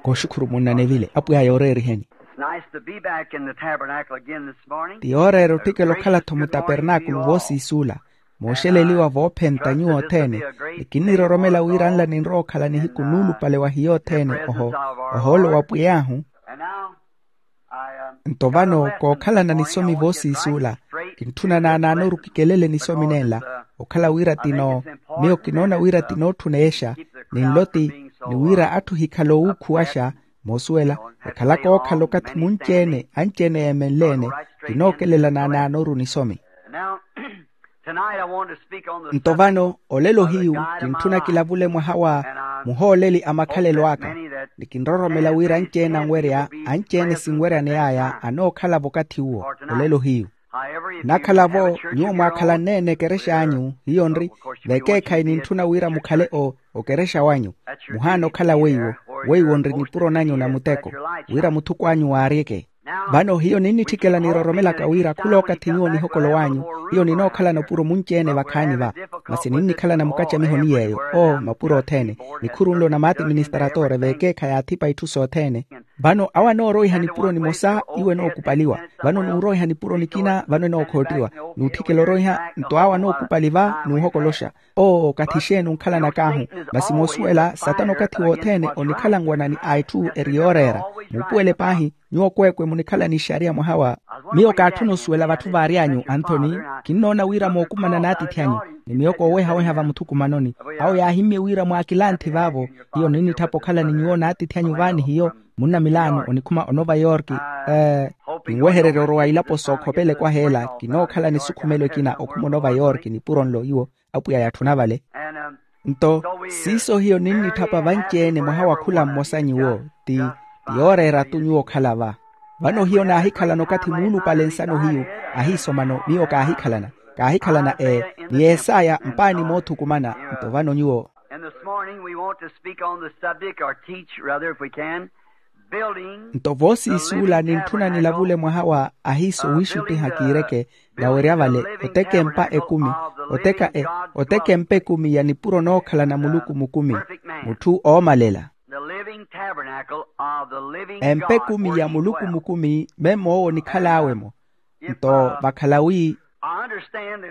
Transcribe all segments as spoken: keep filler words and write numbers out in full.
Kooxukhuru munna nevile apwiya yooreeriheni. Ti yooreera otthikela okhala-tho mutapernaakulu voosiisuula mooxeleliwa voophenta nyuwo othene. Ni kinniroromela wira nla ninrowa okhala nihiku nuulupale wa hiyo othene ohoolo wa pwiy'ahu. Nto vano kookhalana nisomi voosiisuula kintthuna naanaanoru kikelele nisomi nenla. Okhala wira tino miyo kinoona wira tinootthuna exa ni nloti ni wira atthu ohikhala oowuukhuwaxa moosuwela ekhala kookhala okathi munci-ene anci-ene yeemenle-ene kinookelela naanaanoru nisomi. Nto vano olelo hiyu kintthuna kilavule mwaha wa muhooleli a makhalelo aka ni kinroromela wira anci-ene anwerya anci-ene sinweryaney'aya anookhala vakathi uwo. Olelo hiyu nnakhala-vo nyuwo mwaakhalanne-ene ekerex'anyu hiyo nri vekeekhayi nintthuna wira mukhale okerexa wanyu. Muhaana okhala weiwo weiwo nri nipuro nanyu na muteko wira muthukw'anyu waaryeke. Vano hiyo ninnitthikela niroromelaka wira khulookathi nyuwo nihokolo w'anyu hiyo ninookhalana opuro munci-ene vakhaani va masi ninnikhalana mukacamiho ni yeeyo oo mapuro othene nikhuru nlo na maatiministaratore veekeekha yaathipa itthu sothene. Vano awo anooroiha nipuro nimosa iwo enookupaliwa vano nuuroiha nipuro nikina vano enookhoottiwa nuutthikela oroiha nto awo anookupali va nuuhokoloxa. Oo okathi xeeni onkhalanak'ahu masi moosuwela satana okathi wothene onikhalanwanani a itthu eri yooreera. Muupuwele paahi nyuwo kweekwe munikhala ni ixariya mwaha wa miyo kaatthuna osuwela vatthu vaary'anyu anthoni kinnoona wira mookumana n'atiithi anyu ni miyo koowehaweha vamuthukumanoni awo yaahimmye wira mwaakilanthi vaavo hiyo ninnitthapa okhala ni nyuwo n'atiithi anyu vaani hiyo munna milaano onikhuma onova yorki. Kinwehererya orowa ilapo sookhopelekwa heela kinookhala ni sukhumelo ekina okhuma onova yorki nipuro nlo iwo apwiya yatthuna vale. Nto siiso hiyo ninnitthapa vanci-ene mwaha wa khula mmosa nyuwo ti yooreera-tu nyuwo okhala va. Vano hiyo naahikhalana okathi muulupale nsano hiyu ahiisomano miyo kaahikhalana kaahikhalana ee ni yeesaya mpaani moothukumana. Nto vano nyuwo nto voosiisuula nintthuna nilavule mwaha wa ahiiso wiixuttiha kiireke nawerya vale oteka empa ekumi oteka e oteka empa ekumi ya nipuro nookhalana muluku mukumi mutthu oomalela. Empa ekumi ya muluku mukumi memmo owo onikhal'awe-mo. Nto vakhala wi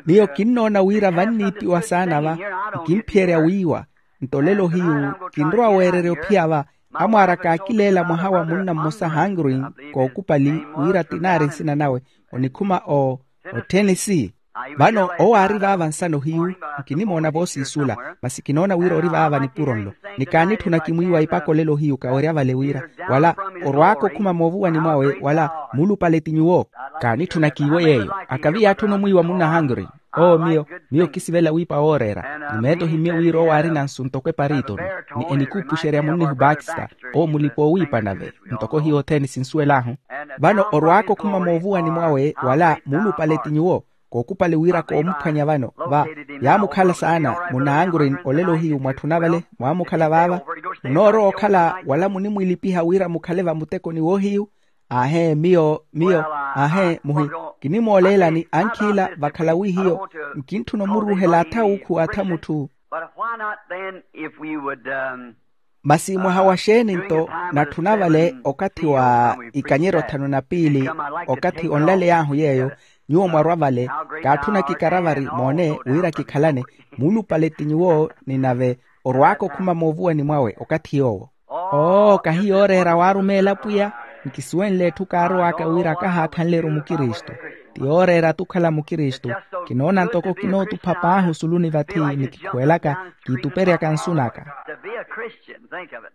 miyo kinnoona wira vanniipiwa saana va nkinphiyerya wiiwa. Nto olelo hiyu kinrowa weererya ophiya va amwaara kaakileela mwaha wa munna mmosa hangrin kookupali wira tinaari nsina nawe onikhuma o othenisi. Vano owo aari vaava nsano hiyu nkinimoona voosiisuula masi kinoona wira ori vaava nipuro nlo ni kaanitthuna kimwiiwa ipaka olelo hiyu kawerya vale wira wala orwaaka okhuma moovuwani mwawe wala muulupale ti nyuwo. Kaanitthuna kiiwo yeeyo akavi yaatthuna omwiiwa munna hangrin. Oo miyo miyo kisivela wiipa wooreera ni meetto himmye wira owo aarina nsu ntoko epariitoni ni enikuupuxerya munnihu bakista owo mulipa oowiipa nave ntoko hiyo othene sinsuwel'ahu. Vano orwaaka okhuma moovuwani mwawe wala muulupale ti nyuwo kookupale wira koomuphwanya vano va yaamukhala saana munna hangrin olelo hiyu mwatthuna vale mwaamukhala vaava munoorowa okhala wala munimwilipiha wira mukhale vamutekoni woohiyu. Aahee miyo miyo aahee muhi kinimooleelani ankhiila vakhala wi hiyo nkintthuna omuruuhela atha wuukhu atha mutthu. Masi mwaha wa xeeni nto natthuna vale okathi wa ikanyeryo thanu na piili okathi onlaley'ahu yeeyo nyuwo mwarwa vale kaatthuna kikaravari moone wira kikhalane muulupale ti nyuwo ni nave orwaaka okhuma moovuwani mwawe okathi yoowo. Oo kahi yooreera waarumeela pwiya nkisuwenle etthu kaarowaaka wira kahaakhanle-ru mukristu ti yooreera-tu okhala mukristu. Kinoona ntoko kinootupha paahi osuluni vathi ni kikhuwelaka kiituperyaka nsu naka.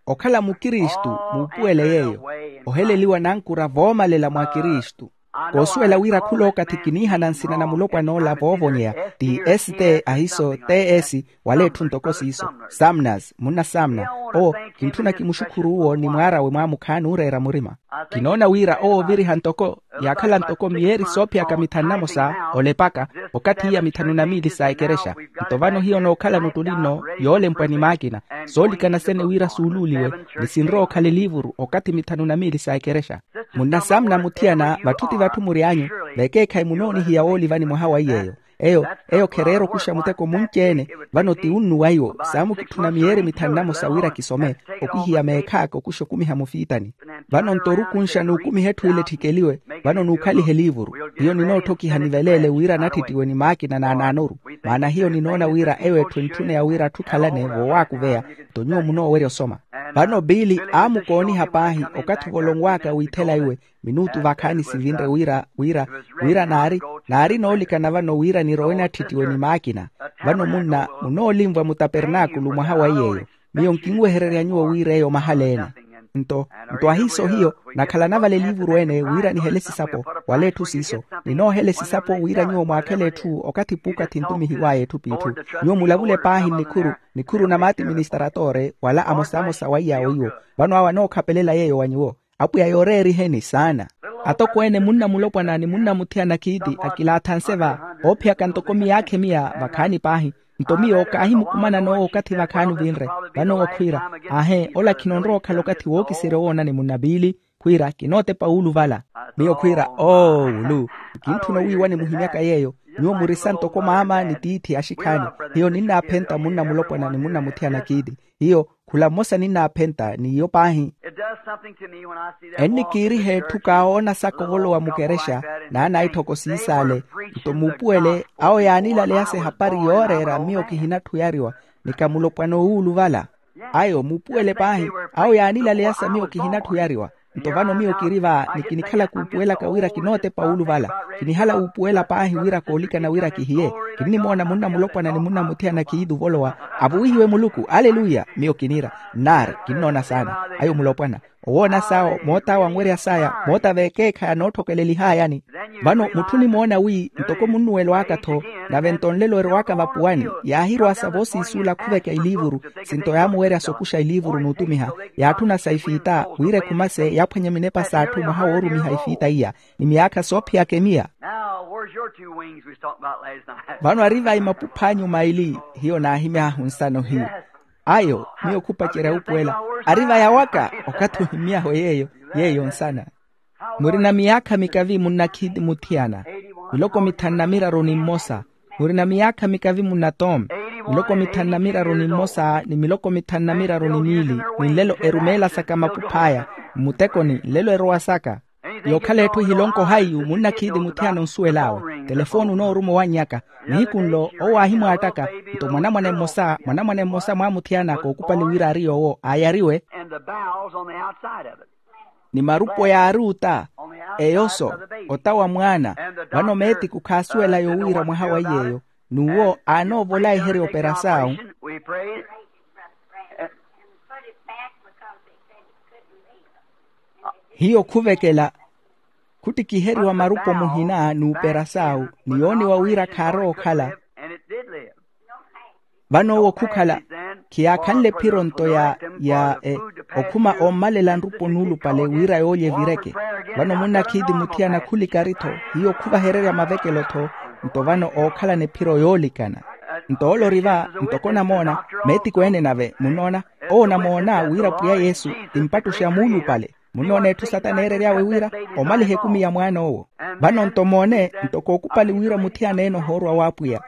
Okhala mukristu muupuwele yeeyo oheleliwa nankura voomalela mwa kristu. Koosuwela wira khulookathi kiniihana nsina na mulopwan'ola voovonyeya ti st ahiso ts wala etthu ntoko siiso samnas munna samna. Oo kintthuna kimuxukhuru'uwo ni mwaar'awe mwaamukha n'ureera murima. Kinoona wira owo oviriha ntoko yaakhala ntoko miyeeri soophiyaka mithanu namosa olepaka okathi iya mithanu na miili sa ekerexa. Nto vano hiyo nookhalana ottuli nno yoolempwa ni maakina soolikana sene wira suuluuliwe ni sinrowa okhala eliivuru okathi mithanu na miili sa ekerexa. Munnasaamuna muthiyana vatthu ti vatthu mury'anyu vekeekhayi munoonihiya woolivani mwaha wa iy'eyo. Eyo eyo khereera okuxa muteko munci-ene. Vano ti unnu wa iwo saamukitthuna miyeeri mithanu namosa wira kisome, okwihiya meekhaaka okuxa okumiha mufiitani. Vano nto orukunxa n'ukumiha etthu ile etthikeliwe. Vano n'ukhalihe eliivuru. Hiyo ninoottokiha niveleele wira natthittiwe ni maakina naanaanoru. Maana hiyo ninoona wira eyo etthu entthuneya wira atthu khalane voowaakuveya. Nto nyuwo munoowerya osoma. Vano biili aamukooniha paahi okathi ovolonwaaka wiithela iwe minuutu vakhaani sivinre wira wira wira naari naari noolikana vano wira nirowe natthittiwe ni maakina. Vano munna munoolinvwa mutapernaakulu mwaha wa iyeeyo. Miyo nkinwehererya nyuwo wira eyo mahala-ene. Nto nto ahiiso hiyo nakhalana vale eliivuru ene wira nihele esisapo wala etthu siiso. Ninoohela esisapo wira nyuwo mwaakhele etthu okathi puukathi ntumihiw'aya etthu p'itthu. Nyuwo mulavule paahi nnikhuru nikhuru na maati ministaratoore wala amosamosa wa iyaawo iwo. Vano awo anookhapelela yeeyo wa nyuwo. Apwiya yooreeriheni saana. Atokweene munna mulopwana ni munna muthiyana khiiti akilaathanse va oophiyaka ntoko miyaakha emiya vakhaani paahi. Nto miyo kaahimukumana n'owo okathi vakhaani vinre. Vano owo khwiira, aahe ola khino onrowa okhala okathi wookiserya owoonani munna biili. Khwiira kinootepa wuuluvala. Miyo khwiira oowulu. Nkintthuna owiiwani muhimyaka yeeyo. Nyuwo murisa ntoko maama ni tiithi axikhaani. Hiyo ninnaaphenta munna mulopwana ni munna muthiyana kiiti. Hiyo khula mmosa ninnaaphenta n'iyo paahi. Ennikiiriha etthu kaawoona saka ovolowa mukerexa naanaitthoko siisaale. Nto muupuwele awo yaanilaleyasa ehapari yooreera miyo kihinatthu oyariwa. Ni kamulopwana owuuluvala. Ayo muupuwele paahi. Awo yaanilaleyasa miyo kihinatthu oyariwa. Nto vano miyo kiri va ni kinikhala kuupuwelaka wira kinootepa wuuluvala. Kinihala wuupuwela paahi wira koolikana wira kihiye. Kinnimoona munna mulopwana ni munna muthiyana khiitu ovolowa. Avuwihiwe muluku aleluya. Miyo kiniira nnaari kinnoona saana. Ayo mulopwana owoona sawo moota awo anwerya saya moota veekeekha yanootthokeleleihaayani. Vano mutthu onimoona wi ntoko munnuwelwaaka-tho. Nave nto nlelo erowaka vapuwani yaahirowasa voosiisuula khuveka eliivuru. Sinto yaamuwerya sokuxa eliivuru n'utumiha yaatthuna sa ifiita wira ekhumase yaaphwanya minepa s'atthu mwaha woorumiha ifiita iya ni miyaakha soophiyaka emiya. Now where's your two wings we was talking about last night? Vano ari vai mapupha anyu maili? Hiyo naahimy'ahu nsano hiyo. Ayo miyo khupacerya wuupuwela ari vai awaka. Okathi ohimy'ahu yeeyo yeeyo nsana. Murina miyaakha mikavi munnakhiiti muthiyana miloko mithanu na miraru ni mmosa. Murina miyaakha mikavi munnatom miloko mithanu na miraru ni mmosa ni miloko mithanu na miraru ni miili. Ni nlelo erumeelasaka mapuph'aya mmutekoni nlelo erowasaka. Yookhala etthu ehilonko hayi munnakhiiti muthiyana onsuwel'awe telefooni onooruma owannyaka. Nihiku nlo owo aahimwaattaka nto mwanamwane mmosa mwanamwane mmosa mwaamuthiyana kookupali wira ari yoowo aayariwe. And the bowels on the outside of it. Ni marupo yaari ota eyoso ota wa mwaana. Vano meetiku khaasuwela yowiira mwaha wa iyeeyo n'uwo aanoovola eherya operasaawu. We prayed. Hiyo khuvekela khuttikiheriwa marupo muhina n'uperasaawu ni yooniwa wira khaarowa okhala. And it did live. Vano owo khukhala khiyaakhanle ephiro nto ya ya okhuma ommalela nrupo nuulupale wira yoolya evireke. Vano munnakhiiti muthiyana khulikari-tho hiyo khuvahererya mavekelo-tho. Nto vano ookhalana ephiro yoolikana. Nto ole ori va ntoko onamoona meetiku ene nave munnoona owo onamoona wira pwiya yesu ti mpattuxe a muulupale. Munnoona etthu satana eerery'awe wira omaliha ekumi ya mwaan'owo. Vano nto moone nto kookupali wira muthiyana ene ohoorwa w'apwiya.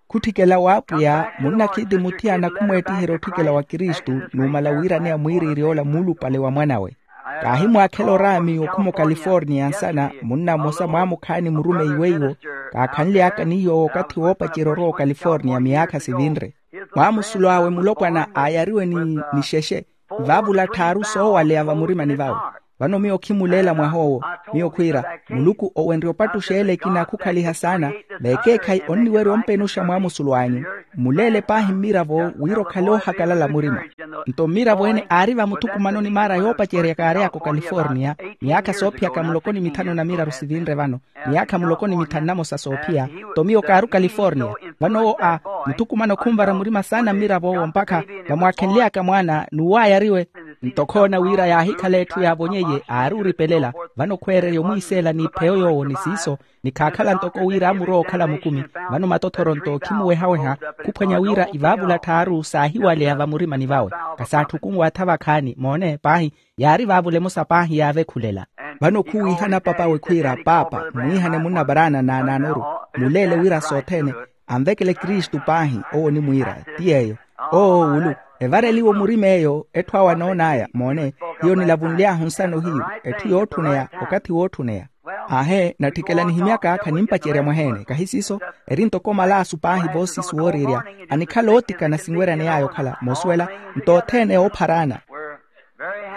Khutthikela w'apwiya munnakhiiti muthiyana khumweettiherya otthikela wa kristu numala wiiraneya mwiiriirya ola muulupale wa mwan'awe. Kaahimwaakhela oraami okhuma okaliforniya nsana munna mmosa mwaamukhaani murumeiwe iwo. Kaakhanly'aka ni yoowo okathi woopacerya orowa okaliforniya miyaakha sivinre. Mwaamusulo awe mulopwana aayariwe ni nixexe vaavula tthaaru soowaleya vamurimani vawe. Vano miyo khimuleela mwah'owo. Miyo khwiira muluku owenrye opattuxa ele ekina khukhaliha saana. Veekeekhayi onniwerya ompenuxa mwaamusulo anyu mmuleele paahi mmiravo wira okhale oohakalala murima. Nto mmiravo ene aari vamuthukumanoni maara yoopacerya kaary'aka okaliforniya miyaakha soophiyaka muloko ni mithanu na miraru sivinre vano. Miyaakha muloko ni mithanu namosa soophiya. Nto miyo kaari okaliforniya. Vano owo a muthukumano khunvara murima saana mmirav'owo mpakha vamwaakhenly'aka mwaana n'uwo aayariwe. Nto khoona wira yaahikhala etthu yaavonyeiye aari oripelela. Vano khweererya omwiiseela n'ipheyo yoowo ni siiso ni khaakhala ntoko wira aamurowa okhala mukumi. Vano matothoro nto khimuwehaweha khuphwanya wira ivaavula tthaaru saahiwaleya vamurimani vawe. Khasaatthukumuwa-tha vakhaani moone paahi. Yaari vaavula emosa paahi yaavekhulela. Vano khuwiihana papawe khwiira paapa mwiihane munna paraana naanaanoru muleele wira sothene. anvekele kristu paahi. Owo onimwiira ti yeeyo. Owo owulu evareliwe murima eyo etthu awo anoon'aya moone. Hiyo nilavunly'ahu nsano hiyu etthu yootthuneya okathi wootthuneya. Aahe natthikela nihimyaka khanimpacerya mwaheene kahi siiso. Eri ntoko malaasu paahi voosiisi wooriirya anikhala ootikana sinweraney'aya okhala moosuwela nto othene oopharaana.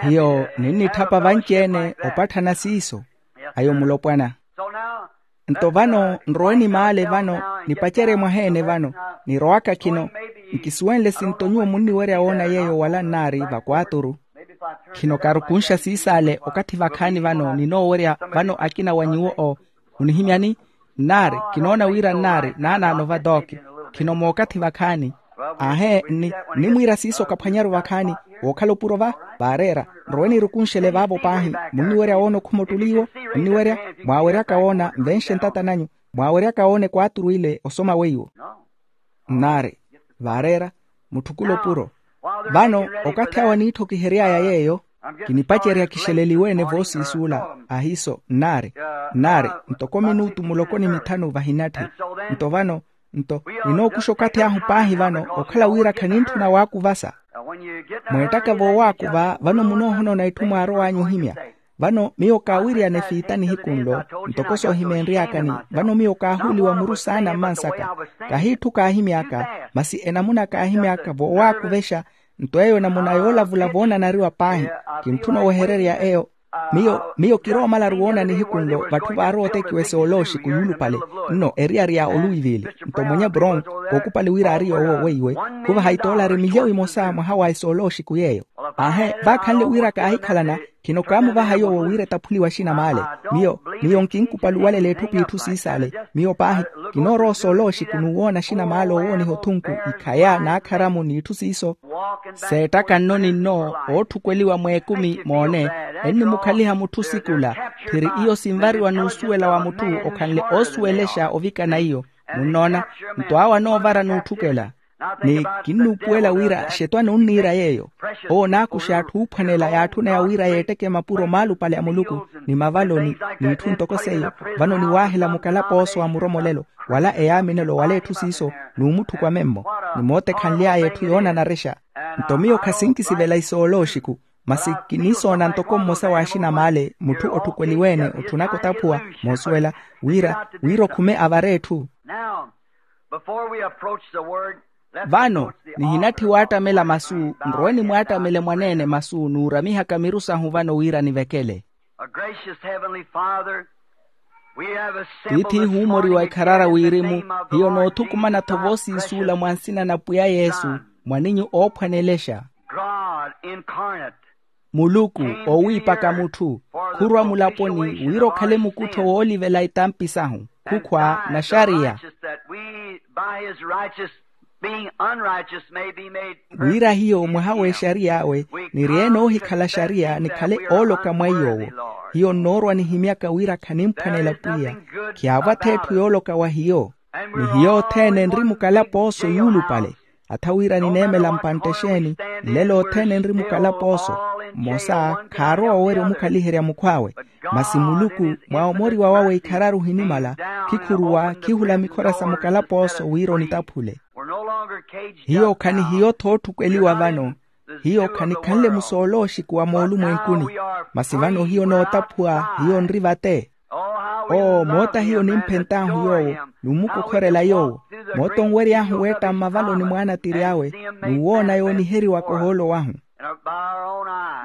Hiyo ninnitthapa vanci-ene opatthana siiso. Ayo mulopwana. Nto vano nrowe ni maale vano nipacerye mwaheene vano nirowaka khino. Nkisuwenle sinto nyuwo munniwerya woona yeeyo wala nnaari vakwaaturu. Khino kaarukunxa siisaale okathi vakhaani vano ninoowerya vano akina wa nyuwo o munihimyani. Nnaari kinoona wira nnaari naanaano vatooki khino mookathi vakhaani. Aahe nnimwiira siiso kaphwanyaru vakhaani wookhala opuro va vaareera. Nrowe nirukunxele vaavo paahi munniwerya woona okhuma ottuli iwo munniwerya mwaaweryaka woona nvenxe ntata nanyu mwaaweryaka woona ekwaaturu ile osoma weiwo. Nnaari vaareera mutthukula opuro. Vano okathi awo aniitthokihery'aya yeeyo kinipacerya kixeleliwe-ene voosiisi ula. Ahiiso nnaari nnaari ntoko minutu muloko ni mithanu vahinatthi. Nto vano nto ninookuxa okathi ahu paahi vano okhala wira khanintthuna waakuvasa. Mweettaka voowaakuva vano munoohonoona itthu mwaarow'anyu ohimya. Vano miyo kaawiriyana efiita nihiku nlo ntoko soohimeenry'akani. Vano miyo kaahuuliwa muru saana mmansaka kahiitthu kaahimy'aka masi enamuna kaahimy'aka voowaakuvexa. Nto eyo enamuna yoolavula voonanariwa paahi kintthuna owehererya eyo. Miyo miyo kiroomalaru woona nihiku nlo vatthu vaarowa otekiwa esoolooxiku yuulupale nno eriyari ya oluwivili. Nto mwenye brown kookupali wira ari yoowo weiwe khuvaha itoolari milyawi emosa mwaha wa esoolooxiku yeeyo. Aahe vaakhanle wira kaahikhalana khino kaamuvaha yoowo wira etaphuliwe axina maale. Miyo miyo nkinkupaluwalela etthu p'itthu siisaale. Miyo paahi kinoorowa osoolooxiku n'uwoona axina maale oowooniha othunku ikhaya n'akharamu n'itthu siiso. Seettaka nno ni nno ootthukweliwa mweekumi moone ennimukhaliha mutthu sikula. Phiri iyo sinvariwa n'usuwela wa mutthu okhanle oosuwelexa ovikana iyo. Munnoona nto awo anoovara n'utthukela. Ni kinnuupuwela wira xetwani onniira yeeyo. Owo onaakuxa atthu oophwanela yaatthuneya wira yeetteke mapuro maalupale a muluku ni mavaloni n'itthu ntoko seiyo. Vano niwaahela mukalapooso wa muromolelo wala eyaaminelo wala etthu siiso n'umutthukwa memmo. Ni mootekhanly'aya etthu yoonanarexa. Nto miyo khasinkisivela isoolooxiku masi kinisoona ntoko mmosa w'axina maale mutthu otthukweliwe-ene otthunaka otaphuwa moosuwela wira wira okhume avare etthu. Vano nihinatthi waattamela masu nrowe nimwaattamele mwaneene masu n'uramihaka miru sahu vano wira nivekele. Tiithi ihuumoriwa ikharara wirimu hiyo noothukumana-tho voosiisuula mwa nsina na pwiya yesu mwaninyu oophwanelexa. Muluku oowiipaka mutthu khurwa mulaponi wira okhale mukuttho woolivela itampi sahu khukhwa na xariya. Wira hiyo mwaha w'exariy'awe nirye noohikhala xariya nikhale ooloka mwa iy'owo. Hiyo nnoorwa nihimyaka wira khanimphwanela pwiya khiyaavwa-tho etthu yooloka wa hiyo. Ni hiyo othene nri mukalapooso yuulupale. Atha wira nineemela mpantte exeeni nlelo othene nri mukalapooso. Mmosa khaarowa owerya omukhaliherya mukhw'awe. Masi muluku mwa omoriwa wawe ikhararu ohinimala khikhuruwa khihula mikhora sa mukalapooso wira onitaphule. Hiyo khanihiyo-tho otthukweliwa vano. Hiyo khanikhanle musoolooxiku wa moolumwenkuni. Masi vano hiyo nootaphuwa hiyo nri vate. Oo moota hiyo nimphent'ahu yoowo n'umukokhorela yoowo. Moota onwery'ahu weetta mmavaloni mwaanatiri awe n'uwoona yooniheriwaka ohoolo wahu.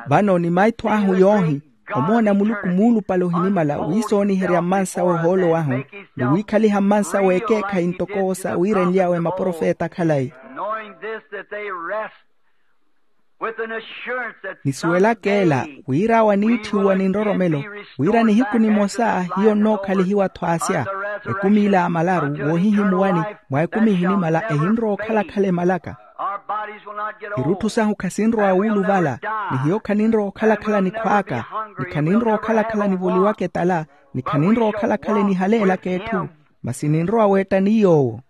Vano ni maitho ahu yoohi omoona muluku muulupale ohinimala wiisooniherya mmansawe ohoolo wahu ni wiikhaliha mmansawe ekeekhayi ntoko sa wiirenly'awe maprofeta khalayi. Nisuwelaka ela wira awo aniitthiwa ni nroromelo wira nihiku nimosa hiyo nnookhalihiwa-tho asya. Ekumi ila amalaru woohihimuwani mwa ekumi ihinimala ehinrowa okhala-khala emalaka. Irutthu sahu khasinrowa wuuluvala ni hiyo khaninrowa okhala-khala nikhw'aka ni khaninrowa okhala-khala nivoliwaka etala ni khaninrowa okhala-khala enihaleelaka etthu. Masi ninrowa weetta ni yoowo.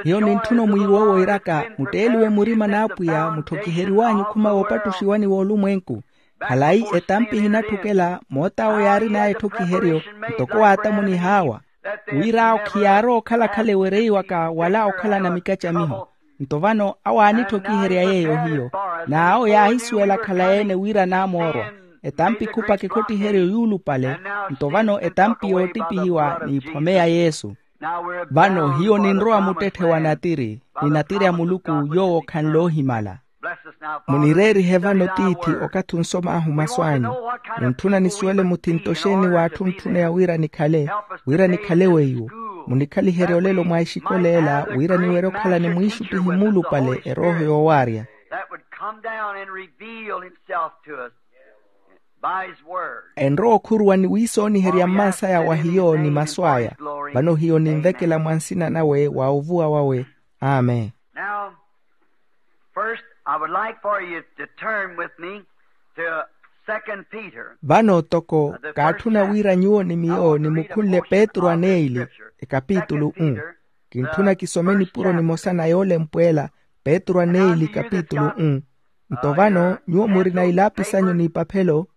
Hiyo nintthuna omwiiwa owo iiraka mutteeliwe murima n'apwiya mutthokiheriw'anyu okhuma woopattuxiwani w'olumwenku. Khalayi etampi ehinatthukela moot'awo yaarin'aya etthokiheryo ntoko waatamunih'awa. Wira awo khiyaarowa okhala khale ewereiwaka wala okhalana mikacamiho. Nto vano awo aanitthokiherya yeeyo hiyo, n'awo yaahisuwela khalayi-ene wira anaamoorwa. Etampi khupaka ekhottiheryo yuulupale. Nto vano etampi yoottipihiwa n'iphome ya yesu. Vano hiyo ninrowa muttetthe wa natiri, ni natiri a muluku yoowo khanle ohimala. Munireerihe vano tiithi, okathi onsom'ahu masu anyu. Muntthuna nisuwele muthinto xeeni w'atthu ontthuneya wira nikhale, wira nikhale weiwo. Munikhaliherye olelo mwa exikola ela wira niwerye okhala ni mwiixuttihi muulupale erooho yoowaarya. That would come down and reveal himself to us by his word. Enrowa okhuruwa ni wiisooniherya mmansaya wa hiyo ni masu aya. Vano hiyo ninvekela mwa nsina nawe wa ovuwa wawe. Amen. Now, first, I would like for you to turn with me to Second Peter. Vano toko kaatthuna wira nyuwo ni miyo nimukhunle petru aneili, ekapitulu u. Kintthuna kisome nipuro nimosa na yoolempwela, petru aneili kapitulu u. Nto vano nyuwo murina ilaapi sanyu n'ipaphelo.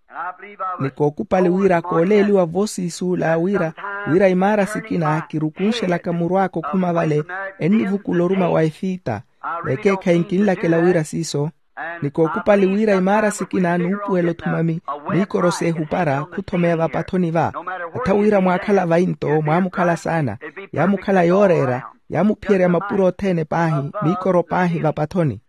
Ni kookupali wira kooleeliwa voosiisuula wira, wira imaara sikina kirukunxelaka muru aka okhuma vale, ennivukula oruma wa efita. Vekeekhayi nkinlakela wira siiso. Ni kookupali wira imaara sikina nuupuwela othumami, miikoro s'ehupara khuthomeya vapathoni va. Atha wira mwaakhala vai nto mwaamukhala saana, yaamukhala yooreera, yaamuphiyerya mapuro othene paahi miikoro paahi vapathoni.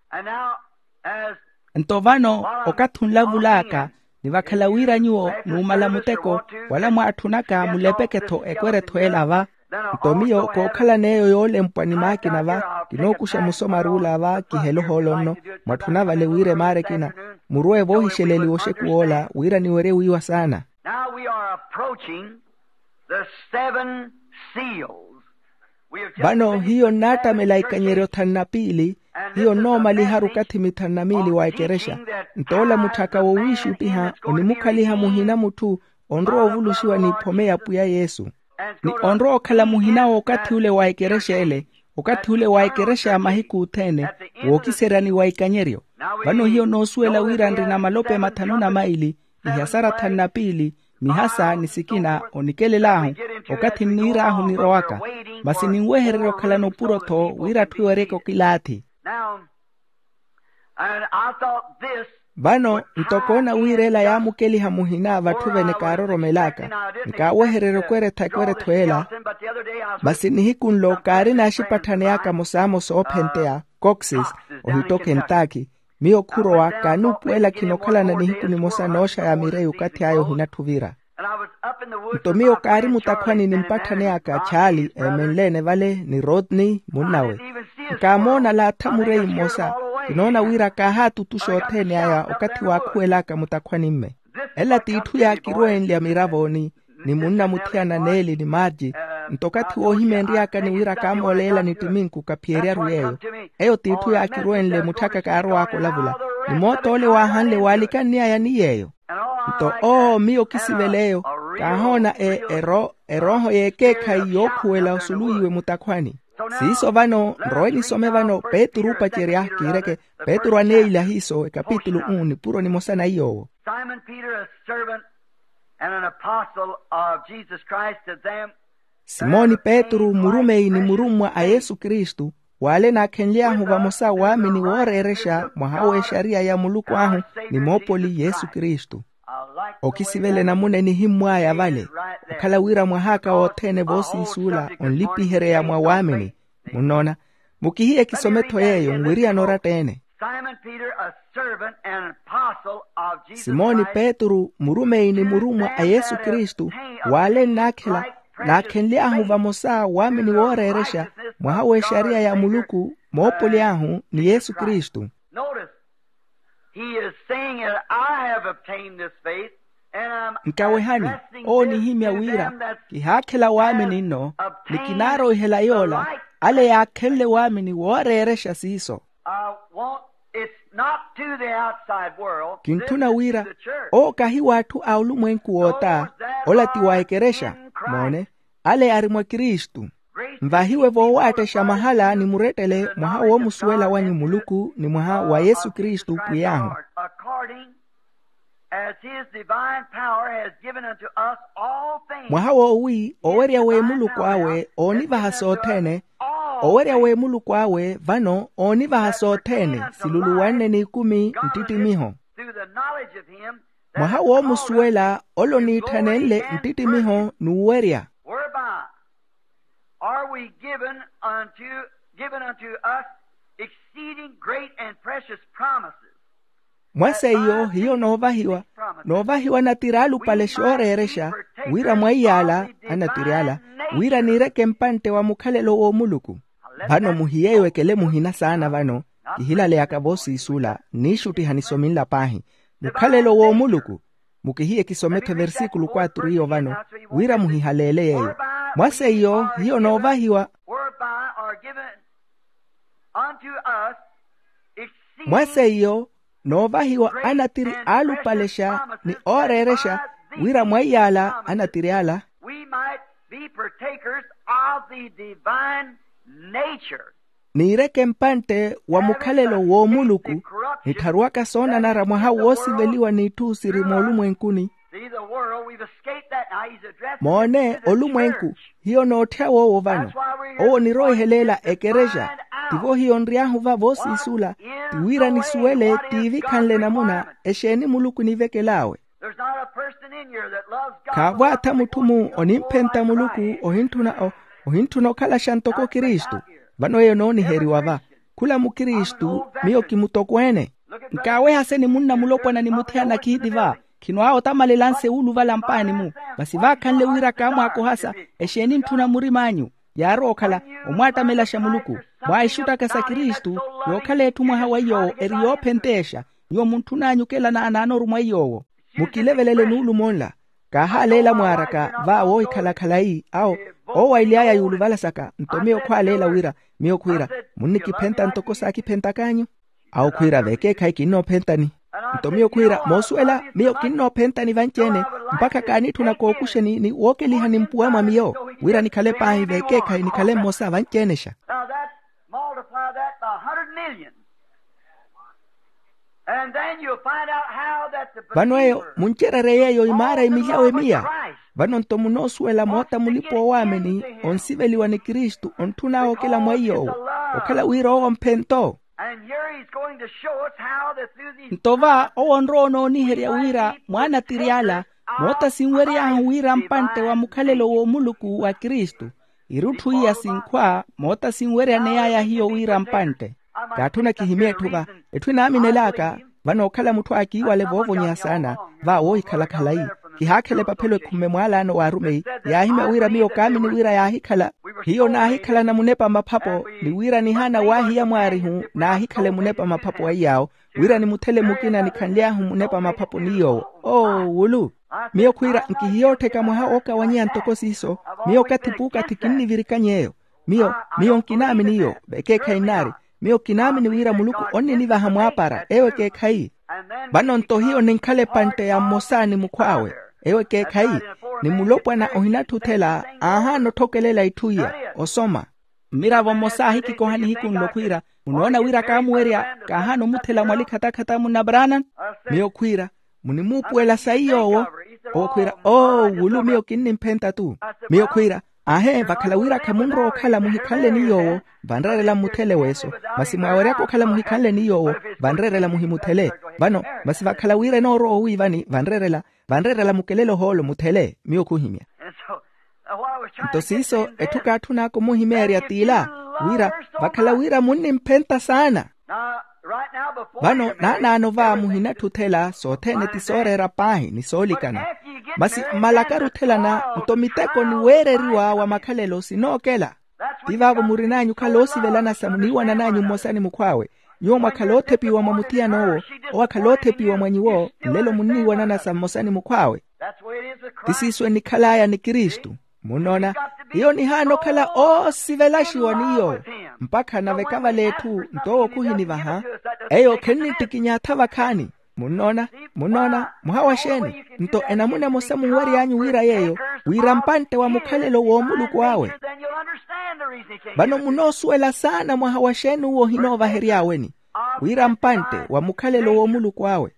Nto vano, okathi onlavul'aka, ni vakhala wira nyuwo numala muteko, wala mwaatthunaka mulepeke-tho ekweretho ela va. Nto miyo kookhalan'eyo yoolempwa ni maakina va, kinookuxa musomar'ula va kihela ohoolo nno. Mwatthuna vale wira emaara ekina, muruwe voohixeleliwa oxekuw'ola wira niwerye wiiwa saana. Now we are approaching the seven seals. Vano hiyo nnaattamela ikanyeryo thanu na piili. Hiyo nnoomaliharu okathi mithanu na miili wa ekerexa. Nto ola mutth'aka woowiixuttiha onimukhaliha muhina mutthu onrowa ovuluxiwa n'iphome ya pwiya yesu. Ni onrowa okhala muhina w'okathi ule wa ekerexa ele, okathi ule wa ekerexa ya mahiku othene, wookiseryani wa ikanyeryo. Vano hiyo noosuwela wira nrina malope mathanu na maili, ihasara thanu na piili, mihasa ni sikina onikelel'ahu, okathi nniir'ahu nirowaka. Masi ninwehererya okhalana opuro-tho wira atthu ewaryeke okilaathi. Vano nto koona wira ela yaamukeliha muhina vatthu vene kaaroromel'aka. Nkaawehererya okweretha ekweretho ela. Masi nihiku nlo kaarina axipatthani aka amosaamo soophenteya, coxes, ohitto kentaki. Miyo khurowa kaanuupuwela khinokhalana nihiku nimosa nooxa ya mireyi okathi aya ohinatthu ovira. Nto miyo kaari mutakhwani ni mpatthani aka charlie eemenle-ene vale ni rodney munnawe. Nkaamoona laatha mureyi mmosa. Kinoona wira kaahaatutuxa othene aya okathi waakhuwel'aka mutakhwanimme. Ela t'itthu yaakirweenlya miravo ni ni munna muthiyana neeli ni marji. Nto okathi woohimenry'aka ni wira kaamooleela ni ttiminku kaphiyeryaru yeeyo. Eyo t'itthu yaakirweenle mutth'aka kaarow'aka olavula. Ni moot'ole waahanle waalikanny'aya ni yeeyo. Nto oo miyo kisivele'yo, kaahoona e erooho y'ekeekhayi yookhuwela osuluwiwe mutakhwani. Siiso vano nrowe nisome vano petru oopacerya kiireke. Petru aneila hiiso ekapitulu u nipuro nimosa na iy'owo. Simon Peter, a servant and an apostle of Jesus Christ, to them. Simoni petru murumeyi ni murummwa a yesu kristu, w'ale naakhenly'ahu vamosa waamini wooreerexa mwaha w'exariya ya muluku ahu, ni moopoli yesu kristu. Okisivela enamuna enihimmw'aya vale, okhala wira mwah'aka wothene voosiisuula onlipihereya mwa waamini. Munnoona, mukihiye kisome-tho yeeyo nwiriyana oratta-ene. Simoni peter, a servant and an apostle of Jesus Christ, murumeyi ni murummwa a yesu kristu, w'ale nnaakhela naakhenly'ahu vamosa waamini wooreerexa mwaha w'exariya ya muluku, moopoli ahu ni yesu kristu. Notice, he is saying that I have obtained this faith. Nkawehani, owo onihimya wira kihaakhela waamini nno, ni kinaarowihela yoola ale yaakhenle waamini wooreerexa siiso. Kintthuna wira owo kahi w'atthu a olumwenku woota, ola ti wa ekerexa. Moone, ale ari mwa kristu. Nvahiwe voowaattexxa mahala ni murettele mwaha woomusuwela wanyu muluku ni mwaha wa yesu kristu pwiy'ahu. As his divine power has given unto us all things. Mwaha woowi owerya w'emuluku awe oonivaha sothene. Owerya w'emuluku awe vano oonivaha sothene siluluwanne n'ikumi nttittimiho. Through the knowledge of him that mwaha woomusuwela ole oniitthanenle nttittimiho n'uwerya. Whereby are we given unto, given unto us exceeding great and precious promises. Mwa seiyo hiyo noovahiwa noovahiwa anatir'ala opalexi ooreerexa wira mwa iy'ala anatir'ala wira niireke mpantte wa mukhalelo w'omuluku. Vano muhiyeyo ekele muhina saana vano kihilaleyaka voosiisula nniixuttiha nisominla paahi mukhalelo w'omuluku. Mukihiye kisome-tho eversikulo quatro iyo vano wira muhihaleele yeeyo. Mwa seiyo hiyo noovahiwa whereby are given unto us exceeding mwa seiyo noovahiwa anatiri aalupalexa ni ooreerexa wira mwa iy'ala anatiri ala we might be partakers of the divine nature. Niireke mpantte wa mukhalelo w'omuluku nittharuwaka soonanara mwaha woosiveliwa n'itthu siri moolumwenkuni. See the world, we've escaped that. Now he's addressing moone the olumwenku church. Hiyo nootthya woowo vano owo niroihelela ekerexa. Tivo hiyo nry'ahu va voosiisula ti wira nisuwele tiivikhanle namuna exeeni muluku onivekel'awe. There's not a person in here that loves God. Khaavwaatha mutthu-mu onimphenta muluku ohintthuna o- ohintthuna okhalaxa ntoko kristu. Vano eyo nooniheriwa va khula mukristu miyo kimutokweene. Nkaawehase ni munna mulopwana ni muthiyana khiitti va. Khinwaawotamalelanse wuuluvala mpaani-mu masi vaakhanle wira kaamwaakohasa exeeni ntthuna murim'anyu. Yaarowa okhala omwaattamelaxa muluku mwaahixuttaka sa kristu. Yookhala etthu mwaha wa iy'owo eri yoophenteexa nyuwo muntthun'anyu okela naanaanoru mwa iy'owo. Mukilevelele nuulumo nla. Kaahaleela mwaaraka va woohikhala khalayi awo oowaily'aya yuuluvala saka nto miyo khwaaleela wira miyo khwiira munnikiphenta ntoko saakiphentaka anyu. Awo khwiira vekeekhayi kinnoophentani. Nto miyo khwiira moosuwela miyo kinnoophentani vanci-ene mpakha kaanitthuna kookuxeni ni wookelihani mpuwa mwa miyo wira nikhale paahi vekeekhayi nikhale mmosa vanci-enexa. Now that multiply that by a hundred million. And then you'll find out how that the vano eyo muncererye yeeyo imaara imilyawe miya. Vano nto munoosuwela moota mulipa-oowaamini onsiveliwa ni kristu ontthun'awe okela mwa iy'owo okhala wira owo mphento. And here he's going to show us how that through these nto va owo onrowa onooniherya wira mwaanatiri ala moota sinwery'ahu wira mpantte wa mukhalelo w'omuluku wa kristu. Irutthu iya sinkhwa moota sinweryaney'aya hiyo wira mpantte. Kaatthuna kihimye etthu va etthu enaaminel'aka vano okhala mutthu aakiiwale voovonyeya saana va woohikhala khalayi. Kihaakhela epaphelo ekhumme mwaalaano w'arumeyi yaahimya wira miyo kaamini wira yaahikhala hiyo naahikhalana munepa maphapo ni wira nihaana waahiya mwaarihu naahikhale munepa maphapo wa iy'awo wira nimuthele mukina nikhanly'ahu munepa maphapo ni yoowo. Oo wulu miyo khwiira nkihiyoottheka mwaha ookawanyeya ntoko siiso. Miyo okathi puukathi kinnivirikany'eyo. Miyo miyo nkinaamini iyo vekeekhayi nnaari. Miyo kinaamini wira muluku onninivaha mwaapara eyo ekeekhayi. Vano nto hiyo ninkhala epantte ya mmosa ni mukhw'awe eyo ekeekhayi. Ni mulopwana ohinatthuthela aahaana otthokelela itthu iya osoma. Mmiravo mmosa aahikikoha nihiku nlo khwiira munoona wira kaamuwerya kaahaana omuthela mwalikhatakhataka munna brana. Miyo khwiira munimuupuwela sayi yoowo. Owo khwiira oo wulu miyo kinnimphenta-tu. Miyo khwiira aahe vakhala wira khamunrowa okhala muhikhanle ni yoowo vanreerela mmuthele weeso. Masi mwaaweryaka okhala muhikhanle ni yoowo vanreerela muhimuthele. Vano masi vakhala wira enoorowa owiivani vanreerela vanreerela mukelele ohoolo muthele miyo khuhimya. Nto siiso etthu kaatthun'aka omuhimeerya t'ila wira vakhala wira munnimphenta saana. Vano naanaano va muhinatthuthela sothene ti sooreera paahi ni soolikana. Masi mmalakaru othelana nto miteko niweereriwa wa makhalelo sinookela. Ti vaavo murin'anyu okhala oosivelana sa muniiwanan'anyu mmosa ni mukhw'awe. Nyuwo mwakhala oothepiwa mwa muthiyan'owo owo akhala oothepiwa mwa nyuwo nlelo munniiwanana sa mmosa ni mukhw'awe. Ti siiso enikhal'aya ni kristu. Munnoona hiyo nihaana okhala oosivelaxiwa ni yoowo mpakha nave ekavale etthu nto owo khuhinivaha. Eyo khinniittikiny'atha vakhaani. Munnoona munnoona mwaha wa xeeni? Nto enamuna emosa munwery'anyu wira yeeyo wira mpantte wa mukhalelo w'omuluku awe. Vano munoosuwela saana mwaha wa xeeni uwo ohinoovahery'aweni wira mpantte wa mukhalelo w'omuluku awe.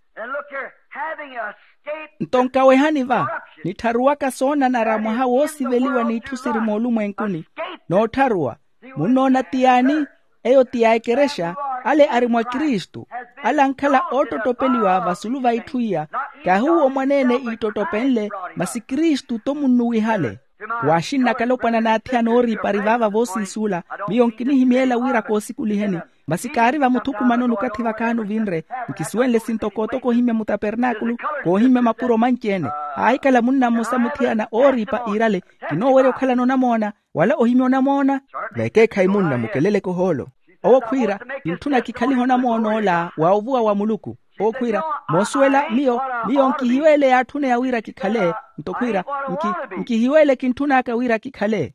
Nto nkawehani va, nittharuwaka soonanara mwaha woosiveliwa n'itthu siri moolumwenkuni. Noottharuwa, munnoona ti yaani? Eyo ti ya ekerexa. Ale ari mwa kristu, ale ankhala oottottopeliwa vasulu va itthu iya. Kahi uwo mwaneene iittottopenle, masi kristu-tho munnuwihale. Waaxinnaka alopwana n'athiyana ooriipa ari vaava voosiisuula. Miyo nkinihimyeela wira koosikuliheni, masi kaari vamuthukumanoni okathi vakaani ovinre. Nkisuwenle sintokotoko ohimya mutapernaakulu, koohimya mapuro manci-ene. Haahikhala munna mmosa muthiyana ooriipa iirale, kinoowerya okhalana onamoona, wala ohimya onamoona. Vekeekhayi munna mukeleleke ohoolo. Owo khwiira, kintthuna kikhalihe onamoon'ola wa ovuwa wa muluku. Owo khwiira, moosuwela miyo, miyo nkihiweele yaatthuneya wira kikhale. Nto khwiira, nki- nkihiweele kintthun'aka wira kikhale.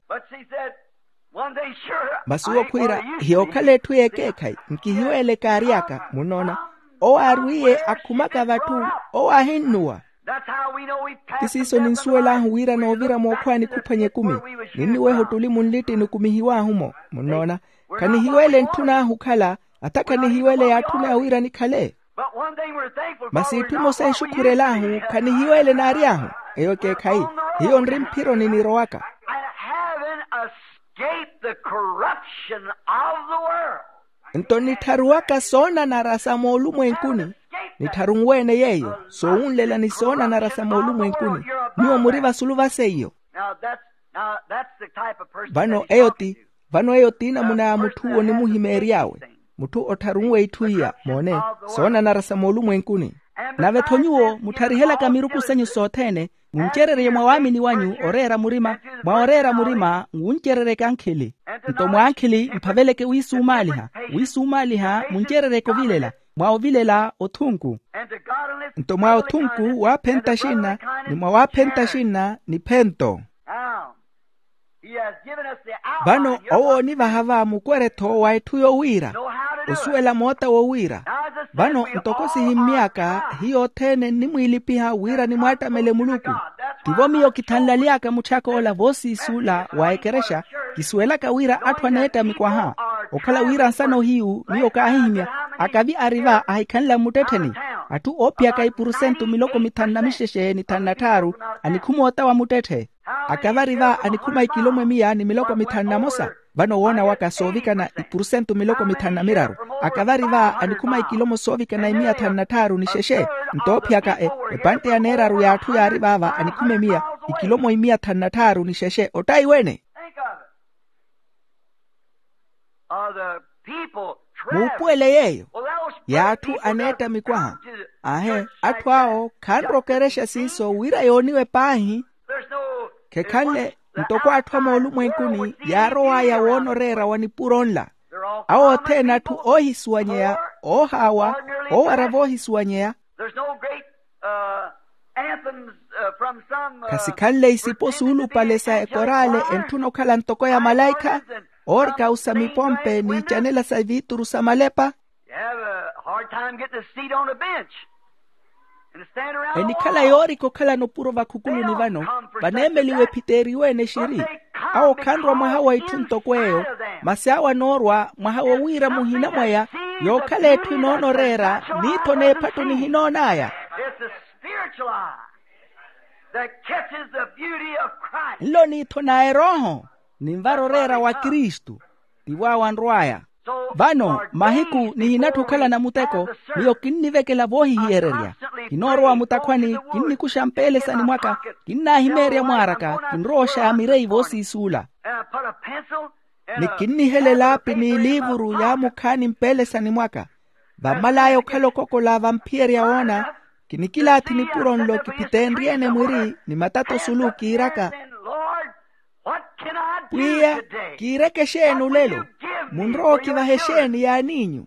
Masi owo khwiira, hiyookhala etthu y'ekeekhayi. Nkihiweele kaary'aka munnoona. Owo aarwiiye akhumaka vatthu, owo aahinnuwa. Ti siiso ninsuwel'ahu wira noovira mookhwaani khuphwanya ekumi, ninniweha ottuli munlitti nikumihiw'ahu-mo. Munnoona, khanihiweele entthun'ahu okhala, atha khanihiweele yaatthuneya wira nikhale. Masi itthu emosa exukhurel'ahu khanihiweele naary'ahu. Eyo ekeekhayi, hiyo nri mphironi nirowaka. Nto nittharuwaka soonanara sa moolumwenkuni, nittharunwe-ene yeeyo, soowunlela ni soonanara sa moolumwenkuni. Nyuwo muri vasulu va seiyo. Vano eyo ti, vano eyo ti namuna ya mutthu owo onimuhimeery'awe, mutthu ottharunwe itthu iya moone, soonanara sa moolumwenkuni. Nave-tho nyuwo muttharihelaka miruku senyu sothene, muncererye mwa waamini wanyu oreera murima, mwa oreera murima nwuncererye ekankhili. Nto mwa ankhili mphaveleke wiisumaaliha, wiisumaaliha muncereryeke ovilela, mwa ovilela othunku. Nto mwa othunku waaphenta xinna, ni mwa waaphenta xinna niphento. Vano owo oonivaha va mukwerya-tho wa etthu yowiira, osuwela moota wowiira. Vano ntoko sihimmy'aka hiyo othene nnimwiilipiha wira nimwaattamele muluku. Tivo miyo kithanlaly'aka mutthyak'ola voosiisuula wa ekerexa. Kisuwelaka wira atthu aneettamikwaha, okhala wira nsana ohiyu miyo kaahihimya, akavi ari va ahikhanla mmuttettheni. Atthu oophiyaka ipurusentu miloko mithanu na mixexe ni thanu na tthaaru, anikhuma ota wa muttetthe. Akavari va anikhuma ikilomo emiya ni miloko mithanu na mosa. Vano woona waka soovikana ipurusentu miloko mithanu na miraru. Akavari va anikhuma ikilomo soovikana imiya thanu na tthaaru ni xexe. Ntoophiyaka epantte ya neeraru y'atthu yaari vaava anikhuma emiya, ikilomo imiya thanu na tthaaru ni xexe ottayi wene. Muupuwele yeeyo, y'atthu aneettamikwaha. Aahe, atthu awo khanrokerexa siiso wira yooniwe paahi. Khekhanle ntoko atthu a moolumwenkuni yaarow'aya woona oreera wa nipuro nla. Awo othene atthu oohisuwanyeya, oohaawa, oowara voohisuwanyeya. Khasikhanle isipo suulupale sa ekoraale entthuna okhala ntoko ya malaikha, oorikausa mipompe n'icanela sa viituru sa malepa. Enikhala yoorika okhalana opuro vakhukuluni vano, vaneemeliwa ephiteeriwe-ene xiri. Awo khanrwa mwaha wa itthu ntoko eyo, masi awo anoorwa mwaha wowiira muhina mwaya, yookhala etthu enoona oreera, ni-tho n'ephatto nihinoon'aya. Nlo ni-tho na erooho, ninvara oreera wa kristu. Tivo awo anrw'aya. Vano mahiku nihinatthi okhalana muteko, miyo kinnivekela voohihiyererya. Kinoorowa mutakhwani, kinnikuxa mpeelesani mwaka, kinnaahimeerya mwaaraka, kinrowa oxaya mireyi voosiisuula. Ni kinnihelela pi n'iliivuru yaamukhaani mpeelesani mwaka. Vammal'aya okhala okokola vamphiyerya woona, kinikilaathi nipuro nlo kiphiteenrye-ene mwiri ni matato sulu kiiraka, pwiya, kiireke exeeni olelo? Munrowa okivaha exeeni yaaniinyu?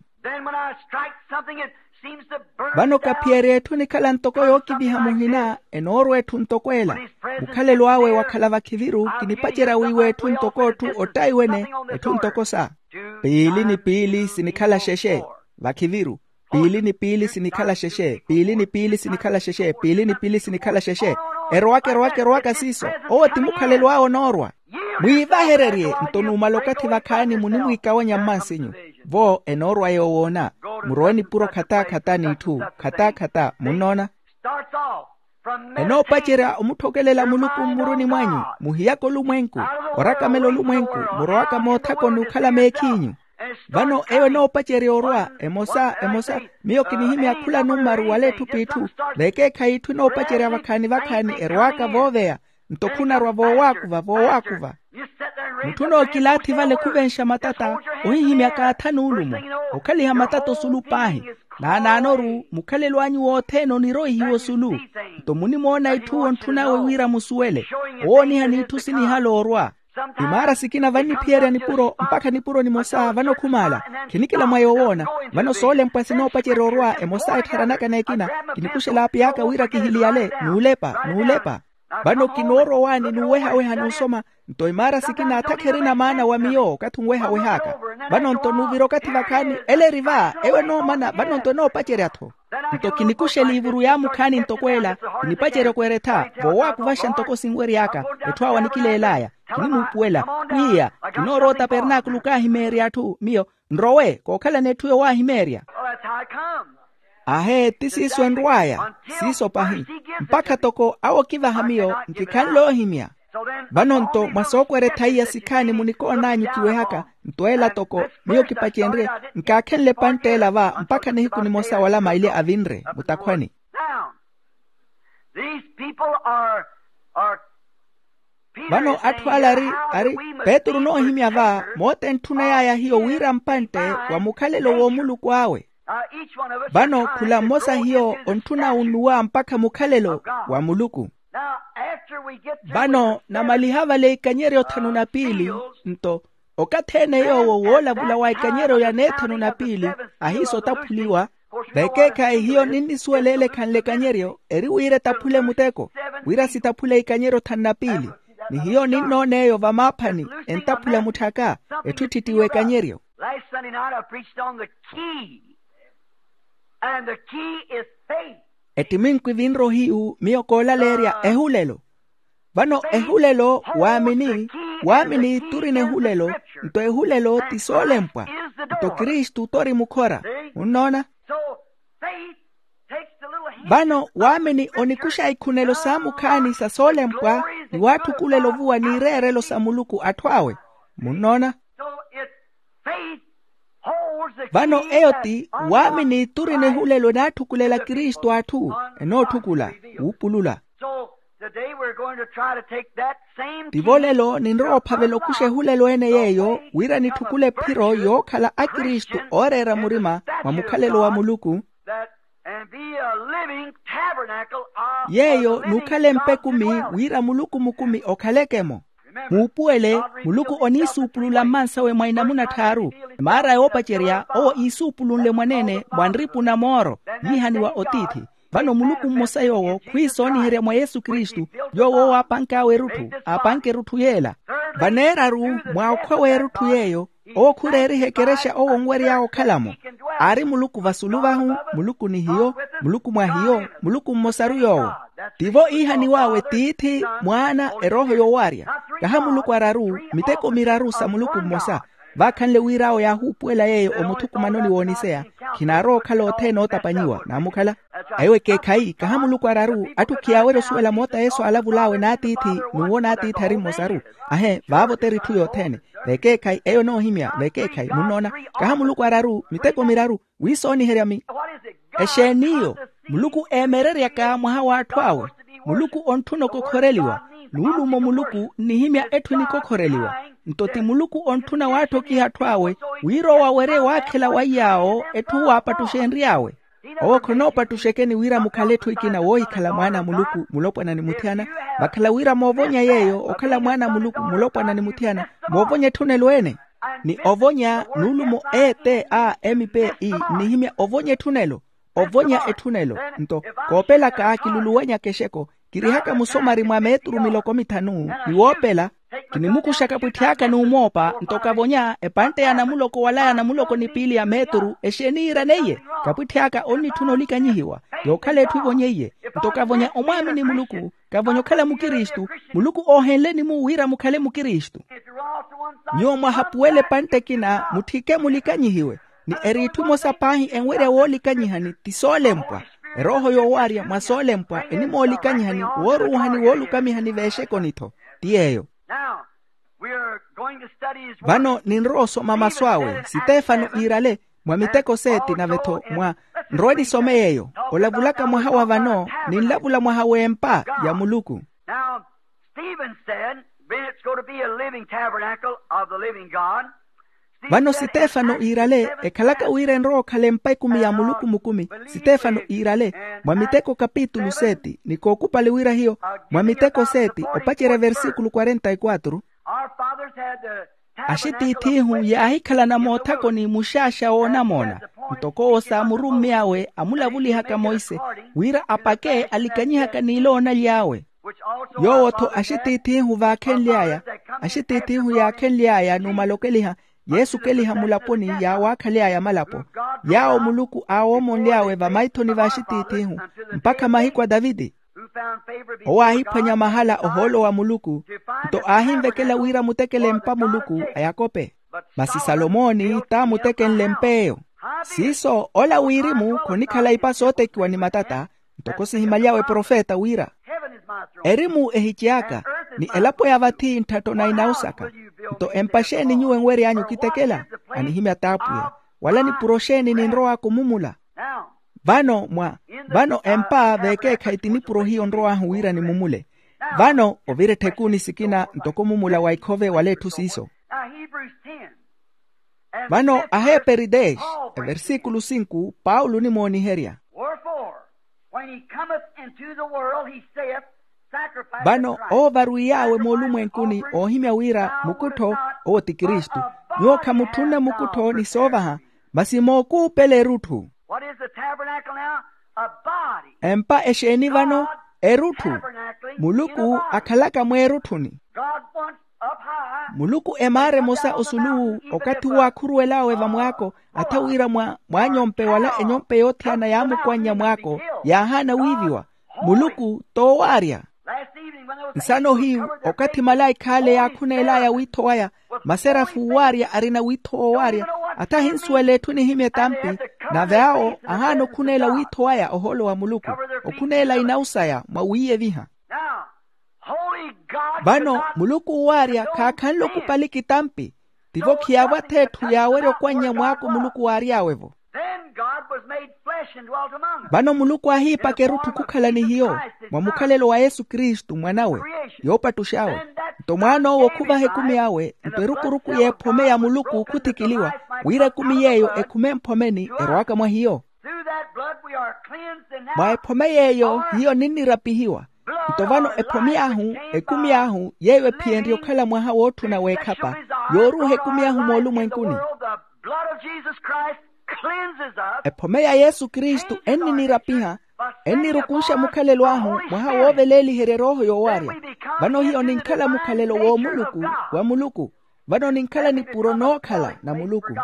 Vano kaphiyerya etthu enikhala ntoko yookiviha muhina, enoorwa etthu ntoko ela. Mukhalelo awe wakhala vakhiviru kinipacerya wiiwa etthu ntoko otthu ottayi wene, etthu ntoko sa piili ni piili sinikhala xexe. Vakhiviru piili ni piili sinikhala xexe, piili ni piili sinikhala xexe, piili ni piili sinikhala xexe. Erowaka erowaka erowaka siiso. Owo ti mukhalelo awe onoorwa. Mwiivahererye nto numala okathi vakhaani munimwiikawanya mmansinyu. Vo enoorwa yoowoona. Murowe nipuro khataakhata n'itthu. Khataakhata munnoona. Enoopacerya omutthokelela muluku mmuruni mwanyu, muhiyaka olumwenku, orakamela olumwenku, murowaka moothakoni okhala meekhiinyu. Vano eyo enoopacerya orwa emosa emosa. Miyo kinihimya khula nummaru wala etthu p'itthu, vekeekhayi itthu enoopacerya vakhaani vakhaani erowaka vooveya, nto khunarwa voowaakuva voowaakuva. Mutthu onookilaathi vale khuvenxa matata, ohihimya kaatha nuulumo, okhaliha matata osulu paahi. Naanaanoru mukhalelo anyu wothene oniroihiwa osulu. Nto munimoona itthu ontthun'awe wira musuwele, owoonihani itthu sinihala orwa. Imaara sikina vanniphiyerya nipuro mpakha nipuro nimosa vano khumaala. Khinikila mwa yoowoona. Vano soolempwa sinoopacerya orwa emosa ettharanaka n'ekina. Kinikuxela api aka wira kihiliyale nuulepa nuulepa. Vano kinoorowaani nuuwehaweha n'usoma. Nto imaara sikina atha kherina maana wa miyo okathi onwehaweh'aka. Vano nto nuuvira okathi vakhaani ele eri va ewo enoomana vano nto enoopacerya-tho. Nto kinikuxa eliivuru yaamukhaani ntoko ela. Kinipacerya okweretha voowakuvaxa ntoko sinwery'aka. Etthu awo anikileel'aya, kinimuupuwela, pwiya, kinoorowa otapernaakulu kaahimeerya atthu miyo. Nrowe kookhalana etthu yowaahimeerya. Ahee ti siiso enrw'aya. Siiso pahi. Mpakha toko awo okivaha miyo nkikhanle oohimya. Vano nto mwa sookwere-tha iya sikhaani munikoon'anyu kiwehaka. Nto ela toko miyo kipacenrye, nkaakhenle epantt'ela va mpakha nihiku nimosa wala maili avinre mutakhwani. Vano atthu ala ari ari, petru onoohimya va moota entthunay'aya hiyo wira mpantte wa mukhalelo w'omuluku awe. Vano khula mmosa hiyo ontthuna unnuwa mpakha mukhalelo wa muluku. Vano namaliha vale ikanyeryo thanu na piili, nto okathi-ene yoowo woolavula wa ikanyeryo ya neethanu na piili ahiisa otaphuliwa. Vekeekhayi hiyo ninnisuwela ele ekhanle ekanyeryo eri wira etaphule muteko, wira sitaphule ikanyeryo thanu na piili. Ni hiyo ninnoona eyo vamaaphani entaphula mutth'aka, etthu etthittiwa ekanyeryo. Last Sunday night I preached on the key. And the key is faith. Ettiminku evinre ohiyu miyo koolaleerya ehulelo. Vano ehulelo waamini. Waamini t'urina ehulelo. Nto ehulelo ti soolempwa. Nto kristu t'ori mukhora. Munnoona? Vano waamini onikuxa ikhunelo saamukhaani sa soolempwa, ni waatthukula elovuwa n'ireerelo sa muluku atthu awe. Munnoona? Vano eyo ti waamini t'urina ehulelo enaatthukulela kristu atthu enootthukulela wuupulula. Tivo lelo ninrowa ophavela okuxa ehulelo ene yeeyo wira nitthukule ephiro yookhala akristu ooreera murima mwa mukhalelo wa muluku. Yeeyo n'ukhala empekumi wira muluku mukumi okhaleke-mo. Muupuwele, muluku oniisuupulula mmansawe mwa inamuna tthaaru. Emaara yoopacerya owo iisuupulunle mwaneene mwa nripu na mooro yiihaniwa otiithi. Vano muluku mmosa yoowo khwiisooniherya mwa yesu kristu, yoowo owo aapank'awe erutthu aapanke erutthu yeela. Vaneeraru mwa okhwa w'erutthu yeeyo, owo khureeriha ekerexa owo onwery'awe okhala-mo. Aari muluku vasulu vahu, muluku ni hiyo, muluku mwa hiyo, muluku mmosaru yoowo. Tivo iihaniw'awe tiithi, mwaana, erooho yoowarya. Kaha muluku araru, miteko miraru sa muluku mmosa. Vaakhanle wira awo yaahuupuwela yeeyo omuthukumanoni wooniseya, khinaarowa okhala othene ootapanyiwa naamukhala. Eyo ekeekhayi kaha muluku araru atthu khiyaawerya osuwela moota yesu aalavul'awe n'atiithi, n'uwo n'atiithi ari mmosaru. Ahe vaavo teri itthu yothene. Vekeekhayi eyo enoohimya vekeekhayi munnoona. Kaha muluku araru miteko miraru wiisooniherya mi. Exeen'iyo? Muluku eemereryaka mwaha w'atthu awe. Muluku ontthuna okokhoreliwa. Nuulumo muluku nnihimya etthu enikokhoreliwa. Nto ti muluku ontthuna waattokiha atthu awe wira owo awerye waakhela wa iy'awo etthu waapattuxenry'awe. Owo khonoopattuxekeni wira mukhale etthu ekina woohikhala mwaana a muluku mulopwana ni muthiyana. Vakhala wira moovonya yeeyo okhala mwaana a muluku mulopwana ni muthiyana, moovonya etthunelo ene. Ni ovonya nuulumo e t a m p e nnihimya ovonya etthunelo. Ovonya etthunelo. Nto koopelaka kiluluwanyaka exeko, kirihaka musomari mwa meeturu miloko mithanu. Ni woopela kinimukuxaka pwitthi aka n'umoopa nto kavonya epantte ya namuloko wala ya namuloko ni piili ya meeturu exeeni yiiraneiye. Kapwitthi aka onnitthuna olikanyihiwa yookhala etthu evonyeiye. Nto kavonya omwaamini muluku, kavonya okhala mukristu. Muluku oohenleni-mu wira mukhale mukristu. Nyuwo mwahapuwela epantte ekina mutthike mulikanyihiwe. Ni eri itthu emosa paahi enwerya woolikanyihani ti soolempwa. Erooho yoowaarya mwa soolempwa enimoolikanyihani wooruuhani woolukamihani veexekoni-tho. Ti yeeyo. Vano ninrowa osoma masu awe sitefano iirale mwa miteko seeti nave-tho mwa nrowe nisome yeeyo. Olavulaka mwaha wa vano ninlavula mwaha w'empa ya muluku. Stephen said, being it's going to be a living tabernacle of the living God. Vano sitefano iirale ekhalaka wira enrowa okhala empa ekumi ya muluku mukumi. Sitefano iirale mwa miteko kapitulu seti ni kookupale wira hiyo mwa miteko seti opacerya versikulu kwarenta y kwatru. Our fathers had the tabernacle of axitiith'ihu yaahikhalana moothakoni muxaaxa woonamoona ntoko owo saamurummi awe amulavulihaka monse wira apake alikanyihaka n'iloona ly'awe. Yoowo-tho axitiith'ihu vaakhenly'aya axitiith'ihu yaakhenly'aya n'umalokeliha yeesukeliha mulaponi yaawaakhale'aya malapo yaawo muluku aawoomonly'awe vamaithoni v'axitiith'ihu mpakha mahiku a taviti. Owo aahiphwanya mahala ohoolo wa muluku nto aahinvekela wira amutekele empa muluku a yakope. Masi salomooni t'amutekenle empa eyo. Siiso ola wirimu khonikhala ipa sootekiwa ni matata ntoko sihimaly'awe profeta wira erimu ehity'aka ni elapo ya vathi ntthatto na inausaka. Nto empa xeeni nyuwo enwery'anyu kitekela? Anihimya t'apwiya. Wala nipuro xeeni ninrow'aka omumula? Vano mwa vano empa veekeekhayi ti nipuro hiyo nrow'ahu wira nimumule. Vano ovira etthekuuni sikina ntoko mumula wa ikhove wala etthu siiso. Vano aheeperi dez, eversikulu sinku paulo onimooniherya. Wherefore, when he cometh into the world, he saith, sacrifice. Vano owo varwiy'awe moolumwenkuni oohimya wira mukuttho owo ti kristu. Nyuwo khamutthunne mukuttho ni soovaha masi mookuupela erutthu. What is the tabernacle now? A body. Empa exeeni vano? Erutthu. Muluku akhalaka mweerutthuni. God wants up high. Muluku emaara emosa osuluwu okathi uwo aakhuruwel'awe vamwaako atha wira mwa mwaanyompe wala enyompe yoothiyana yaamukwannya mwaako yaahaana wiiviwa. Muluku t'owaarya. Nsano hiyu okathi malaikha ale yaakhuneel'aya wiitho waya maserafu owaarya arina wiitho woowaarya atha ahinsuwela etthu nihimya etampi. Nave awo ahaana okhuneela wiitho waya ohoolo wa muluku okhuneela inawu saya mwa wiiyeviha. Vano muluku owaarya khaakhanle okupalika itampi. Tivo khiyaavwa-tho etthu yaawerya okwannya mwaako muluku waary'awe-vo. Vano muluku aahiipaka erutthu khukhala ni hiyo mwa mukhalelo wa yesu kristu mwan'awe yoopattux'awe. Nto mwaan'owo khuvaha ekumi awe nto erukuruku y'ephome ya muluku khuthikiliwa wira ekumi y'eyo ekhume mphomeni erowaka mwa hiyo. Mwa ephome y'eyo hiyo ninnirapihiwa. Nto vano ephome ahu ekumi ahu yeeyo ephiyenrye okhala mwaha wootthuna w'ekhapa yooruuha ekumi ahu moolumwenkuni. Ephome ya yesu kristu enninirapiha ennirukunxa mukhalelo ahu mwaha wooveleeliherya erooho yoowaarya. Vano hiyo ninkhala mukhalelo w'omuluku wa muluku. Vano ninkhala nipuro nookhala na muluku.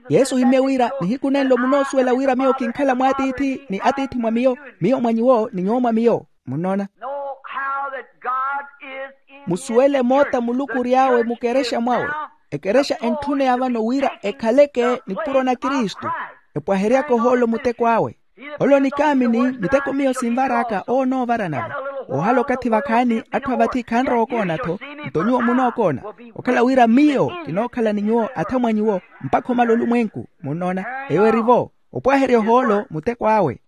Yesu ohimye wira nihiku nenlo munoosuwela wira miyo kinkhala mwaatiithi ni atiithi mwa miyo miyo mwa nyuwo ni nyuwo mwa miyo. Munnoona? Musuwele moota muluku ory'awe mukerexa mwawe. Ekerexa entthuneya vano wira ekhaleke nipuro na kristu epwaheryaka ohoolo muteko awe. Ole onikaamini miteko miyo sinvar'aka owo onoovara nave. Oohala okathi vakhaani atthu a vathi khanrowa okoona-tho. Nto nyuwo munookoona okhala wira miyo kinookhala ni nyuwo atha mwa nyuwo mpakha omala olumwenku. Munnoona? Eyo eri-vo opwaherya ohoolo muteko awe.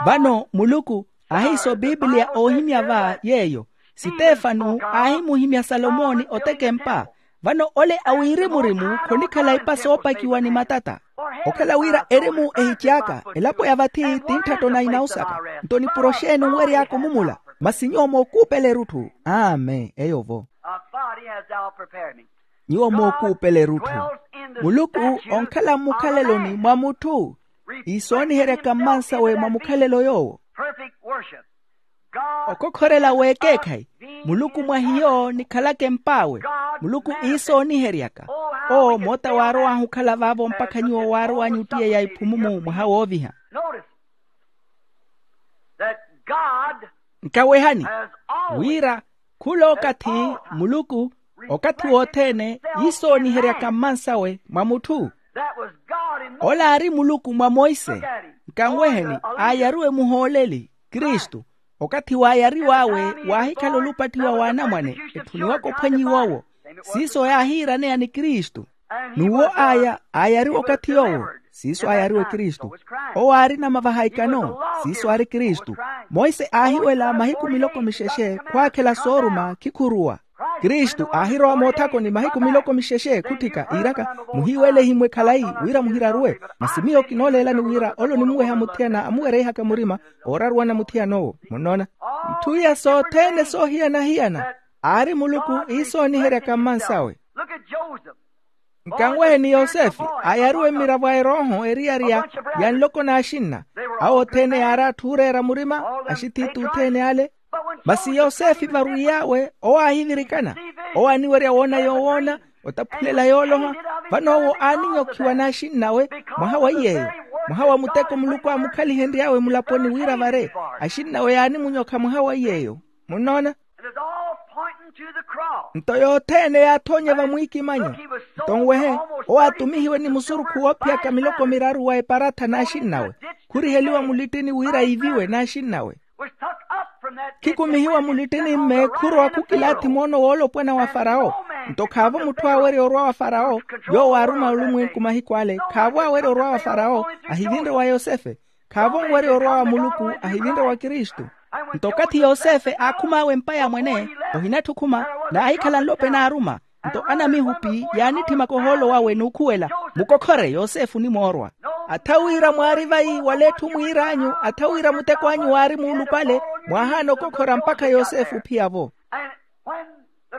Vano muluku ahiisa opipiliya oohimya va yeeyo. Sitefano aahimuhimya salomooni oteka empa. Vano ole a wirimu-rimu khonikhala ipa soopakiwa ni matata. Okhala wira erimu ehity'aka elapo ya vathi ti ntthatto na inausaka. Nto nipuro xeeni onwery'aka omumula? Masi nyuwo mookuupela erutthu. Amen eyo-vo. Nyuwo mookuupela erutthu. Muluku onkhala mmukhaleloni mwa mutthu iisooniheryaka mmansawe mwa mukhalelo yoowo. Okokhorela w'ekeekhayi. Muluku mwa hiyo nikhalaka emp'awe. Muluku iisooniheryaka. Owo moota waarow'ahu okhala vaavo mpakha nyuwo waarow'anyu ottiyeya iphumumu mwaha wooviha. Nkawehani wira khula okathi muluku okathi wothene iisooniheryaka mmansawe mwa mutthu. Ola aari muluku mwa monse. Kanweheni, aayariwe muhooleli kristu. Okathi waayariw'awe, waahikhala olupattiwa w'anamwane, etthuniwaka ophwanyiwa owo. Siiso yaahiiraneya ni kristu. N'uwo aya aayariwa okathi yoowo, siiso aayariwe kristu. Owo aarina mavaha ikano, siiso aari kristu. Monse aahiwela mahiku miloko mixexe khwaakhela sooruma khikhuruwa. Kristu aahirowa moothakoni mahiku miloko mixexe khutthika iiraka, muhiiwele ehimwe khalayi, wira muhiraruwe. Masi miyo kinooleelani wira ole onimuweha muthiyana amuwereihaka murima, ooraruwana muthiyan'owo. Munnoona? Itthu iya sothene soohiyana-hiyana, aari muluku iisooniheryaka mmansawe. Nkanwehe ni yosefe, aayariwe mmiravo a erooho eriyari ya nloko n'axinna. Awo othene yaari atthu ooreera murima, axithiithi othene ale. Masi yosefe varwiy'awe owo aahivirikana, owo aaniwerya woona yoowoona, otaphulela yooloha. Vano owo aaninyokhiwa n'axinn'awe mwaha wa iy'eyo, mwaha wa muteko muluku aamukhalihenry'awe mulaponi wira vare. Axinn'awe yaanimunyokha mwaha wa iy'eyo. Munnoona? Nto yothene yaathoonya vamwiikimanyo. Nto nwehe, owo aatumihiwe ni musurukhu woophiyaka miloko miraru wa eparatha n'axinn'awe, khuriheliwa mulittini wira iiviwe n'axinn'awe. Khikumihiwa mulittini-mme khurowa khukilaathi moono woolopwana wa farawo. Nto khaavo mutthu aawerya orwa wa farawo, yoowo aaruma olumwenku mahiku ale. Khaavo aawerya orwa wa farawo, ahivinre wa yosefe. Khaavo onwerya orwa wa muluku, ahivinre wa kristu. Nto okathi yosefe aakhum'awe empa ya mwene, ohinatthi okhuma, naahikhala nlope naaruma. Nto anamihupi yaanitthimaka ohoolo wawe n'ukhuwela, mukokhore yosefe onimoorwa. Atha wira mwaari vayi wala etthu mwiir'anyu, atha wira muteko anyu waari muulupale, mwaahaana okokhora mpakha yosefe ophiya-vo.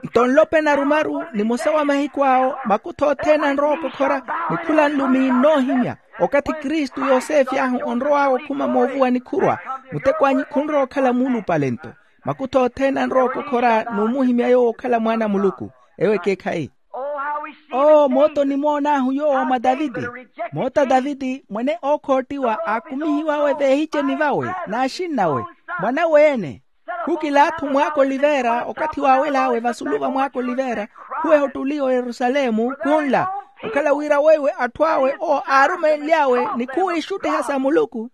Nto nlope narumaru nimosa wa mahiku awo, makutho othene anrowa okokhora, ni khula nlumi nnoohimya. Okathi kristu yosefe ahu onrow'awe okhuma moovuwani khurwa, muteko anyu khunrowa okhala muulupale nto. Makutho othene anrowa okokhora n'umuhimya yoowo okhala mwaana a muluku. Ewo ekeekhayi. Oo moota onimoon'ahu yoowo mwa taviti. Moota taviti mwene ookhootiwa aakumihiw'awe veehiceni vawe n'axinn'awe, mwan'awe-ene. Khukilaathi mwaaka oliveera okathi waawel'awe vasulu va mwaaka oliveera, khuweha ottuli oyerusalemu khunla, okhala wira weiwe atthu awe owo aarumenly'awe ni khuwiixuttiha sa muluku.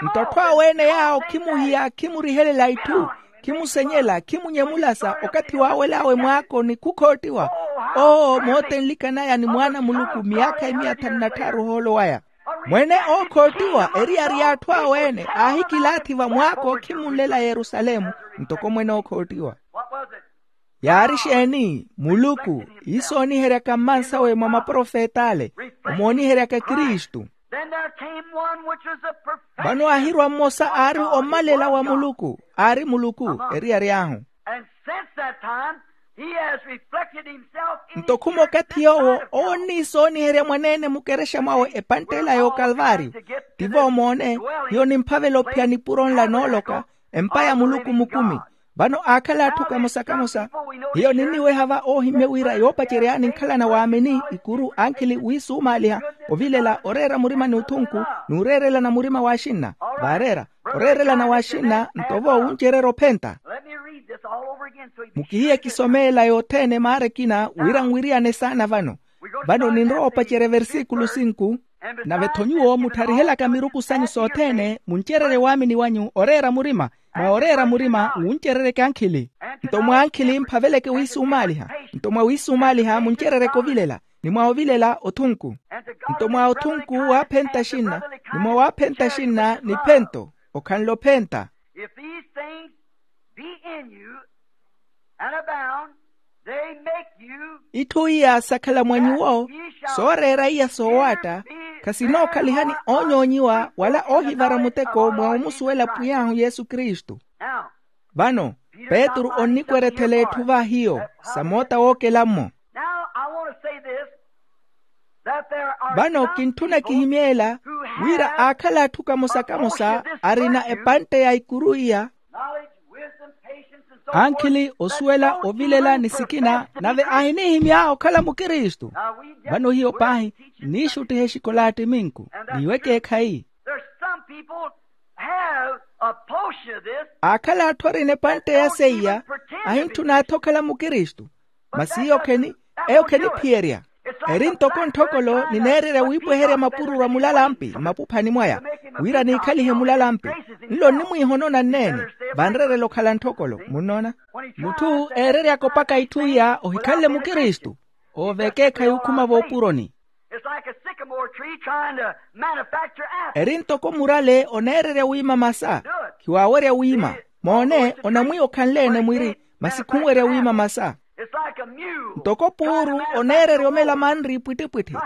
Nto atthu awe-ene yaawo khimuhiya khimurihelela itthu, khimusenyela khimunyemulasa okathi waawel'awe mwaakoni khukhoottiwa. Oo moota enlikan'aya ni mwaana a muluku miyaakha emiya thanu na tthaaru ohoolo waya. Mwene ookhoottiwa eriyari y'atthu awe-ene aahikilaathi vamwaako khimunlela yerusalemu. Ntoko mwene ookhoottiwa yaari exeeni? Muluku iisooniheryaka mmansawe mwa maprofet'ale, omooniheryaka kristu. Vano aahirwa mmosa aari ommalela wa muluku, aari muluku eriyari ahu. Nto khuma okathi yoowo owo onniisooniherya mwaneene mukerexa mwawe epantt'ela y'okalvaariyo. Tivo omoone, hiyo nimphavela ophiya nipuro nla nooloka, empa ya muluku mukumi. Vano aakhala atthu kamosa-kamosa. Hiyo ninniweha va oohimye wira yoopacery'ani nkhalana waamini ikuru ankhili wiisumaaliha, ovilela oreera murima ni othunku, n'ureerelana murima w'axinna. Vaareera oreerelana w'axinna nto-vo wuncererya ophenta. Mukihiye kisomeela yothene maara ekina wira nwiriyane saana vano. Vano ninrowa opacerya versikulu sinku. Nave-tho nyuwo muttharihelaka miruku sanyu sothene muncererye waamini wanyu oreera murima. Mwa oreera murima wuncereryeke ankhili. Nto mwa ankhili mphaveleke wiisumaaliha. Nto mwa wiisumaaliha muncereryeke ovilela, ni mwa ovilela othunku. Nto mwa othunku waaphenta axinna, ni mwa waaphenta axinna niphento. Okhanle ophenta. If these things be in you and abound, they make you itthu iya sakhala mwa nyuwo, sooreera iya soowaatta, khasinookhaliha ni oonyoonyiwa wala oohivara muteko mwa omusuwela pwiy'ahu yesu kristu. Vano petru onnikwerethela etthu va hiyo, sa moota wookela-mmo. Vano kintthuna kihimyeela wira aakhala atthu kamosa-kamosa arina epantte ya ikuru iya, ankhili, osuwela, ovilela ni sikina, nave ahinihimya okhala mukristu. Vano hiyo paahi nniixuttiha exikolaati minku, n'iwo ekeekhayi. Aakhala atthu arina epantte ya seiya, ahintthuna athi okhala mukristu. Masi eyo kheni, eyo kheniphiyerya. Eri ntoko ntthokolo nineererya wiipweherya mapururu a mulalampi mmapuphani mwaya, wira niikhalihe mulalampi. Nlo nnimwiihonona nneene, vanreerela okhala ntthokolo. Munnoona? Mutthu eereryaka opaka itthu iya ohikhanle mukristu, ooveka eekhayi okhuma voopuroni. It's like a sycamore tree trying to manufacture apples. Eri ntoko murale oneererya wiima masa, khiwaawerya wiima. Moone, onamwiiya okhanle-ene mwiri, masi khunwerya wiima masa. It's like a mule. Ntoko puuru oneererya omela manri epwittipwitthi.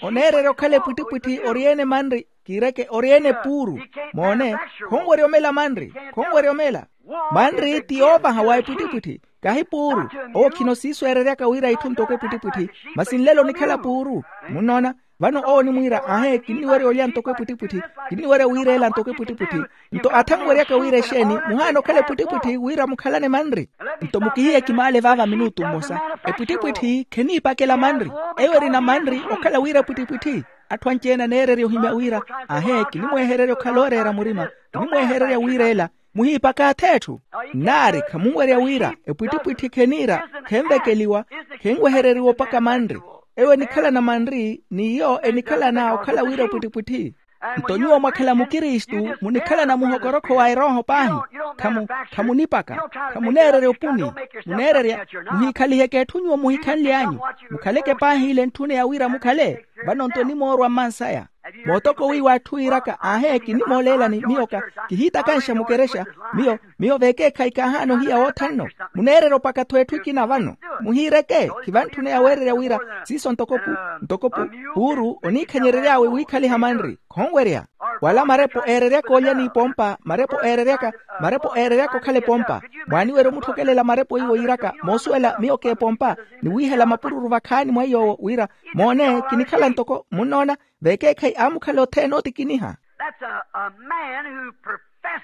Oneererya okhala epwittipwitthi ori-ene manri, kiireke ori-ene puuru. Moone, khonwerya omela manri, khonwerya omela. Manri ti yoovaha wa epwittipwitthi, kahi puuru. Owo khino siisweereryaka wira itthu ntoko epwittipwitthi, masi nlelo onikhala puuru. Munnoona? Vano owo onimwiira, ahe, kinniwerya olya ntoko epwittipwitthi, kinniwerya wiireela ntoko epwittipwitthi. Nto athanweryaka wira exeeni, muhaana okhala epwittipwitthi wira mukhalane manri. Nto mukihiye kimaale vaava minutu mmosa. Epwittipwitthi kheniipakela manri. Eyo erina manri okhala wira epwittipwitthi. Atthu anci-ene aneererya ohimya wira, ahe, kinimwehererya okhala ooreera murima, kinimwehererya wiireela. Muhiipaka ath'etthu. Nnaari khamunwerya wira epwittipwitthi kheniira, khenvekeliwa, khenwehereriwa opaka manri. Eyo enikhalana manri n'iyo enikhalana okhala wira epwittipwitthi. Nto nyuwo mwakhala mukristu munikhalana muhokorokho wa erooho paahi. Khamu khamunipaka, khamuneererya opuni. Muneererya, muhiikhaliheke etthu nyuwo muhikhanly'anyu. Mukhaleke paahi ile entthune ya wira mukhale. Vano nto onimoorwa mmansaya. Mootoko wiiwa atthu wiiraka, ahe, kinimoolelani miyo ka, kihiitakanxa mukerexa. Miyo, miyo vekeekhayi kaahaana ohiya wotha nno. Muneererya opaka-tho etthu ekina vano. Muhiireke, khivantthune yaweererya wira siiso ntoko pu, ntoko pu, puuru oniikhanyerery'awe wiikhaliha manri. Khonwerya. Wala marepo eereryaka olya n'ipompa, marepo eereryaka, marepo eereryaka okhala epompa. Mwaaniwerya omutthokelela marepo iwo yiiraka, moosuwela miyo k'epompa, ni wiihela mapururu vakhaani mwa iy'owo wira, moone, kinikhala ntoko, munnoona, vekeekhayi aamukhala othene ootikiniha.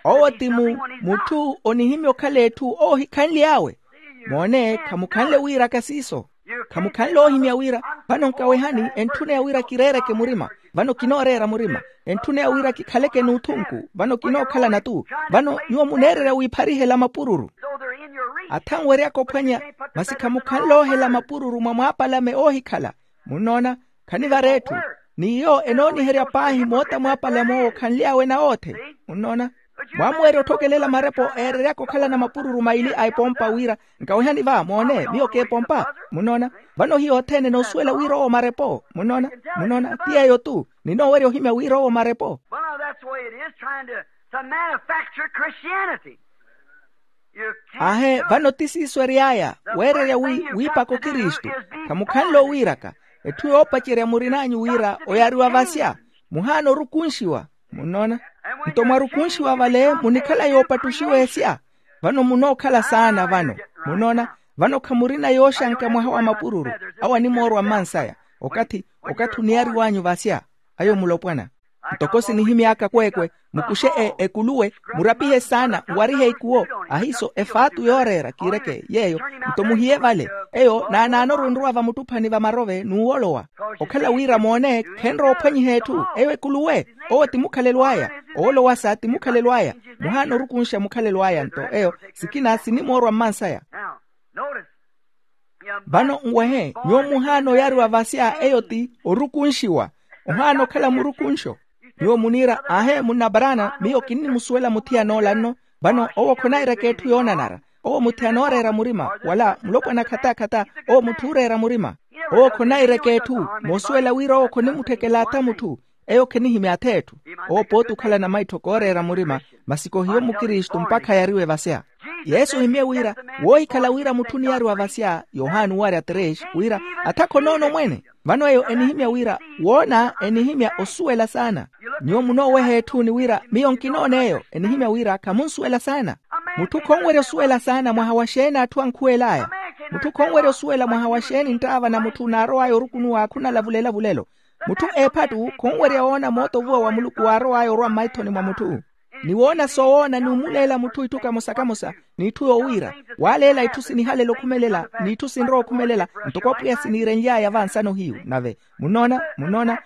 Owo ti mu mutthu onihimya okhala etthu oohikhanly'awe. Moone, khamukhanle wiiraka siiso. Khamukhanle oohimya wira, vano nkawehani entthuna ya wira kireereke murima, vano kinooreera murima. Entthuna ya wira kikhaleke n'uthunku, vano kinookhalana-tu. Vano nyuwo muneererya wiipharihela mapururu. Athanweryaka ophwanya, masi khamukhanle oohela mapururu mwa mwaapalame oohikhala. Munnoona? Khanivara etthu. N'iyo enooniherya paahi moota mwaapalame owo khanly'awe nawoothe. Munnoona? Mwaamuwerya otthokelela marepo eereryaka okhalana mapururu maili a epompa wira, nkawehani va, moone, miyo k'epompa. Munnoona? Vano hiyo othene enoosuwela wira owo marepo. Munnoona? Munnoona? Ti yeeyo-tu. Ninoowerya ohimya wira owo marepo. Ahe, vano ti siiso ery'aya, weererya wi wiipaka okristu. Khamukhanle owiiraka. Etthu yoopacerya murin'anyu wira oyariwa vasya, muhaana orukunxiwa. Munnoona? Nto mwarukunxiwa vale munikhala yoopattuxiwa esya. Vano munookhala saana vano. Munnoona? Vano khamurina yooxanka mwaha wa mapururu. Awo animoorwa mmansaya. Okathi, okathi oniyariw'anyu vasya, ayo mulopwana. Ntoko sinihimy'aka kweekwe, mukuxe ekuluwe, murapihe saana, nwarihe ikuwo. Ahiiso efaatu yooreera kiireke yeeyo. Nto muhiye vale. Eyo naanaanoru enrowa vamuttuphani va marove n'uwolowa. Okhala wira moone khenrowa ophwanyiha etthu eyo ekuluwe. Owo ti mukhalelo aya. Owolowasa ti mukhalelo aya. Muhaana orukunxa mukhalelo aya nto eyo. Sikina sinimoorwa mmansaya. Vano nwehe nyuwo muhaana oyariwa vasya eyo ti orukunxiwa. Ohaana okhala murukunxo. Nyuwo muniira ahe munnaparana miyo kinnimusuwela muthiyan'ola nno. Vano owo khonairaka etthu yoonanara. Owo muthi anooreera murima wala mulopwana khatakata. Owo mutthu ooreera murima. Owo khonairaka etthu. Moosuwela wira owo khonimutthekela atha mutthu. Eyo khenihimya atha etthu. Owo pooti okhalana maitthoko ooreera murima. Masi kohiyo mukristu mpakha yariwe vasya. Yesu ohimye wira woohikhala wira mutthu oniyariwa vasya yohani warya tres wira atha khonoono mwene. Vano eyo enihimya wira woona enihimya osuwela saana. Nyuwo munooweha etthu ni wira miyo nkinoona eyo enihimya wira khamunsuwela saana. Mutthu khonwerya osuwela saana mwaha wa xeeni atthu ankhuwel'aya. Mutthu khonwerya osuwela mwaha wa xeeni nttaava na mutthu naarow'aya orukunuwa khunalavulela vulelo. Mutthu eephattu khonwerya woona moota ovuwa wa muluku waarow'aya orwa mmaithoni mwa mutthu. Ni woona soowoona ni omuleela mutthu itthu kamosa-kamosa, n'itthu yowiira waaleela itthu sinihalela okhumelela n'itthu sinrowa okhumelela. Ntoko apwiya siniirenly'aya vansano hiyu nave munnoona munnoona.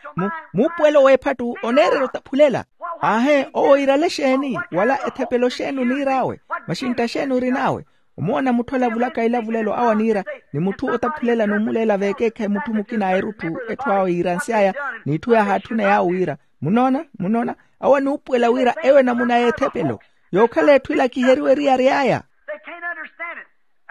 Muupuwelo w'ephattu oneererya otaphulela. Aahe owo iirale xeeni wala ethepelo xeeni oniir'awe? Maxintta xeeni orin'awe? Omoona mutthu alavulaka ilavulelo awo aniira, ni mutthu otaphulela n'umuleela veekeekhayi mutthu mukina a erutthu etthu awo yiiransy'aya, n'itthu yaahaatthuna yaawo wira, munoona munoona, awo anuupuwela wira eyo enamuna y'ethepelo, yookhala etthu ilakiheriwe eriyari aya. They can't understand it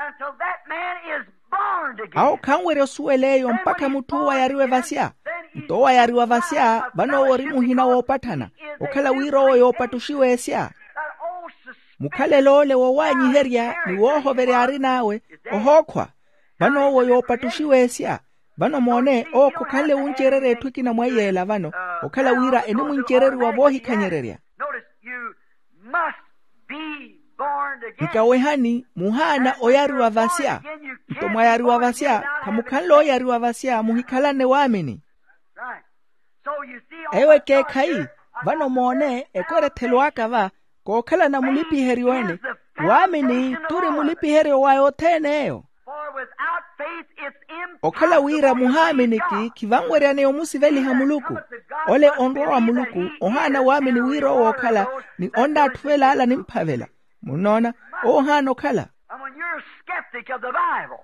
until that man is born again. Awo khanwerya osuwela eyo mpakha mutth'uwo ayariwe vasya. Nto owo ayariwa vasya vano owo ori muhina woopatthana, okhala wira owo yoopattuxiwa esya. Mukhalelo ole wowaanyiherya ni woohoverya arin'awe, ohookhwa. Vano owo yoopattuxiwa esya. Vano moone, owo khokhanle wuncererya etthu ekina mwa iyeela vano, okhala wira enimuncereriwa voohikhanyererya. Notice, you must be born again. Nkawehani, muhaana oyariwa vasya. Nto mwayariwa vasya, khamukhanle oyariwa vasya muhikhalanne waamini. Right. So you see, eyo ekeekhayi. Vano moone, ekorethelo aka va, kookhalana mulipiheryo ene. Waamini turi mulipiheryo wa yothene eyo. For without faith it's impossible to please God. Okhala wira muhaaminiki khivanweryaneya omusiveliha muluku. Ole onrwa wa muluku ohaana waamini wira owo okhala ni onnaatthuvela ala nimphavela. Munnoona, owo ohaana okhala. And when you're a skeptic of the Bible,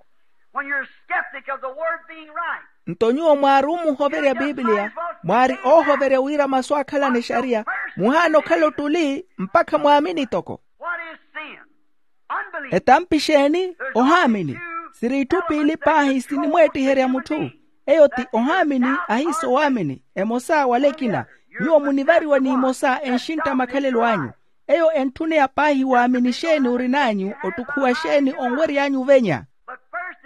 when you're a skeptic of the word being right, nto nyuwo mwaari omuhoverya bibiliya, mwaari oohoverya wira masu akhalana exariya, muhaana okhala ottuli mpakha mwaamini toko. What is sin? Unbelief. Etampi exeeni? Ohaamini. Siri itthu piili paahi sinimweettiherya mutthu. Eyo ti ohaamini ahiisa owaamini, emosa wala ekina. Nyuwo munivariwa n'imosa enxintta makhalelo anyu. Eyo entthuneya paahi waamini exeeni orin'anyu, ottukhuwa exeeni onwery'anyu ovenya.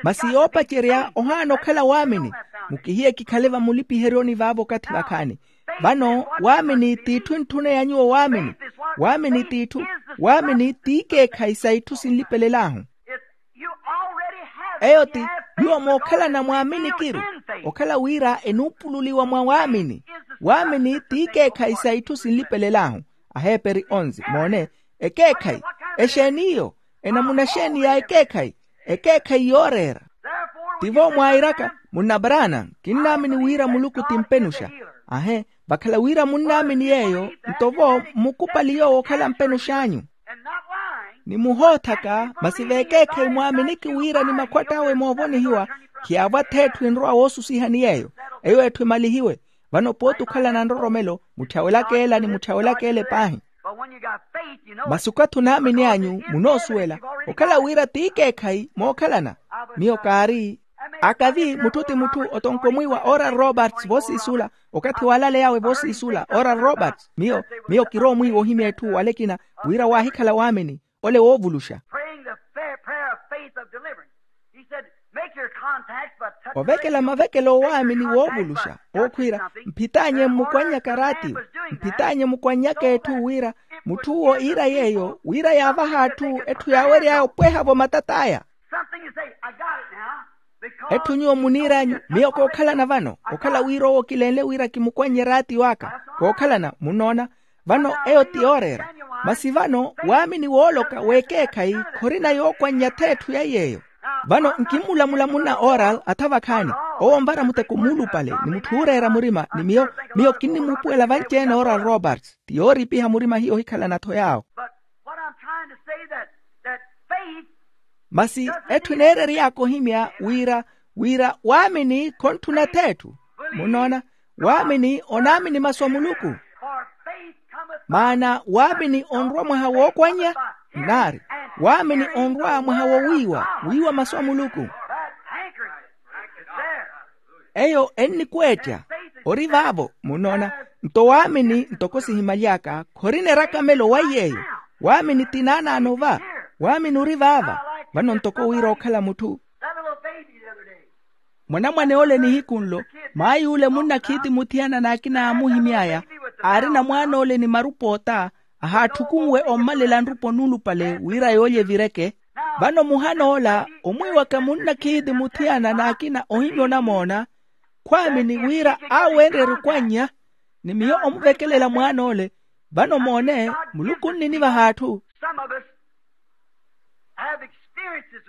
Masi yoopacerya ohaana okhala waamini. Mukihiye kikhale vamulipiheryoni vaavo okathi vakhaani. Vano waamini t'itthu entthuneya nyuwo waamini. Waamini t'itthu, waamini t'ikeekhayi sa itthu sinlipelel'ahu. Eyo ti, nyuwo mookhalana mwaaminikiru, okhala wira enuupululiwa mwa waamini. Waamini t'ikeekhayi sa itthu sinlipelel'ahu. Aheeperi onze. Moone, ekeekhayi. Exeeni iyo? Enamuna exeeni ya ekeekhayi? Ekeekhayi yooreera. Tivo mwairaka, munna brana, kinnaamini wira muluku ti mpenuxa. Ahe, vakhala wira munnaamini yeeyo, nto vo mmukupali yoowo okhala mpenux'anyu. Ni muhoothaka masi veekeekhayi mwaaminiki wira ni makhwatt'awe moovonihiwa, khiyaavo ath'etthu enrowa woosusihani yeeyo. Eyo etthu emalihiwe. Vano pooti okhalana nroromelo, mutthawelaka ela ni mutthawelaka ele paahi. Masi okathi onaamini anyu munoosuwela, okhala wira t'ikeekhayi mookhalana. Miyo kaari. Akavi mutthu ti mutthu otonkomwiiwa oral roberts voosiisula. Okathi waalaley'awe voosiisula oral roberts, miyo miyo kiroomwiiwa ohimya etthu wala ekina, wira waahikhala waamini, ole woovuluxa. Praying the fair prayer of faith of deliverance. He said, make your contacts by touching. Ovekela mavekelo owaamini woovuluxa, ookhwiira, mphitaanye mmukwannyaka raatiyo. Mphitaanye mukwannyaka etthu wira, mutth'uwo iira yeeyo wira yaavaha atthu etthu yaawery'aya opweha-vo matat'aya. Something you say, I got it now. Etthu nyuwo muniir'anyu, miyo kookhalana vano, okhala wira owo kilenle wira kimukwannye raatiyo aka. Kookhalana munnoona. Vano eyo ti yooreera. Masi vano waamini wooloka w'ekeekhayi khorina yookwannya ath'etthu ya yeeyo. Vano nkimmulamula munna oral atha vakhaani, owo onvara muteko muulupale ni mutthu ooreera murima ni miyo, miyo kinnimuupuwela vanci-ene oral roberts ti yooriipiha murima hiyo ohikhalana-tho yaawo. But what I'm trying to say that, that faith. Masi etthu eneerery'aka ohimya wira, wira waamini khontthuna ath'etthu. Munnoona, waamini onaamini masu a muluku. Maana waamini onrwa mwaha wookwannya. Nnaari, waamini onrwa mwaha wowiiwa, wiiwa masu a muluku. Eyo ennikweetta. Ori vaavo munnoona. Nto waamini ntoko sihimaly'aka khorina erakamelo wa iy'eyo. Waamini ti naanaano va. Waamini ori vaava. Vano ntoko wira okhala mutthu. Mwanamwane ole nihiku nlo, maay'ule munnakhiiti muthiyana n'akina aamuhimy'aya, aarina mwaan'ole ni marupa ota, ahaatthukunwe ommalela nrupa onuulupale wira yoolya evireke. Vano muhan'ola omwiiwaka munnakhiiti muthiyana n'akina ohimya onamoona, khwaamini wira aawenrye erukwannya ni miyo omuvekelela mwaan'ole. Vano moone, muluku onninivaha atthu.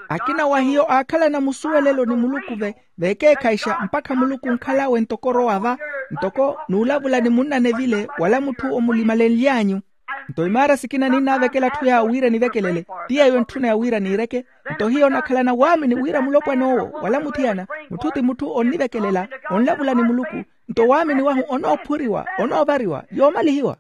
Akina wa hiyo aakhalana musuwelelo ni muluku veekeekhayixa mpakha muluku onkhal'awe ntoko orowa va, ntoko n'ulavula ni munnanevile wala mutthu omulimalenly'anyu. Nto imaara sikina ninnaavekela atthu yaawo wira enivekelele, ti yeeyo entthuna ya wira niireke. Nto hiyo onakhalana waamini wira mulopwan'owo wala muthiyana, mutthu ti mutthu onnivekelela, onlavula ni muluku. Nto waamini wahu onoophuriwa, onoovariwa yoomalihiwa.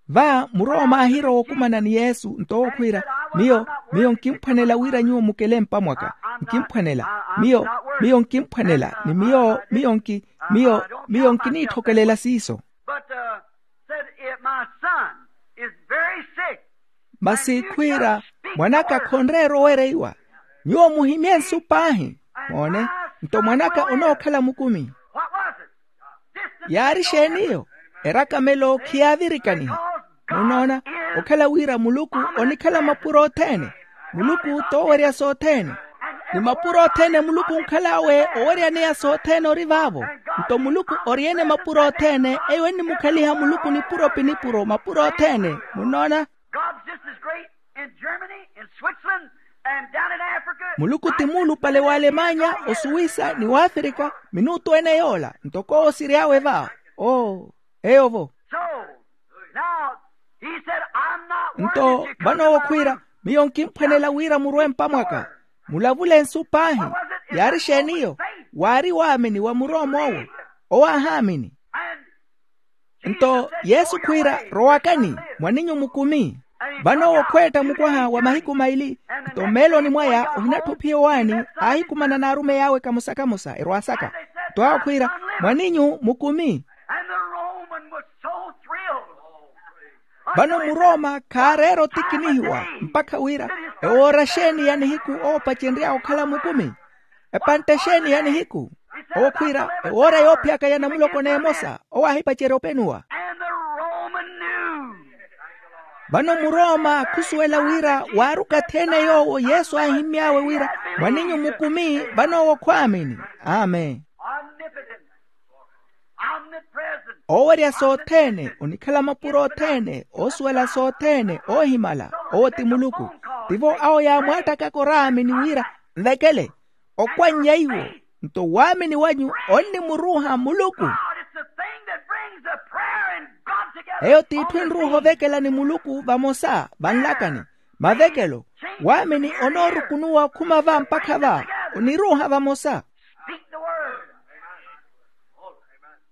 Va murooma aahirowa okumana ni yesu nto owo khwiira, miyo miyo nkimphwanela wira nyuwo mukele mpa mwaka. Nkimphwanela. Miyo miyo nkimphwanela ni miyo miyo nki miyo miyo nkiniitthokelela siiso. But uh, said, if my son is very sick. Masi khwiira, mwan'aka khonreera owereiwa. Nyuwo muhimye nsu paahi. Moone, nto mwan'aka onookhala mukumi. What was it? Yaari exeen'iyo? Erakamelo khiyaavirikaniha. Munoona, okhala wira muluku onikhala mapuro othene. Muluku t'owerya sothene. Ni mapuro othene muluku onkhal'awe oweryaneya sothene ori vaavo. Nto muluku ori-ene mapuro othene, eyo ennimukhaliha muluku nipuro pi nipuro mapuro othene. Munnoona? God's just as great in Germany, in Switzerland, and down in Africa. Muluku ti muulupale w'alemanya, osuwisa ni w'afrika, minuutu ene yoola ntoko owo siry'awe va. Oo. Eyo vo. So now, he said, I'm not worthy. Nto vano owo khwiira, miyo nkimphwanela wira murwe mpa mwaka. Mulavule nsu paahi. Yaari exeen'iyo? Waari waamini wa murooma owo. Owo aahaamini. Nto yesu khwiira, rowakani, mwaninyu mukumi. Vano owo khweetta mukwaha wa mahiku maili. Nto mmeeloni mwaya ohinatthu ophiya owaani, aahikumana n'arumeyi awe kamosa-kamosa erwaasaka. Nto awo khwiira, mwaninyu mukumi. And the Roman was so thrilled. Vano murooma khaareera otikinihiwa mpakha wira, ewoora exeeni ya nihiku owo opacenry'awe okhala mukumi? Epantte exeeni ya nihiku? Owo khwiira, ewoora yoophiyaka ya namuloko n'emosa owo aahipacerya openuwa. And the Roman knew. Vano murooma khusuwela wira waari okathi ene yoowo yesu aahimmy'awe wira, mwaninyu mukumi, vano owo khwaamini. Amen. Omnipotent. Omnipresent. Oowerya sothene, onikhala mapuro othene, oosuwela sothene, oohimala, owo ti muluku. Tivo awo yaamwaattakaka oraamini wira, nvekele. Okwannya iwo, nto waamini wanyu onnimuruuha muluku. God, it's the thing that brings the prayer and God together. Eyo t'itthu enruuha ovekela ni muluku vamosa vanlakani. Mavekelo, waamini onoorukunuwa okhuma va mpakha va, oniruuha vamosa. Speak the word.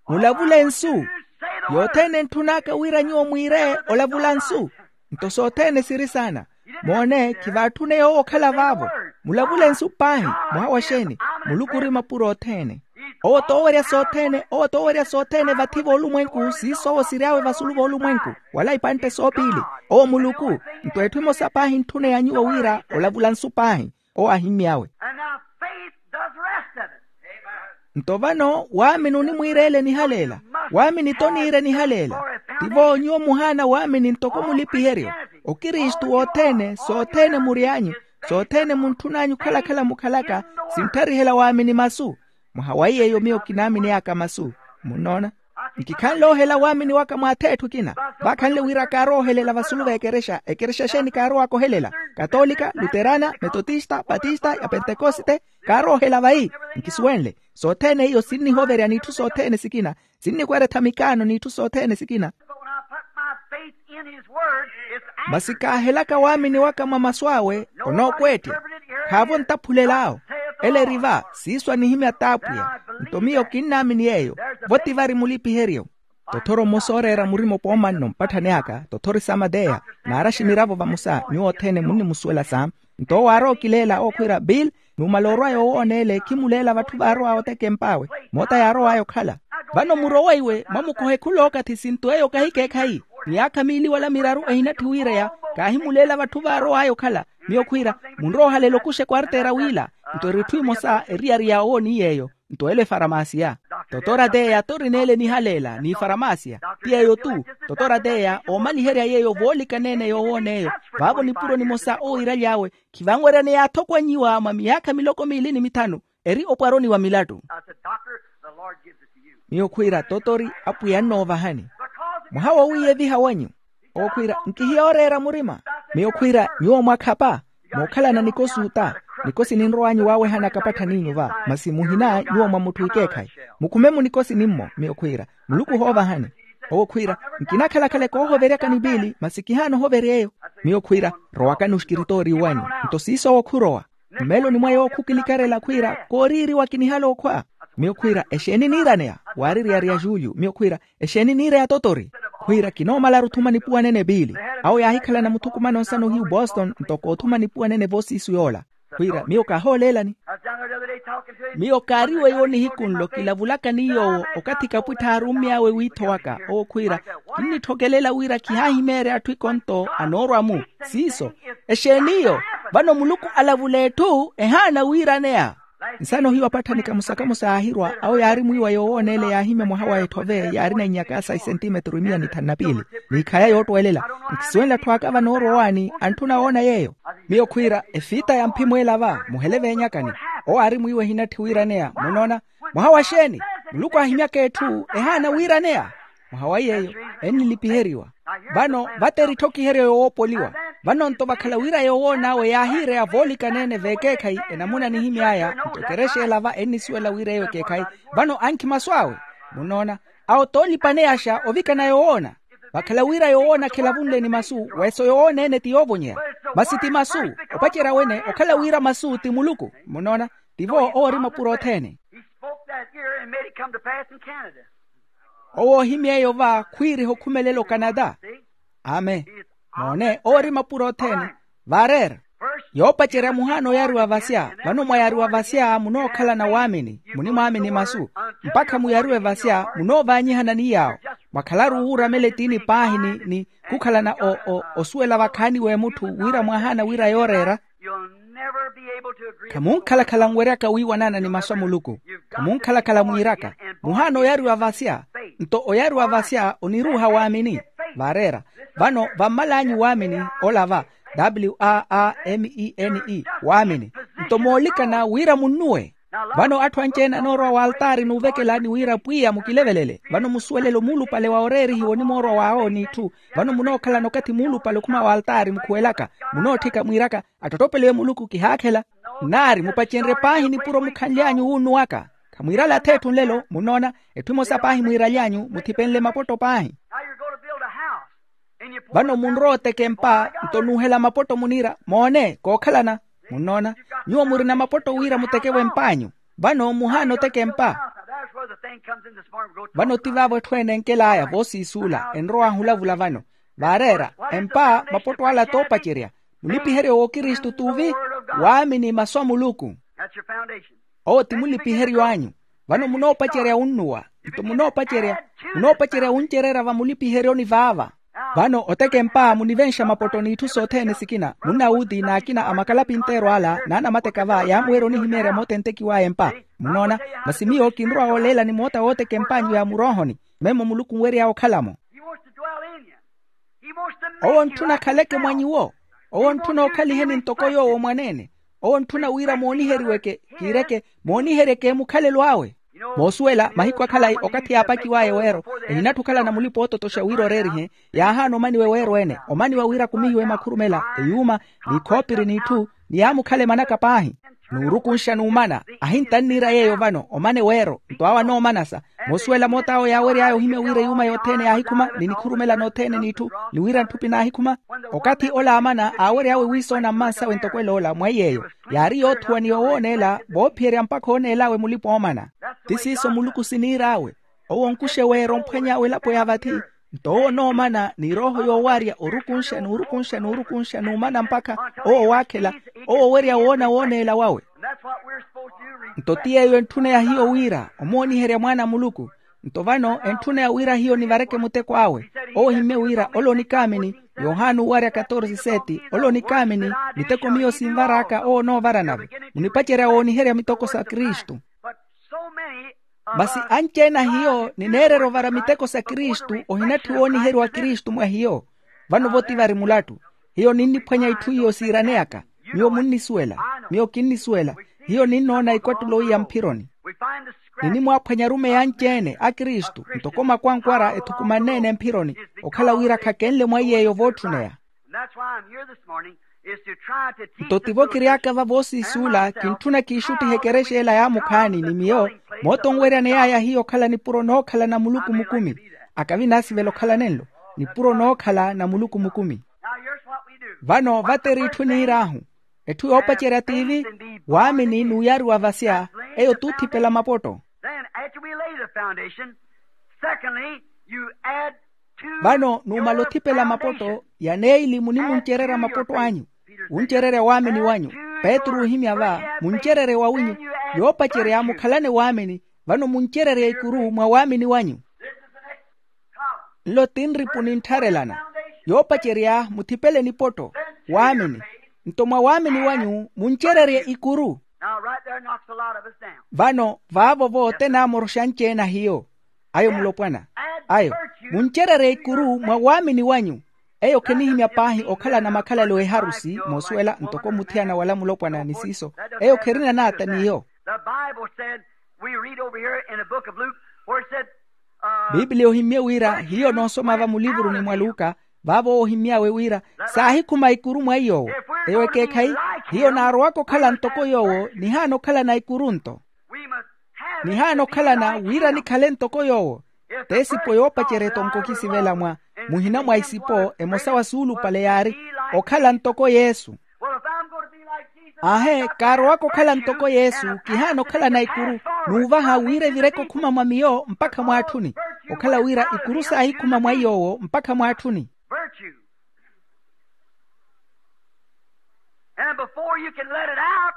Mulavule nsu. Yothene entthun'aka wira nyuwo mwiire olavula nsu. Nto sothene siri saana. Moone, khivaatthune yoowo okhala vaavo. Mulavule nsu paahi. Mwaha wa xeeni? Muluku ori mapuro othene. Owo t'owerya sothene, owo t'owerya sothene vathi voolumwenku siiso owo siry'awe vasulu voolumwenku, wala ipantte soopiili. Owo muluku. Nto etthu emosa paahi entthune ya nyuwo wira olavula nsu paahi. Owo aahimmy'awe. And now faith does the rest of it. Nto vano waamini onimwiireela enihaleela. Waamini t'oniira enihaleela. Tivo nyuwo muhaana waamini ntoko mulipiheryo. Okristu wothene sothene mury'anyu. Sothene muntthun'anyu okhala-khala mukhalaka. Sintharihela waamini masu. Mwaha wa yeeyo miyo kinaamin'aka masu. Munnoona? Nkikhanle oohela waamini waka mw'ath'etthu ekina. Vaakhanle wira kaarowa ohelela vasulu v'ekerexa. Ekerexa exeeni kaarowaka ohelela? Katolika, luterana, metotista, patista ya pentekoste. Kaaroohela vayi. Nkisuwenle. Sothene iyo sinnihoverya n'itthu sothene sikina. Sinnikweretha mikaano n'itthu sothene sikina. But when I put my faith in his word, it's. Masi kaahelaka waamini waka mwa masu awe, onookweettya. Khaavo ntaphulel'awo. Ele eri va siiso anihimya t'apwiya. Nto miyo kinnaamini yeeyo. Vo ti vari mulipiheryo. Tothoro mmosa ooreera murima opoomanno mpatthani aka tothori samateya. Naaraxi miravo vamosa nyuwo othene munnimusuwela sa. Nto owo aarowa okileela owo khwiira bill, numala orwaya owoona ele khimuleela vatthu vaarow'awe otekemp'awe. Moota yaarow'aya okhala. Vano murowe iwe mwamukohe khul'okathi sinto eyo kahikeekhayi. Miyaakha miili wala miraru ehinatthi wiireya. Kaahimuleela vatthu vaarow'aya okhala. Miyo khwiira, munrowe ohalela okuxa ekwarteera wiila. Nto eri etthu emosa eriyari ya owo ni yeeyo. Nto elo efaramasiya. Totora teya torineele nihaleela n'ifaramasiya. Ti yeeyo-tu. Totora teya oomaliherya yeeyo voolikana-ene yoowoona eyo. Vaavo nipuro nimosa owiiraly'awe. Khivanweryaneya athokwanyiwa mwa miyaakha miloko miili ni mithanu. Eri opwaroni wa milattu. Miyo khwiira totori apwiya annoovahani. Mwaha wowiiyeviha wanyu. Owo khwiira nkihiya ooreera murima. Miyo khwiira nyuwo mwakhapa. Mookhalana nikosi ota. Nikosi ninrow'anyu waawehana kapatthaniinyu va masi muhina nyuwo mwa mutthu ikeekhayi. Mukhume munikosi nimmo miyo khwiira muluku ohoovahani. Owo khwiira, nkinakhala-khala ekoohoveryakani piili masi kihaana ohoverya eyo. Miyo khwiira, rowakani oxikiritoori wanyu. Nto siiso owo khurowa. Mmeloni mwa yoowo khukilikarela khwiira, kooriiriwa kinihala okhwa. Miyo khwiira, exeeni niiraneya? Waaririya ari ya julio. Miyo khwiira, exeeni niireya totori? Khwiira kinoomalaru othuma nipuwa nene piili. Awo yaahikhalana muthukumano nsana ohiyu boston ntoko othuma nipuwa nene voosiisu yoola. Khwiira miyo kaahooleelani. Miyo kaari weiwo nihiku nlo kilavulaka ni yoowo okathi kapwittha aarummy'awe wiitho waka owo khwiira, kinnitthokelela wira khihaahimeerya atthu ikonto anoorwa-mu. Siiso, exeeni iyo? Vano muluku alavula etthu ehaana wiiraneya. Nsana ohiyu apatthanika musakamusa yaahirwa awo yaari mwiiwa yoowooneela yaahimya mwaha wa etthove yaarina inyaka sa isentimetru imiya ni thanu na piili, n'ikhaya yoottweelela. Nkisuwenle atthu aka vanoorwa owaani antthuna woona yeeyo. Miyo khwiira efiita ya mphimweela va muhele veenyakani. Owo aari mwiiwa ehinatthi wiiraneya munoona. Mwaha wa xeeni? Muluku aahimyaka etthu ehaana wiiraneya. Mwaha wa yeeyo ennilipiheriwa. Vano vatteri etthokiheryo yoowoopoliwa. Vano nto vakhala wira yoowoon'awe yaahiireya voolikana-ene veekeekhayi enamuna nihimy'aya nto ekerexa ela va ennisuwela wira eyo ekeekhayi. Vano ankhi masu awe. Munoona? Awo toolipaneyaxa ovikana yoowoona. Vakhala wira yoowoona khelavunle ni masu weso yoowoona-ene ti yoovonyeya. Masi ti masu. Opacerya wene okhala wira masu ti muluku. Munoona? Tivo owo ori mapuro othene. He spoke that here and made it come to pass in Canada. Owo ohimy'eyo va khwiiriha okhumelela okanata. Amen. Moone owo ori mapuro othene. Vaareera. Yoopacerya muhaana oyaariwa vasya vano mwayaariwa vasya munookhalana waamini munimwaamini masu. Mpakha muyaariwe vasya munoovaanyihana ni yaawo. Mwakhalaru wuuramela etiini paahi ni ni khukhalana osuwela vakhaani w'emutthu wira mwahaana wira yooreera. Khamunkhalakhala nweryaka wiiwanana ni masu a muluku. Khamunkhalakhala mwiiraka muhaana oyaariwa vasya. Nto oyaariwa vasya oniruuha waamini. Vaareera vano vammal'anyu waamini ola va, w a a m e n e waamini. Nto moolikana wira munnuwe. Vano atthu anci-ene anoorowa w'altaari n'uvekela ni wira pwiya mukilevelele vano musuwelelo muulupale wa oreerihiwa onimoorowa waawo n'itthu. Vano munookhalana okathi muulupale okhuma w'altaari mukhuwelaka munootthika mwiiraka attottopeliwe muluku kihaakhela. Nnaari mupacenrye paahi nipuro mukhanly'anyu wuunnuwaka. Khamwiirale ath'etthu nlelo munnoona. Etthu emosa paahi mwiiraly'anyu muthipenle mapotto paahi. Vano munrowa oteka empa nto nuuhela mapotto muniira moone kookhalana. Munnoona? Nyuwo murina mapotto wira mutekewe emp'anyu. Vano muhaana oteka empa. Vano ti vaavo etthu ene enkel'aya voosiisuula enrow'ahu olavula vano. Vaareera empa mapotto ala toopacerya. Mulipiheryo w'okristu t'uvi waamini masu a muluku. Owo ti mulipiheryo anyu. Vano munoopacerya wunnuwa nto munoopacerya munoopacerya wuncereera vamulipiheryoni vaava. Vano oteka empa munivenxa mapotto n'itthu sothene sikina munnawuti n'akina a makalapinteero ala n'anamateka va yaamuwerya onihimeerya moota entekiw'aya empa. Munnoona? Masi miyo kinrowa wooleelani moota wooteka emp'anyu ya muroohoni. Memmo muluku onwery'awe okhala-mo. Owo ontthuna akhaleke mwa nyuwo. Owo ontthuna okhaliheni ntoko yoowo mwaneene. Owo ontthuna wira mooniheriweke kiireke mooniheryeke mukhalelo awe. Moosuwela mahiku akhalayi okathi yaapakiw'aya eweero ehinatthi okhalana mulipa oototoxa wira oreerihe. Yaahaana omaniwa eweero ene omaniwa wira akumihiwe makhurumela eyuuma n'ikhoopiri n'itthu ni yaamukhale manaka paahi. N'urukunxa n'umana ahintanniira yeeyo vano omana eweero nto awo anoomanasa. Moosuwela moot'awo yaawery'aya ohimya wira eyuuma yothene yaahikhuma ni nikhurumela nothene n'itthu ni wira ntthupi naahikhuma. Okathi ola aamana aawery'awe wiisoona mmansawe ntoko eloola mwa iy'eyo yaari yoothuwa ni yowooneela voophiyerya mpakha ooneel'awe mulipa oomana. Ti siiso muluku siniir'awe. Owo onkuxa eweero omphwany'awe elapo ya vathi. Nto owo onoomana ni erooho yoowarya orukunxa n'urukunxa n'urukunxa n'umana mpakha owo waakhela owo owerya woona wooneela wawe. Nto ti yeeyo entthuna ya hiyo wira omooniherya mwaana a muluku. Nto vano entthuna ya wira hiyo nivareke muteko awe. Owo ohimmye wira ole onikaamini yohana owarya katorse seti ole onikaamini miteko miyo sinvar'aka owo onoovaranave. Munipacerya wooniherya miteko sa kristu. Masi anci-ene a hiyo nineererya ovara miteko sa kristu ohinatthi wooniheriwa kristu mwa hiyo. Vano-vo ti vari mulattu. Hiyo ninniphwanya itthu iyo siiraneyaka. Miyo munnisuwela. Miyo kinnisuwela. Hiyo ninnoona ikwattulo iya mphironi. Ninimwaaphwanya arumeyi anci-ene a kristu ntoko makwankwara ethukumanne-ene mphironi okhala wira khakenle mwa iy'eyo vootthuneya. Nto tivo kiry'aka va voosiisuula kintthuna kiixuttihe ekerexa ela yaamukhaani ni miyo. Moota onweryana eyaaya hiyo okhala nipuro nookhalana muluku mukumi. Akavi naasivela okhala nenlo nipuro nookhala na muluku mukumi. Vano vateri itthu niir'ahu, etthu yoopacerya tiivi, waamini n'uyariwa vasya, eyo t'uthipela mapotto. Then after we lay the foundation, secondly, you add to vano numala your othipela mapotto, yaneili munimuncererya mapotto anyu, wuncererya waamini wanyu. Petru ohimya va, muncererye wawinyu. Yoopacerya mukhalane waamini, vano muncererye ikuru mwa waamini wanyu. Nlo ti nripu nintharelana. Yoopacerya muthipele nipotto, waamini. Nto mwa waamini wanyu muncererye ikuru. Now, right there knocks a lot of us down. Vano vaavo-vo ote naamoroxa anci-ene a hiyo. Ayo mulopwana. Ayo, muncererye ikuru mwa waamini wanyu. Eyo khenihimya paahi okhalana makhalelo eharusi moosuwela ntoko muthiyana wala mulopwana ni siiso. Eyo kherina naata n'iyo. The Bible said, we read over here in the book of Luke, where it said, uh, bibliya ohimmye wira hiyo noosoma va mulivuruni mwa luka, vaavo ohimmy'awe wira saahikhuma ikuru mwa iy'owo. Eyo ekeekhayi, hiyo naarowaka okhala ntoko yoowo nihaana okhalana ikuru nto. Nihaana okhalana wira nikhale ntoko yoowo. T'esipo yoopacerya etonko okisivela mwa muhina mwa isipo emosa wa suulupale yaari okhala ntoko yesu. Aahe, kaarowaka okhala ntoko yesu kihaana okhalana ikuru, n'uvaha wira evireke okhuma mwa miyo mpakha mwaatthuni. Okhala wira ikuru saahikhuma mwa iy'owo mpakha mwaatthuni. Virtue. And before you can let it out,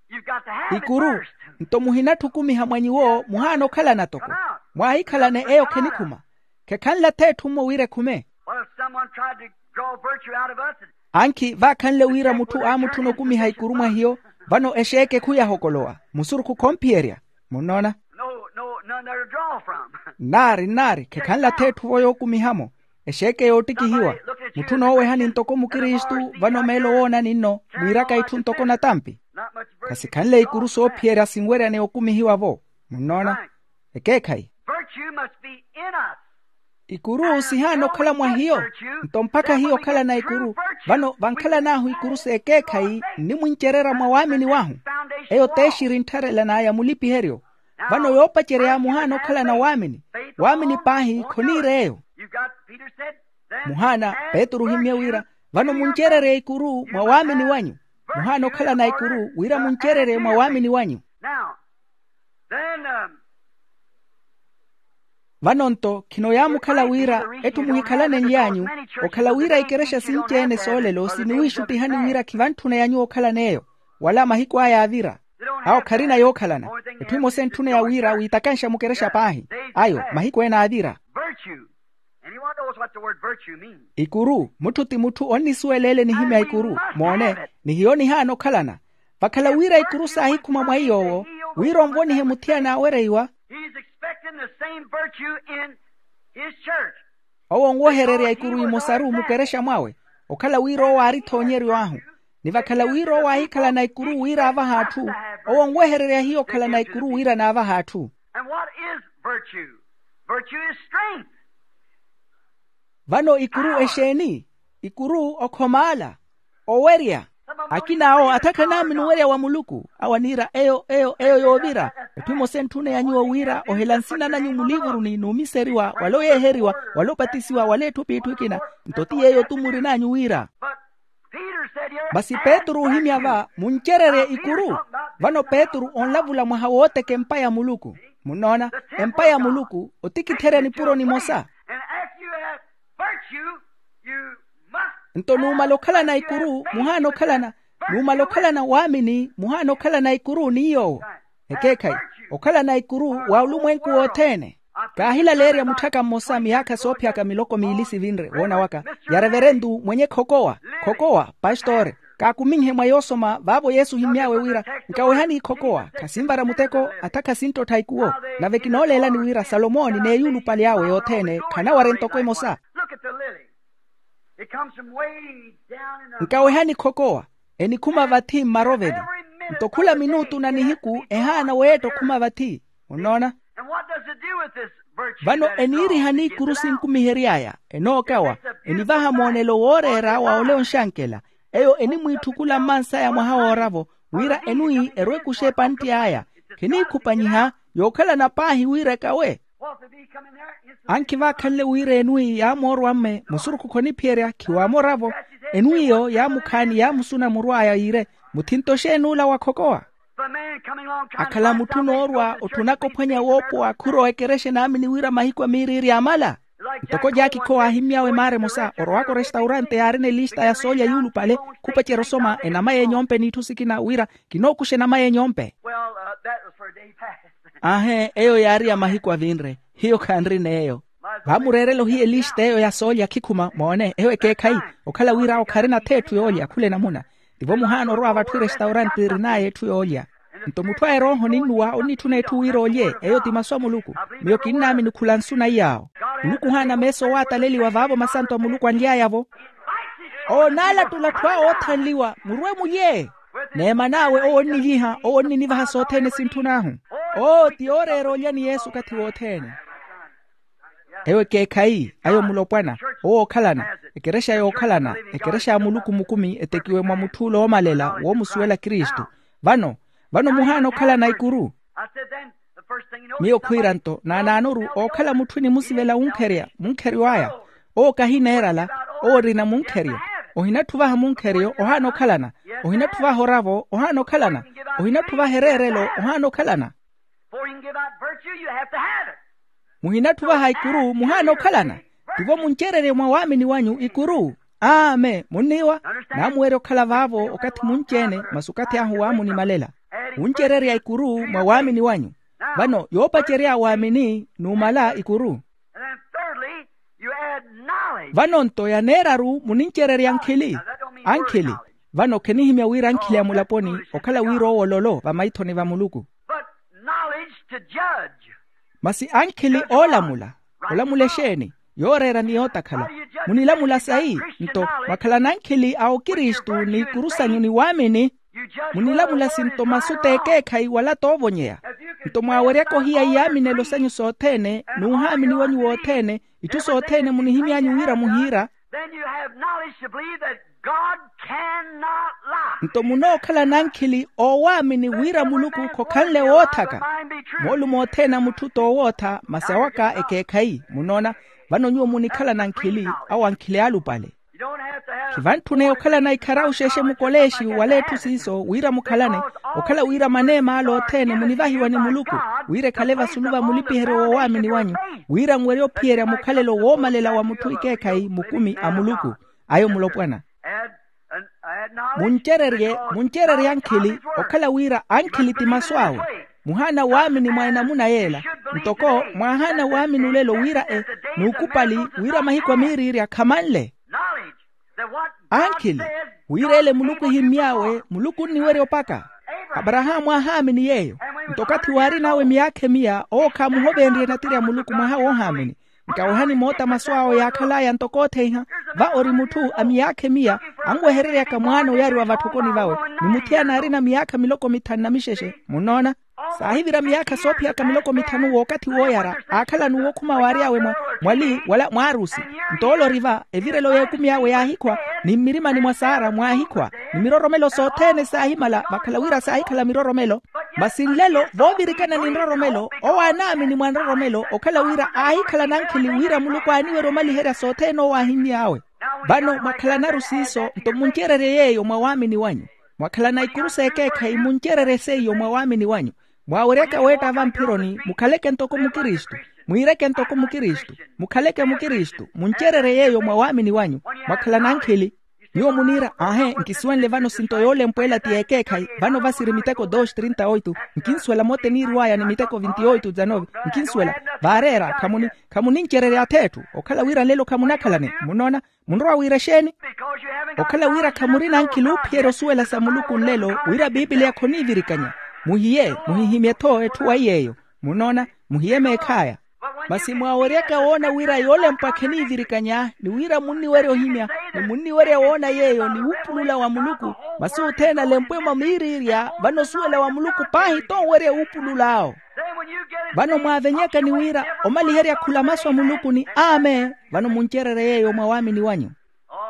you've got to have it ikuru first. Nto muhinatthukumiha mwa nyuwo muhaana okhalana toko. Mwaahikhalane eyo khenikhuma. Khekhanla-tho etthu mmo wira ekhume. Well, if someone tried to draw virtue out of us, ankhi vaakhanle wira mutthu aamutthuna okumiha ikuru mwa hiyo, vano exeeke khuyahokolowa musurukhu khomphiyerya. Munnoona? No, no, none there to draw from. Nnaari nnaari khekhanla-tho etthu-vo yookumiha-mo. Exeeke yoottikihiwa. Mutthu noowehani ntoko mukristu vano meelo woonani nno mwiiraka itthu ntoko natampi. Khasikhanle ikuru soophiyerya sinweryaneya okumihiwa-vo. Munnoona? Ekeekhayi. Virtue must be in us. Ikuru sihaana okhala mwa hiyo. Nto mpakha hiyo okhalana ikuru. Vano vankhalan'ahu ikuru s'ekeekhayi nnimwincererya mwa waamini wahu. Eyo t'exiri nttharelan'aya mulipiheryo. Vano yoopacerya muhaana okhalana waamini. Waamini paahi khoniira eyo. Muhaana petru ohimmye wira, vano muncererye ikuru mwa waamini wanyu. Muhaana okhalana ikuru wira muncererye mwa waamini wanyu. Vano-nto khino yaamukhala wira etthu muhikhalanenly'anyu okhala wira ikerexa sinci-ene soolelo siniwiixuttihani wira khivantthunaya nyuwo okhalan'eyo. Wala mahiku aya aavira. Awo kharina yookhalana. Etthu emosa entthuneya wira wiitakanxa mukerexa paahi. Ayo mahiku ene aavira. Virtue. Anyone knows what the word virtue means? Ikuru mutthu ti mutthu onnisuwela ele nihimya ikuru. Moone, ni hiyo nihaana okhalana. Vakhala wira ikuru saahikhuma mwa iy'owo wira onvonihe muthiyana aawereiwa. He's expecting the same virtue in his church. Owo onwehererya ikuru imosaru mukerexa mwawe. Okhala wira owo aari-tho onyeryo ahu. Ni vakhala wira owo aahikhalana ikuru wira aavahe atthu, owo onwehererya hiyo okhalana ikuru wira naavahe atthu. And what is virtue? Virtue is strength. Vano ikuru exeeni? Ikuru okhomaala, owerya. Akina awo atha khanaamini owerya wa muluku. Awo aniira eyo eyo eyo yoovira. Etthu emosa entthuneya nyuwo wira ohela nsina nanyu muliivuruni n'umiseriwa wala oyeeheriwa wala opatisiwa wala etthu p'itthu ekina. Nto ti yeeyo tu murin'anyu wira. Masi petru oohimya va muncererye ikuru. Vano petru onlavula mwaha wooteka empa ya muluku. Munnoona? Empa ya muluku otikitherya nipuro nimosa. Nto numala okhalana ikuru muhaana okhalana. Numala okhalana waamini muhaana okhalana ikuru ni yoowo. Ekeekhayi, okhalana ikuru wa olumwenku wothene. Kaahilaleerya mutthaka mmosa miyaakha soophiyaka miloko miili sivinre woona waka, ya reverentu mwenye khokowa. Khokowa pastore, kaakuminhe mwa yoosoma vaavo yesu ohimmy'awe wira, nkawehani ikhokowa khasinvara muteko, atha khasinttotha ikuwo. Nave kinooleelani wira salomoni n'eyulupale awe yothene khanawarya ntoko emosa. Nkawehani khokowa, enikhuma vathi mmaroveli. Nto khula minutu na nihiku ehaana weetta okhuma vathi. Munnoona? Vano eniirihani ikuru sinkumihery'aya enookawa, enivaha moonelo wooreera wa ole onxankela. Eyo enimwiitthukula mmansaya mwaha wooravo wira enwi erwe ekuxe epantti aya. Khiniikhupanyiha yookhalana paahi wira ekawe. Ankhi vaakhanle wira enwi yaamoorwa mme musurukhu khoniphiyerya khiwaamoravo. Enwi iyo yaamukhaani yaamusuna muru aya yiire, muthinto exeen'ula wa khokowa? Akhala mutthu noorwa otthunaka ophwanya woopowa khurowa ekerexa enaamini wira mahiku a miiriiri yaamala. Ntoko jaakikho waahimmy'awe maara emosa orowaka orestaurante yaarina elista ya soolya yuulupale, khupacerya osoma enama y'enyompe n'itthu sikina wira kinookuxa enama y'enyompe. Aahe, eyo yaari ya mahiku avinre. Hiyo khanrina eyo. Vaamureerela ohiya elista eyo ya soolya khikhuma moone eyo ekeekhayi. Okhala wira awo kharina-tho etthu yoolya khula enamuna. Tivo muhaana orowa vatthu erestaurante erin'aya etthu yoolya. Nto mutthu a erooho ninnuwa onnitthuna etthu wira olye eyo ti masu a muluku. Miyo kinnaamini khula nsu na iy'awo. Muluku ohaana meesa owataleliwa vaavo masanto a muluku anly'aya-vo. Owo onaalattula atthu awo oothanliwa murwe mulye. N'eman'awe owo onnilyiha owo onninivaha sothene sintthunahu. Owo ti yooreera olya ni yesu okathi wothene. Eyo ekeekhayi ayo mulopwana. Owo ookhalana ekerexa yookhalana ekerexa ya muluku mukumi etekiwe mwa mutthuulo woomalela woomusuwela kristu. Vano vano muhaana okhalana ikuru. Miyo khwiira-nto naanaanoru ookhala mutthu enimusivela wunkherya munkheryo aya. Owo kahineerala. Owo orina munkheryo. Ohinatthuvaha munkheryo ohaana okhalana. Ohinatthuvaha oravo ohaana okhalana. Ohinatthuvaha ereerelo ohaana okhalana. Muhinatthuvaha ikuru muhaana okhalana. Tivo muncererye mwa waamini wanyu ikuru. Amen munniiwa. Naamuwerya okhala vaavo okathi munci-ene masi okathi ahu waamunimalela. Wuncererya ikuru mwa waamini wanyu. Vano yoopacerya waamini numala ikuru. Vano-nto yaneeraru munincererya ankhili. Ankhili. Vano khenihimya wira ankhili a mulaponi okhala wira owo ololo vamaithoni va muluku. Masi ankhili oolamula olamula exeeni? Yooreera ni yootakhala. Munilamula sayi? Nto mwakhalana ankhili a okristu n'ikuru sanyu ni waamini. Munilamula sinto masu t'ekeekhayi wala toovonyeya. Nto mwaaweryaka ohiya iyaaminelo sanyu sothene n'uhaamini wanyu wothene itthu sothene munihimy'anyu wira muhiira. Nto munookhalana ankhili oowaamini wira muluku khokhanle woothaka. Moolumo othene a mutthu toowootha masi awaka ekeekhayi munoona. Vano nyuwo munikhalana ankhili awo ankhili aalupale. Khivantthune okhalana ikharawu xexe mukoleexi wala etthu siiso wira mukhalane. Okhala wira maneema ale othene munivahiwa ni muluku wira ekhale vasulu va mulipiheryo woowaamini wanyu wira nwerye ophiyerya mukhalelo woomalela wa mutthu ikeekhayi mukumi a muluku. Ayo mulopwana muncererye muncererye ankhili. Okhala wira ankhili ti masu awe muhaana waamini mwa enamuna yeela. Ntoko mwaahaana waamini olelo wira e n'ukupali wira mahiku a miiriirya khamanle. Ankhili wira ele muluku ehimmy'awe muluku onniwerya opaka. Aparahaamu aahaamini yeeyo. Nto okathi waarin'awe miyaakha emiya owo khaamuhovenrye natirya muluku mwaha woohaamini. Nkawehani moota masu awo yaakhal'aya ntoko otheiha. Va ori mutthu a miyaakha emiya anwehereryaka mwaana oyariwa vatthokoni vawe ni mutthiyana aarina miyaakha miloko mithanu na mixexe. Munnoona saahivira miyaakha soophiyaka miloko mithanu w'okathi wooyara aakhala n'uwo okhuma waary'awe mwali wala mwaarusi. Nto ole ori va evirelo y'ekumi awe yaahikhwa ni mmirimani mwa saara mwaahikhwa ni miroromelo sothene saahimala vakhala wira saahikhala miroromelo. Masi nlelo voovirikana ni nroromelo owo anaamini mwa nroromelo okhala wira aahikhala nankhili wira muluku aaniwerya omaliherya sothene owo aahimmy'awe. Vano mwakhalanaru siiso nto muncererye yeeyo mwa waamini wanyu. Mwakhalana ikuru s'ekeekhayi muncererye seiyo mwa waamini wanyu. Mwaaweryaka weetta vamphironi mukhaleke ntoko mukristu. Mwiireke ntoko mukristu. Mukhaleke mukristu muncererye yeeyo mwa waamini wanyu. Mwakhalana ankhili. Nyuwo muniira aahe nkisuwenle vano sinto yoolempweela ti y'ekeekhayi. Vano vasiri miteko dos trinta oitu. Nkinsuwela mote niiriw'aya ni miteko vinti oitu dzanovi. Nkinsuwela vaareera khamuni khamunincererya ath'etthu okhala wira nlelo khamunakhalane munnoona. Munrowa wira exeeni? Okhala wira khamurina ankhili oophiyerya osuwela sa muluku nlelo wira piipiliya khoniivirikanya. Muhiye muhihimye-tho etthu waiy'eyo. Munnoona muhiye meekh'aya. Masi mwaaweryaka woona wira yoolempwa kheniivirikanya ni wira munniwerya ohimya ni munniwerya woona yeeyo ni wuupulula wa muluku. Masi othene alempwe mwa miiriirya vano osuwela wa muluku paahi tonwerya wuupulul'awo. Vano mwaavenyaka ni wira omaliherya khula masu a muluku ni amen. Vano muncererye yeeyo mwa waamini wanyu.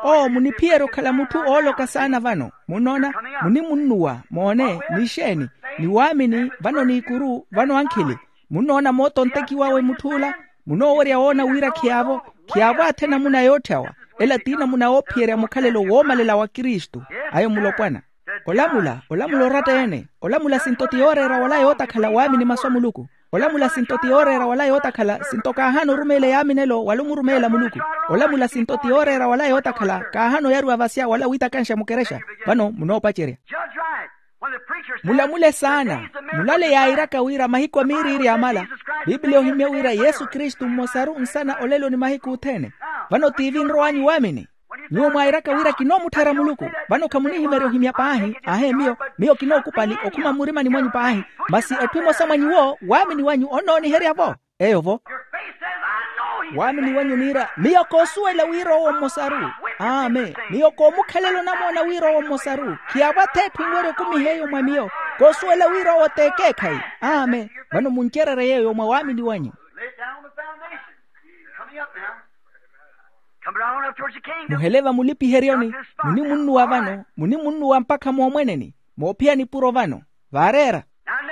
Oo muniphiyerya okhala mutthu ooloka saana vano munnoona. Munimunnuwa moone ni exeeni ni waamini vano n'ikuru vano ankhili. Munnoona moota ontekiwawe mutth'ula? Munoowerya woona wira khiyaavo, khiyaavo athe namuna yootthawa. Ela ti namuna yoophiyerya mukhalelo woomalela wa kristu. Ayo mulopwana. Olamula olamula oratta-ene. Olamula sinto ti yooreera wala yootakhala waamini masu a muluku. Olamula sinto ti yooreera wala yootakhala sinto kaahaana orumeela eyaaminelo wala omurumeela muluku. Olamula sinto ti yooreera wala yootakhala kaahaana oyariwa vasya wala wiitakanxa mukerexa. Vano munoopacerya. Mulamule saana. Mulale yairaka wira mahiku a miiriiri amala, pipiliya ohimya wira yesu kristu mmosaru nsana olelo ni mahiku othene. Vano tiivi nrowanyu waamini. Nyuwo mwairaka wira kinoomutthera muluku, vano khamunihimerya ohimya paahi. Aahe miyo, miyo kinookupali okhuma mmurimani mwanyu paahi. Masi etthu emosa mwa nyuwo waamini wanyu onnooniherya-vo. Eyo-vo. Waamini wanyu niira miyo koosuwela wira owo mmosaru. Amen. Miyo koomukhalela onamoona wira owo mmosaru khiyaavo ath'etthu enwerya okumiha eyo mwa miyo. Koosuwela wira owo t'ekeekhayi. Amen. Vano muncererye yeeyo mwa waamini wanyu. Muhele vamulipiheryoni. Munimunnuwa vano, munimunnuwa mpakha moomweneni. Moophiya nipuro vano. Vaareera.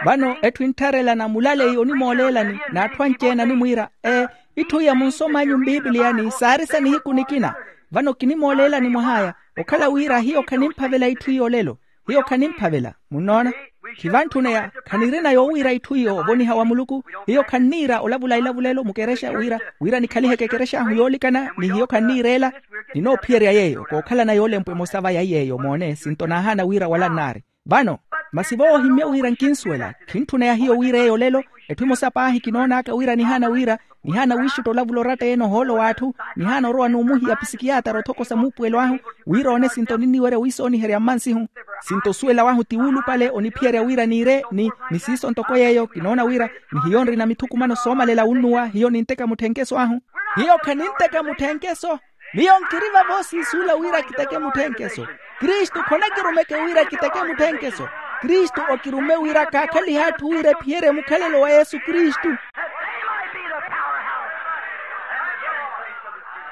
Vano etthu enttharelana mulaleyi onimooleelani n'atthu anci-ene animwiira, ee, itthu iya munsom'anyu mpipiliyani saari sa nihiku nikina. Vano kinimooleelani mwah'aya, okhala wira hiyo khanimphavela itthu iyo olelo. Hiyo khanimphavela. Munnoona? Khivanttuneya. Khanirina yoowiira itthu iyo ovoniha wa muluku. Hiyo khanniira olavula ilavulelo mukerexa wira, wira nikhaliheke ekerex'ahu yoolikana ni hiyo khanniira ela. Ninoophiyerya yeeyo kookhalana yoolempwa emosa va ya yeeyo moone sinto naahaana wira wala nnaari. Vano, masi voohimmye wira nkinsuwela. Khintthuna ya hiyo wira eyo olelo. Etthu emosa paahi kinoon'aka wira nihaana wira, nihaana wiixutta olavula oratta-ene ohoolo w'atthu, nihaana orowa n'umuhiya pisikiyatara othokosa muupuwelo ahu, wira oone sinto ninniwerya wiisooniherya mmansihu. Sinto osuwela wahu ti wuulupale oniphiyerya wira niire ni, ni siiso ntoko yeeyo kinoona wira, ni hiyo nrina mithukumano soomalela wunnuwa hiyo ninteka mutthenkeso ahu. Hiyo khaninteka mutthenkeso. Miyo nkiri vavo siisuula wira kiteke mutthenkeso. Kristu khonakirumeke wira kiteke mutthenkeso. Kristu okirumme wira kaakhalihe atthu wira ephiyerye mukhalelo wa yesu kristu,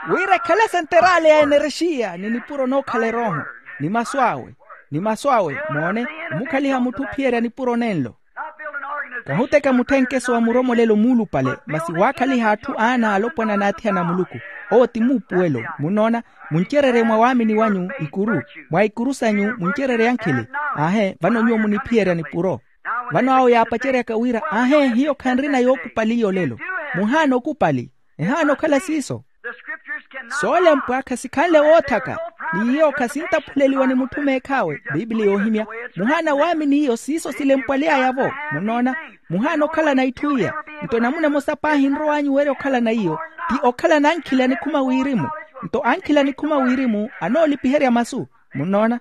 wira ekhale senteraale ya enerexiya ni nipuro nookhala erooho, ni masu awe, ni masu awe moone, omukhaliha mutthu ophiyerya nipuro nenlo. Kahuteka mutthenkeso wa muromolelo muulupale masi waakhaliha atthu aana alopwana n'athiyana a muluku. Owo ti muupuwelo. Munnoona? Muncererye mwa waamini wanyu ikuru, mwa ikuru sanyu muncererye ankhili. Aahe vano nyuwo muniphiyerya nipuro. Vano awo yaapaceryaka wira aahe hiyo khanrina yookupali iyo olelo. Muhaana okupali. Ehaana okhala siiso. Soolempwa khasikhanle woothaka, ni iyo khasintaphuleliwa ni mutthu meekh'awe. Pipiliya yoohimya. Muhaana waamini iyo siiso silempwaly'aya-vo. Munnoona? Muhaana okhalana itthu iya. Nto namuna emosa paahi nrow'anyu werya okhalana iyo, ti okhalana ankhila nikhuma wirimu. Nto ankhila nikhuma wirimu anoolipiherya masu. Munnoona?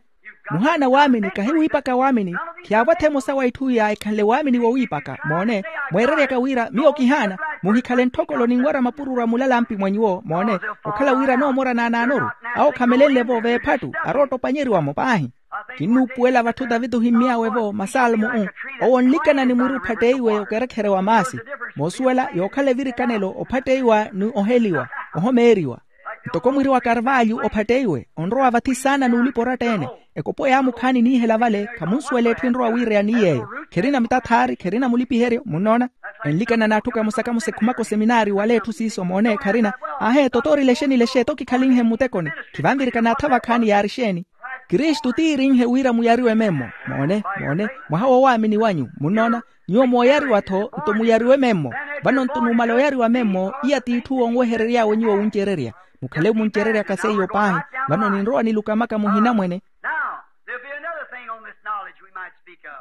Muhaana waamini kahiwiipaka waamini. Khiyaavo-tho emosa wa itthu iya ekhanle waamini wowiipaka moone. Mweereryaka wira miyo kihaana, muhikhale ntthokolo ninwerya mapururu a mulalampi mwa nyuwo moone. Okhala wira anoomora naanaanoru, awo khamelenle-vo veephattu arootopanyeriwa-mo paahi. Kinnuupuwela vatthu taviti ohimmy'awe-vo masalmo-u. Owo onlikana ni mwiri ophatteiwe okerekhere wa maasi. Moosuwela yookhala evirikanelo ophatteiwa ni oheliwa, ohomeeriwa. Ntoko mwiri wa karvalyu ophatteiwe onrowa vathi saana n'ulipa oratta-ene. Ekopo yaamukhaani niihela vale khamunsuwela etthu enrowa wiireya ni yeeyo. Kherina mitathaari kherina mulipiheryo munnoona. Enlikana n'atthu kamosa kamosa ekhumaka oseminaari wala etthu siiso moone kharina. Aahe toto orile exeeni-le exeeni oto kikhalinhe mmutekoni. Khivanvirika n'atha vakhaani yaari exeeni? Kristu tiirinhe wira muyariwe memmo. Moone moone, mwaha woowaamini wanyu munnoona. Nyuwo mooyariwa-tho nto muyariwe memmo. Vano nto numala oyariwa memmo iya t'itthu wonweherery'awe nyuwo wuncererya. Mukhale muncereryaka seiyo paahi. Vano ninrowa nilukamaka muhinamwene.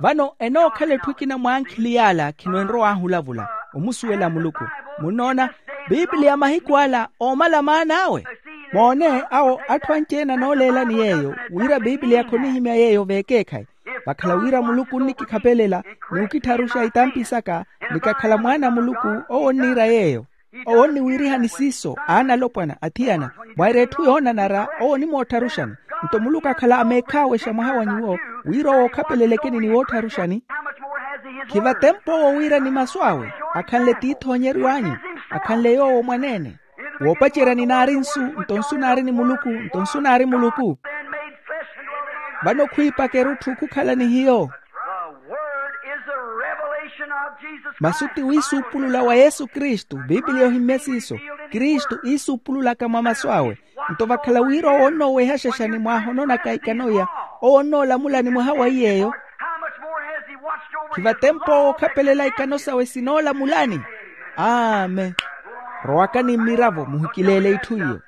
Vano enookhala etthu ekina mwa ankhili y'ala khino enrow'ahu olavula, omusuwela muluku. Munnoona? Pipiliya mahiku ala oomala maan'awe. Moone awo atthu anci-ene anooleelani yeeyo wira pipiliya khonihimya yeeyo v'ekeekhayi. Vakhala wira muluku onnikikhapelela, ni okittharuxa itampi saka, ni kakhala mwaana a muluku. Owo onniira yeeyo. Owo onniwiirihani siiso aana alopwana athiyana. Mwaira etthu yoonanara owo onimoottharuxani. Nto muluku akhala ameekhaawexa mwaha wa nyuwo, wira owo okhapelelekeni ni woottharuxani. Khivatempa owo wira ni masu awe akhanle tiithoonyeryo anyu, akhanle yoowo mwaneene. Woopacerya ninaari nsu, nto nsu naari ni muluku, nto nsu naari muluku. Vano khwiipaka erutthu khukhala ni hiyo. Masu ti wiisuupulula wa yesu kristu. Piipiliya ohimmye siiso. Kristu iisuupululaka mwa masu awe. Nto vakhala wira owo onnooweha xaxani mwaahononaka ikano iya, owo onnoolamulani mwaha wa iy'eyo. Khivatempo owo okhapelela ikano sawe sinoolamulani. Amen. Rowakani mmiravo muhikileele itthu iyo.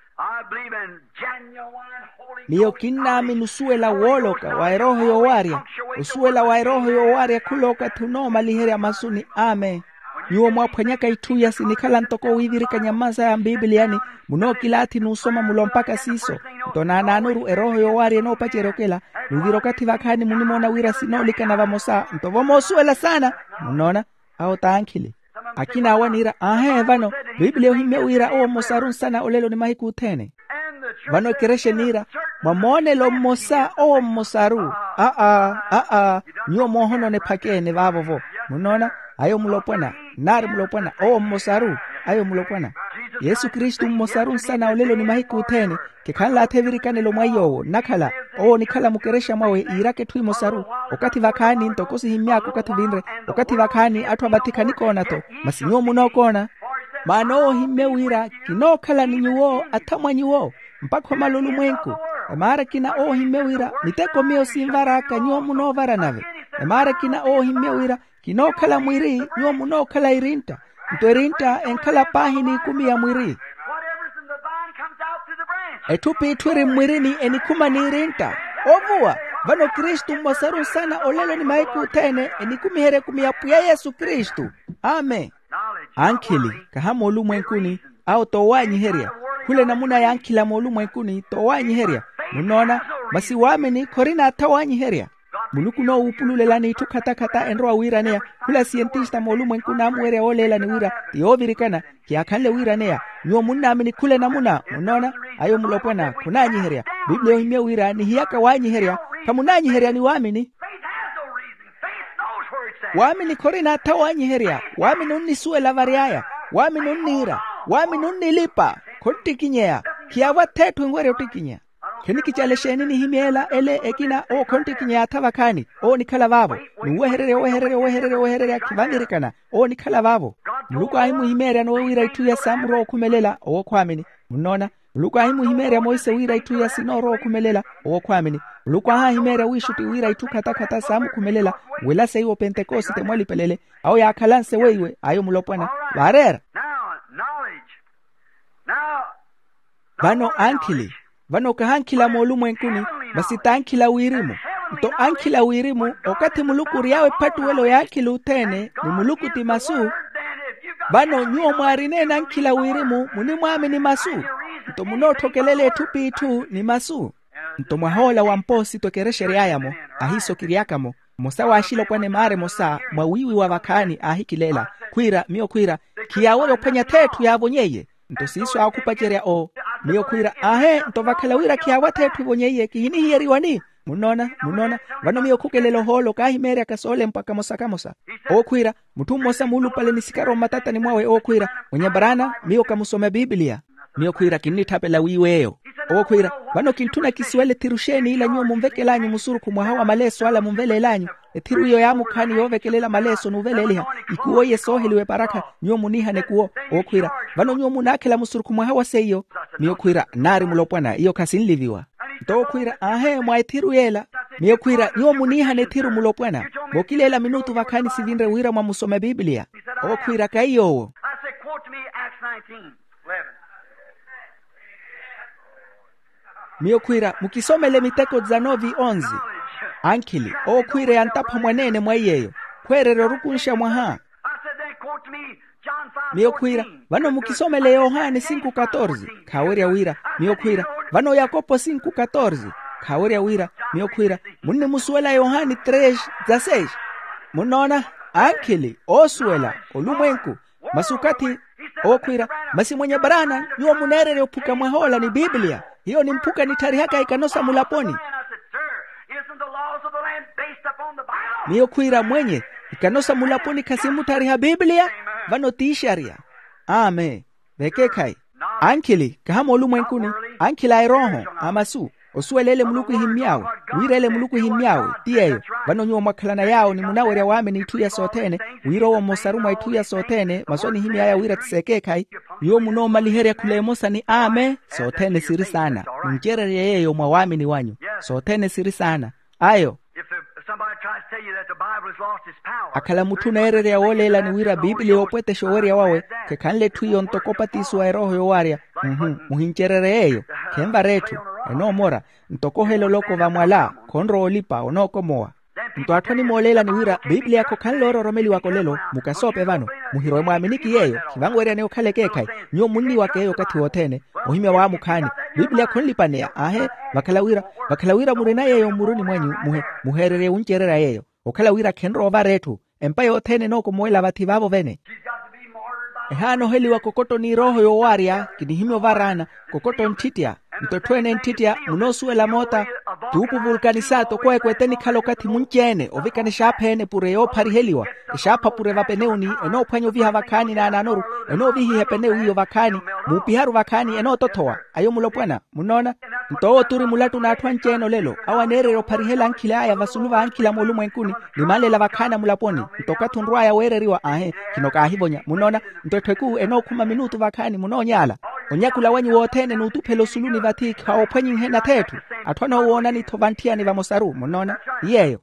Miyo kinnaamini osuwela wooloka wa erooho yoowaarya. Osuwela wa erooho yoowaarya khula okathi onoomaliherya masu ni amen. Nyuwo mwaaphwanyaka itthu iya sinikhala ntoko wiivirikanya mmansaya mpipiliyani, munookilaathi n'usoma mulo mpakha siiso. Nto naanaanoru erooho yoowaarya enoopacerya okela. Nuuvira okathi vakhaani munimoona wira sinoolikana vamosa nto vo moosuwela saana. Munnoona? Awo t'ankhili. Akina awo aniira aahe vano, piipiliya ohimmye wira owo mmosaru nsana olelo ni mahiku othene. Vano ekerexa eniira, mwa moonelo mmosa owo mmosaru. Aa, aa. Nyuwo moohonona ephaka ene vaavo-vo. Munnoona? Ayo mulopwana. Nnaari mulopwana owo mmosaru. Ayo mulopwana. Yesu kristu mmosaru nsana olelo ni mahiku othene. Kikhanlaathi evirikanelo mwa iy'owo nnakhala. Owo onikhala mukerexa mwawe iiraka etthu emosaru. Okathi vakhaani ntoko sihimmy'aka okathi vinre. Okathi vakhaani atthu avathi khanikoona-tho. Masi nyuwo munookoona. Maana owo ohimmye wira kinookhala ni nyuwo athamwa nyuwo mpakha omala olumwenku. Emaara ekina owo ohimmye wira miteko miyo sinvar'aka nyuwo munoovara nave. Emaara ekina owo ohimmye wira kinookhala mwiri nyuwo munookhala irintta. Nto elintta enkhala paahi n'ikumi ya mwiri. Etthu p'itthu eri mmwirini enikhuma n'irintta. Ovuwa. Vano kristu mmosaru nsana olelo ni mahiku othene enikumiherya ekumi ya pwiya yesu kristu. Amen. Ankhili kaha moolumwenkuni, awo t'owaanyiherya. Khula enamuna y'ankhila moolumwenkuni t'owaanyiherya. Munnoona? Masi waamini khorina atha waanyiherya. Muluku onoowuupululelani itthu khatakhatta enrowa wiiraneya. Khula siyentista moolumwenku naamuwerya wooleelani wira ti yoovirikana. Khiyaakhanle wiiraneya. Nyuwo munnaamini khula enamuna munnoona? Ayo mulopwana khunaanyiherya. Piipiliya ohimmye wira nihiyaka waanyiherya. Khamunaanyiherya ni waamini. Waamini khorina atha waanyiherya. Waamini onnisuwela vary'aya. Waamini onniira. Waamini onnilipa. Khonttikinyeya. Khiyaavo atha etthu enwerya ottikinya. Khinikicala exeeni nihimyeela ele ekina owo khonttikinyeya atha vakhaani. Owo onikhala vaavo. N'uwehererya owehererya owehererya owehererya khivanvirikana. Owo onikhala vaavo. Muluku aahimuhimeerya nowe wira itthu iya saamurowa okhumelela owo khwaamini. Munnoona? Muluku aahimuhimeerya monse wira itthu iya sinoorowa okhumelela owo khwaamini. Muluku aahaahimeerya wiixutti wira itthu khatakhatta saamukhumelela. Wela seiwo pentekosite mwalipelele. Awo yaakhalanse weiwe ayo mulopwana. Vaareera. Vano ankhili. Vano kaha ankhila moolumwenkuni, masi t'ankhila wirimu. Nto ankhila wirimu okathi muluku ory'awe ephattuwelo y'ankhila othene, ni muluku ti masu. Vano nyuwo mwaarina-ene ankhila wirimu munimwaamini masu. Nto munootthokelela etthu p'itthu ni masu. Nto mwahoola wa mpoosito ekerexa ery'aya-mo, ahiiso kiry'aka-mo. Mmosa w'axilopwana emaara emosa mwa wiiwi wa vakhaani aahikileela. Khwiira miyo khwiira, khiyaawerya ophwanya th'etthu yaavonyeiye. Nto siiso aakupacerya oo. Miyo khwiira aahe nto vakhala wira khiyaawa th'etthu evonyeiye kihinihiyeriwani. Munnoona? Munnoona? Vano miyo khukelela ohoolo kaahimeeryaka soolempwa kamosa kamosa. Owo khwiira, mutthu mmosa muulupale ni sikaro mmatatani mwawe owo khwiira, mwenye baraana, miyo kamusome a piipiliya. Miyo khwiira kinnitthapela wiiweeyo. Owo khwiira, vano kintthuna kisuwele ethiru xeeni ila nyuwo munvekelaanyu musurukhu mwaha wa maleeso ala munveleel'anyu. Ethiru iyo yaamukhaani yoovekelela maleeso n'uveleeliha. Ikuwo iye sooheliwa eparakha. Nyuwo muniihana ekuwo. Owo khwiira, vano nyuwo munaakhela musurukhu mwaha wa seiyo. Miyo khwiira nnaari mulopwana iyo khasinliviwa. Nto owo khwiira aahe mwa ethiru yeela. Miyo khwiira nyuwo muniihana ethiru mulopwana. Mookileela minutu vakhaani sivinre wira mwamusome a piipiliya. Owo khwiira kaiy'owo. Miyo khwiira mukisomele miteko dizanove onzi. Ankhili owo khwiira yantapha mwaneene mwa iyeeyo. Khweererya orukunxa mwaha. Miyo khwiira, vano mukisomele yohani sinku katorze. Khaawerya wira. Miyo khwiira, vano yakopo sinku katorze. Khaawerya wira. Miyo khwiira, munnimusuwela yohani tres dzaseis. Munnoona? Ankhili oosuwela olumwenku. Masi okathi owo khwiira, masi mwenye baraana nyuwo muneererya ophuka mwahoola ni piipiliya. Hiyo nimphuka nitharihaka ikano sa mulaponi. Miyo khwiira mwenye, ikano sa mulaponi khasimutthariha piipiliya? Vano tiixarya. Amen. Vekeekhayi. Ankhili kaha moolumwenkuni, ankhili a erooho, a masu. Osuwela ele muluku ehimmy'awe, wira ele muluku ehimmy'awe, ti yeeyo. Vano nyuwo mwakhalana yaawo ni munawerya waamini itthu iya sothene, wira owo mmosaru mwa itthu iya sothene masu anihimy'aya wira ti s'ekeekhayi. Nyuwo munoomaliherya khula emosa ni amen. Sothene siri saana. Muncererye yeeyo mwa waamini wanyu. Sothene siri saana. Ayo. If the, somebody tries to tell you that the Bible has lost its power, akhala mutthu oneererya wooleelani wira piipiliya oopwetexa owerya wawe, khekhanle etthu iyo ntoko opatisiwa erooho yowaarya. Mhm. Muhincererye yeeyo. Khenvara etthu. Enoomora. Ntoko ohela oloko vamwala, khonrowa olipa onookomowa. Nto atthu animooleelani wira piipiliya khokhanle oororomeliwaka olelo. Mukasoope vano. Muhirwe mwaaminiki yeeyo. Khivanweryani okhala ekeekhayi. Nyuwo munniwaka eyo okathi wothene. Ohimya waamukhaani. Piipiliya khonlipaneya aahe. Vakhala wira, vakhala wira murina yeeyo mmuruni mwanyu, muhe, muheererye wuncererya yeeyo. Okhala wira khenrowa ovara etthu. Empa yothene enookomuwela vathi vaavo vene. Ehaanoheliwa kokottoni erooho yoowaarya. Kinihimya ovaraana. Kokotto nttittya. Nto etthu ene nttittya munoosuwela moota. Tuupu vulkanisa toko ekweete enikhala okathi munci-ene ovikana exaapha ene pure yoophariheliwa. Exaapha pure vapenewuni. Enoophwanya oviha vakhaani naanaanoru. Enoovihiha epenewu iyo vakhaani. Muupiharu vakhaani enootothowa. Ayo mulopwana. Munnoona? Nto owo turi mulattu n'atthu anci-ene olelo awo aneererya opharihela ankhili aya vasulu va ankhili a moolumwenkuni. Ni manlela vakhaani a mulaponi. Nto okathi onrw'aya weereriwa aahe. Khino kaahivonya munnoona? Nto etthu ekuu enookhuma minutu vakhaani munoonyaala. Onyakula wanyu wothene n'utuphela osuluni vathi khawoophwanyinhe natheetthu. Atthu anoowoonani-tho vantthiyani vamosaru munnoona? Ti yeeyo.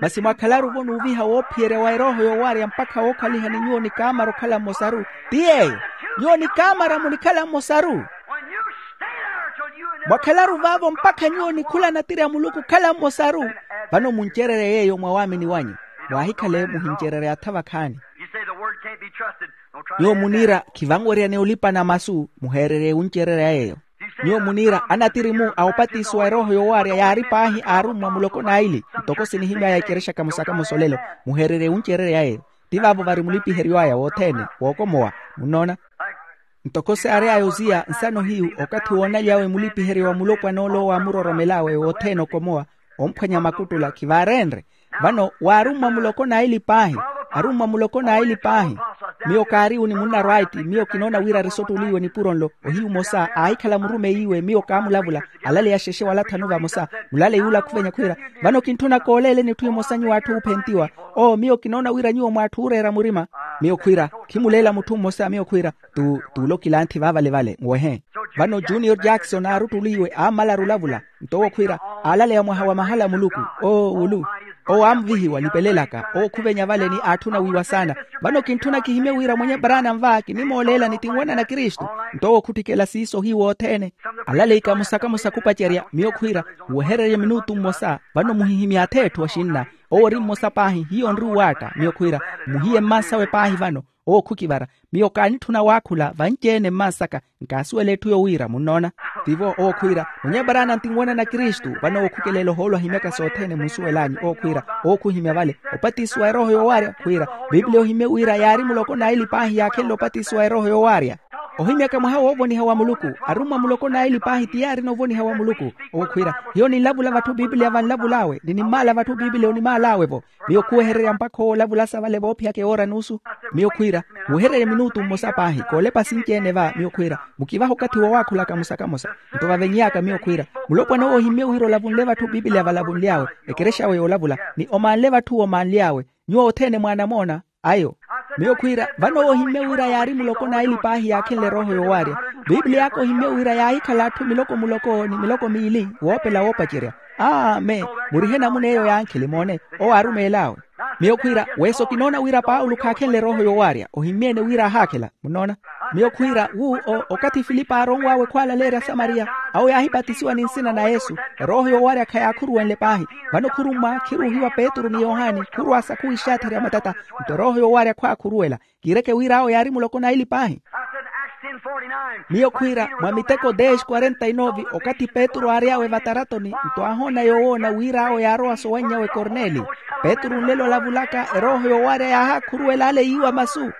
Masi mwakhalaru-vo n'uviha woophiyerya wa erooho yoowaarya mpakha wookhalihani nyuwo ni kaamara okhala mmosaru. Ti yeeyo. Nyuwo ni kaamara munikhala mmosaru. Mwakhalaru vaavo mpakha nyuwo nikhula natiri a muluku okhala mmosaru. Vano muncererye yeeyo mwa waamini wanyu. Mwaahikhale muhincererya atha vakhaani. Nyuwo muniira khivanweryani olipana masu muheererye wuncererya yeeyo. Nyuwo muniira anatiri-mu a opatisiwa erooho yoowaarya yaari paahi aarummwa muloko n'aili. Ntoko sinihimy'aya ekerexa kamosa kamosa olelo. Muheererye wuncererya yeeyo. Ti vaavo vari mulipiheryo aya wothene wookomowa. Munnoona? Ntoko saary'aya oziya nsano hiyu okathi woonalyawe mulipiheryo wa mulopwana ole owo aamuroromel'awe wothene okomowa. Omphwanya makuttula khivaareenre. Vano waarummwa muloko n'aili paahi. Arummwa muloko n'aili paahi. Miyo kaariwu ni munnarwaiti miyo kinoona wira ari sottuliiwe nipuro nlo. Ohiyu mmosa aahikhala murumeyiwe miyo kaamulavula. Alaleya xexe wala thanu vamosa. Mulaleyi ula khuvenya khwiira, vano kintthuna kooleeleni etthu emosa nyuwo atthu oophentiwa. Oo miyo kinoona wira nyuwo mw'atthu ooreera murima. Miyo khwiira, khimuleela mutthu mmosa miyo khwiira, tu tuulokilanthi vaavale-vale nwehe. Vano junior jackson aaruttuliiwe aammalaru olavula. Nto owo khwiira, aalaleya mwaha wa mahala a muluku. Oo wulu. Owo aamvihiwa nipelelaka owo khuvenya vale ni aatthuna wiiwa saana. Vano kintthuna kihimye wira mwenye branham va kinimooleelani ti nwanana kristu. Nto owo khutthikela siiso ohiyu wothene. Alaleyi kamosa kamosa khupacerya miyo khwiira, muwehererye minutu mmosa. Vano muhihimye atheetthu axinna. Owo ori mmosa paahi hiyo onri uwaatta miyo khwiira, muhiye mmansawe paahi vano. Owo khukivara. Miyo kaanitthuna waakhula vanci-ene mmansaka. Nkaasuwela etthu yowiira munnoona? Tivo owo khwiira, mwenye baraana ntinwanana kristu vano owo khukeleela ohoolo ahimyaka sothene munsuwel'anyu owo khwiira. Owo khuhimya vale, opatisiwa erooho yoowaarya khwiira. Piipiliya ohimye wira yaari muloko n'aili paahi yaakhenle opatisiwa erooho yoowaarya. Ohimyaka mwaha woovoniha wa muluku, arummwa muloko n'aili paahi ti yaarina ovoniha wa muluku. Owo khwiira, hiyo ninlavula vatthu piipiliya vanlavul'awe ni nimmaala vatthu piipiliya onimaal'awe-vo. Miyo khuwehererya mpakha owo olavulasa vale voophiyaka ewoora n'usu. Miyo khwiira, muwehererye minutu mmosa paahi koolepa sinci-ene va miyo khwiira, mukivahe okathi woowakhula kamosa kamosa. Nto vaveny'aka miyo khwiira, mulopwana owo ohimmye wira olavunle vatthu piipiliya valavunly'awe, ekerex'awe yoolavula, ni omaanle vatthu omaanly'awe. Nyuwo othene mwaanamoona. Ayo. Miyo khwiira, vano owo ohimmye wira yaari muloko n'aili paahi yaakhenle erooho yoowaarya. Piipiliy'aka ohimmye wira yaahikhala atthu miloko muloko ni miloko miili woopela woopacerya. Amen. Murihe namuna eyo y'ankhili moone. Owo aarumeel'awe. Miyo khwiira, weso kinoona wira paulo khaakhenle erooho yoowaarya ohimmye-ene wira aahaakhela. Munnoona? Miyo khwiira wu okathi filipe aaronw'awe khwaalaleerya asamariya, awo yaahipatisiwa ni nsina na yesu. Erooho yoowaarya khayaakhurwenle paahi. Vano khurummwa khiruuhiwa petru ni yohani khurwa sakhuwi ixaatherya matata. Nto erooho yoowaarya khwaakhuruwela. Kiireke wira awo yaari muloko n'aili paahi. Miyo khwiira mwa miteko dez quarenta y nove okathi petru aary'awe vataratoni nto aahoona yoowoona wira awo yaarowa sowannyawe korneli. Petru nlelo olavulaka erooho yoowaarya yaahakhuruwela ale yiiwa masu.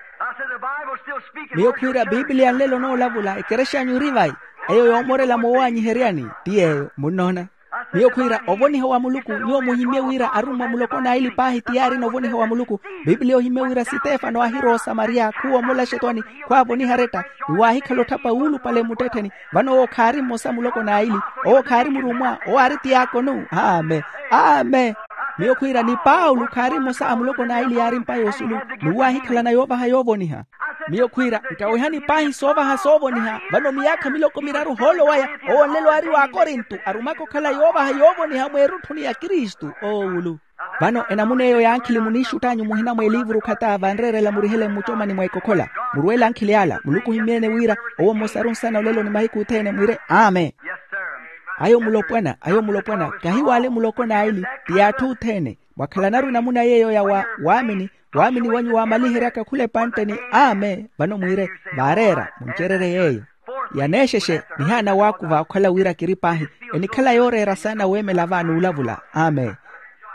Miyo khwiira piipiliya nlelo onoolavula ekerex'anyu eri vayi. Eyo yoomorela moowaanyiheryani ti yeeyo munnoona? Miyo khwiira ovoniha wa muluku nyuwo muhimmye wira arummwa muloko n'aili paahi ti yaarina ovoniha wa muluku. Pipiliya ohimmye wira sitefano aahira osamariya khuwomola xetwani khwaavoniha aretta. Ni waahikhala otthapa wuulupale mmuttettheni. Vano owo khaari mmosa muloko n'aili. Owo khaari murummwa owo aari tiyaakonu. Amen. Amen. Miyo khwiira ni paulo khaari mmosa a muloko n'aili yaari mpa yoosulu. Ni waahikhalana yoovaha yoovoniha. Miyo khwiira nkawihani paahi soovaha soovoniha. Vano miyaakha miloko miraru ohoolo waya owo nlelo aari w'akorinto arumaka okhala yoovaha yoovoniha mweerutthuni ya kristu owuulu. Vano enamuna eyo ya ankhili muniixutt'anyu muhina mw'eliivuru khata vanreerela murihele mmucomani mwa ekokhola. Murweele ankhili ala muluku ohimmyeene wira owo mmosaru nsana olelo ni mahiku othene mwire amen. Ayo mulopwana ayo mulopwana kahi w'ale muloko n'aili ti y'atthu othene. Mwakhalanaru enamuna yeeyo ya wa waamini waamini wanyu waamaliheryaka khula epantte ni amen vano mwiire vaareera muncererye yeeyo. Yaneexexe nihaana waakuva okhala wira kiri paahi enikhala yooreera saana weemela va n'ulavula amen.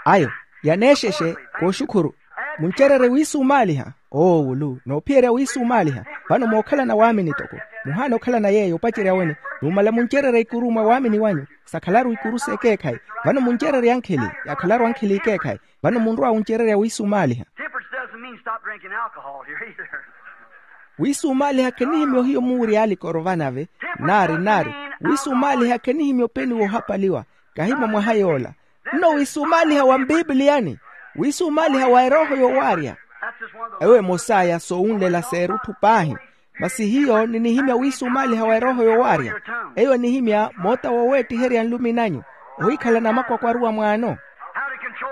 Ayo yaneexexe kooxukhuru. Muncererye wiisumaaliha oowulu noophiyerya wiisumaaliha. Vano mookhalana waamini toko muhaana okhalana yeeyo opacerya wene. Numala muncererye ikuru mwa waamini wanyu sakhalaru ikuru s'ekeekhayi. Vano muncererye ankhili yakhalaru ankhili ekeekhayi. Vano munrowa wuncererya wiisumaaliha. Temperance doesn't mean stop drinking alcohol here either. Wiisumaaliha khenihimya ohiyo muurya alikoro vanave. Nari nari wiisumaaliha khenihimya openi woohapaliwa. Kahimya mwaha yoola nno wiisumaaliha wa mpipiliyani. Wiisumaaliha wa erooho yowaarya. Ewo emosaya soowunlela s'erutthu paahi. Masi hiyo ninihimya wiisumaaliha wa erooho yowaarya. Eyo enihimya moota woweettiherya nlumi nanyu ohikhala namakwakwaruwa mwaano.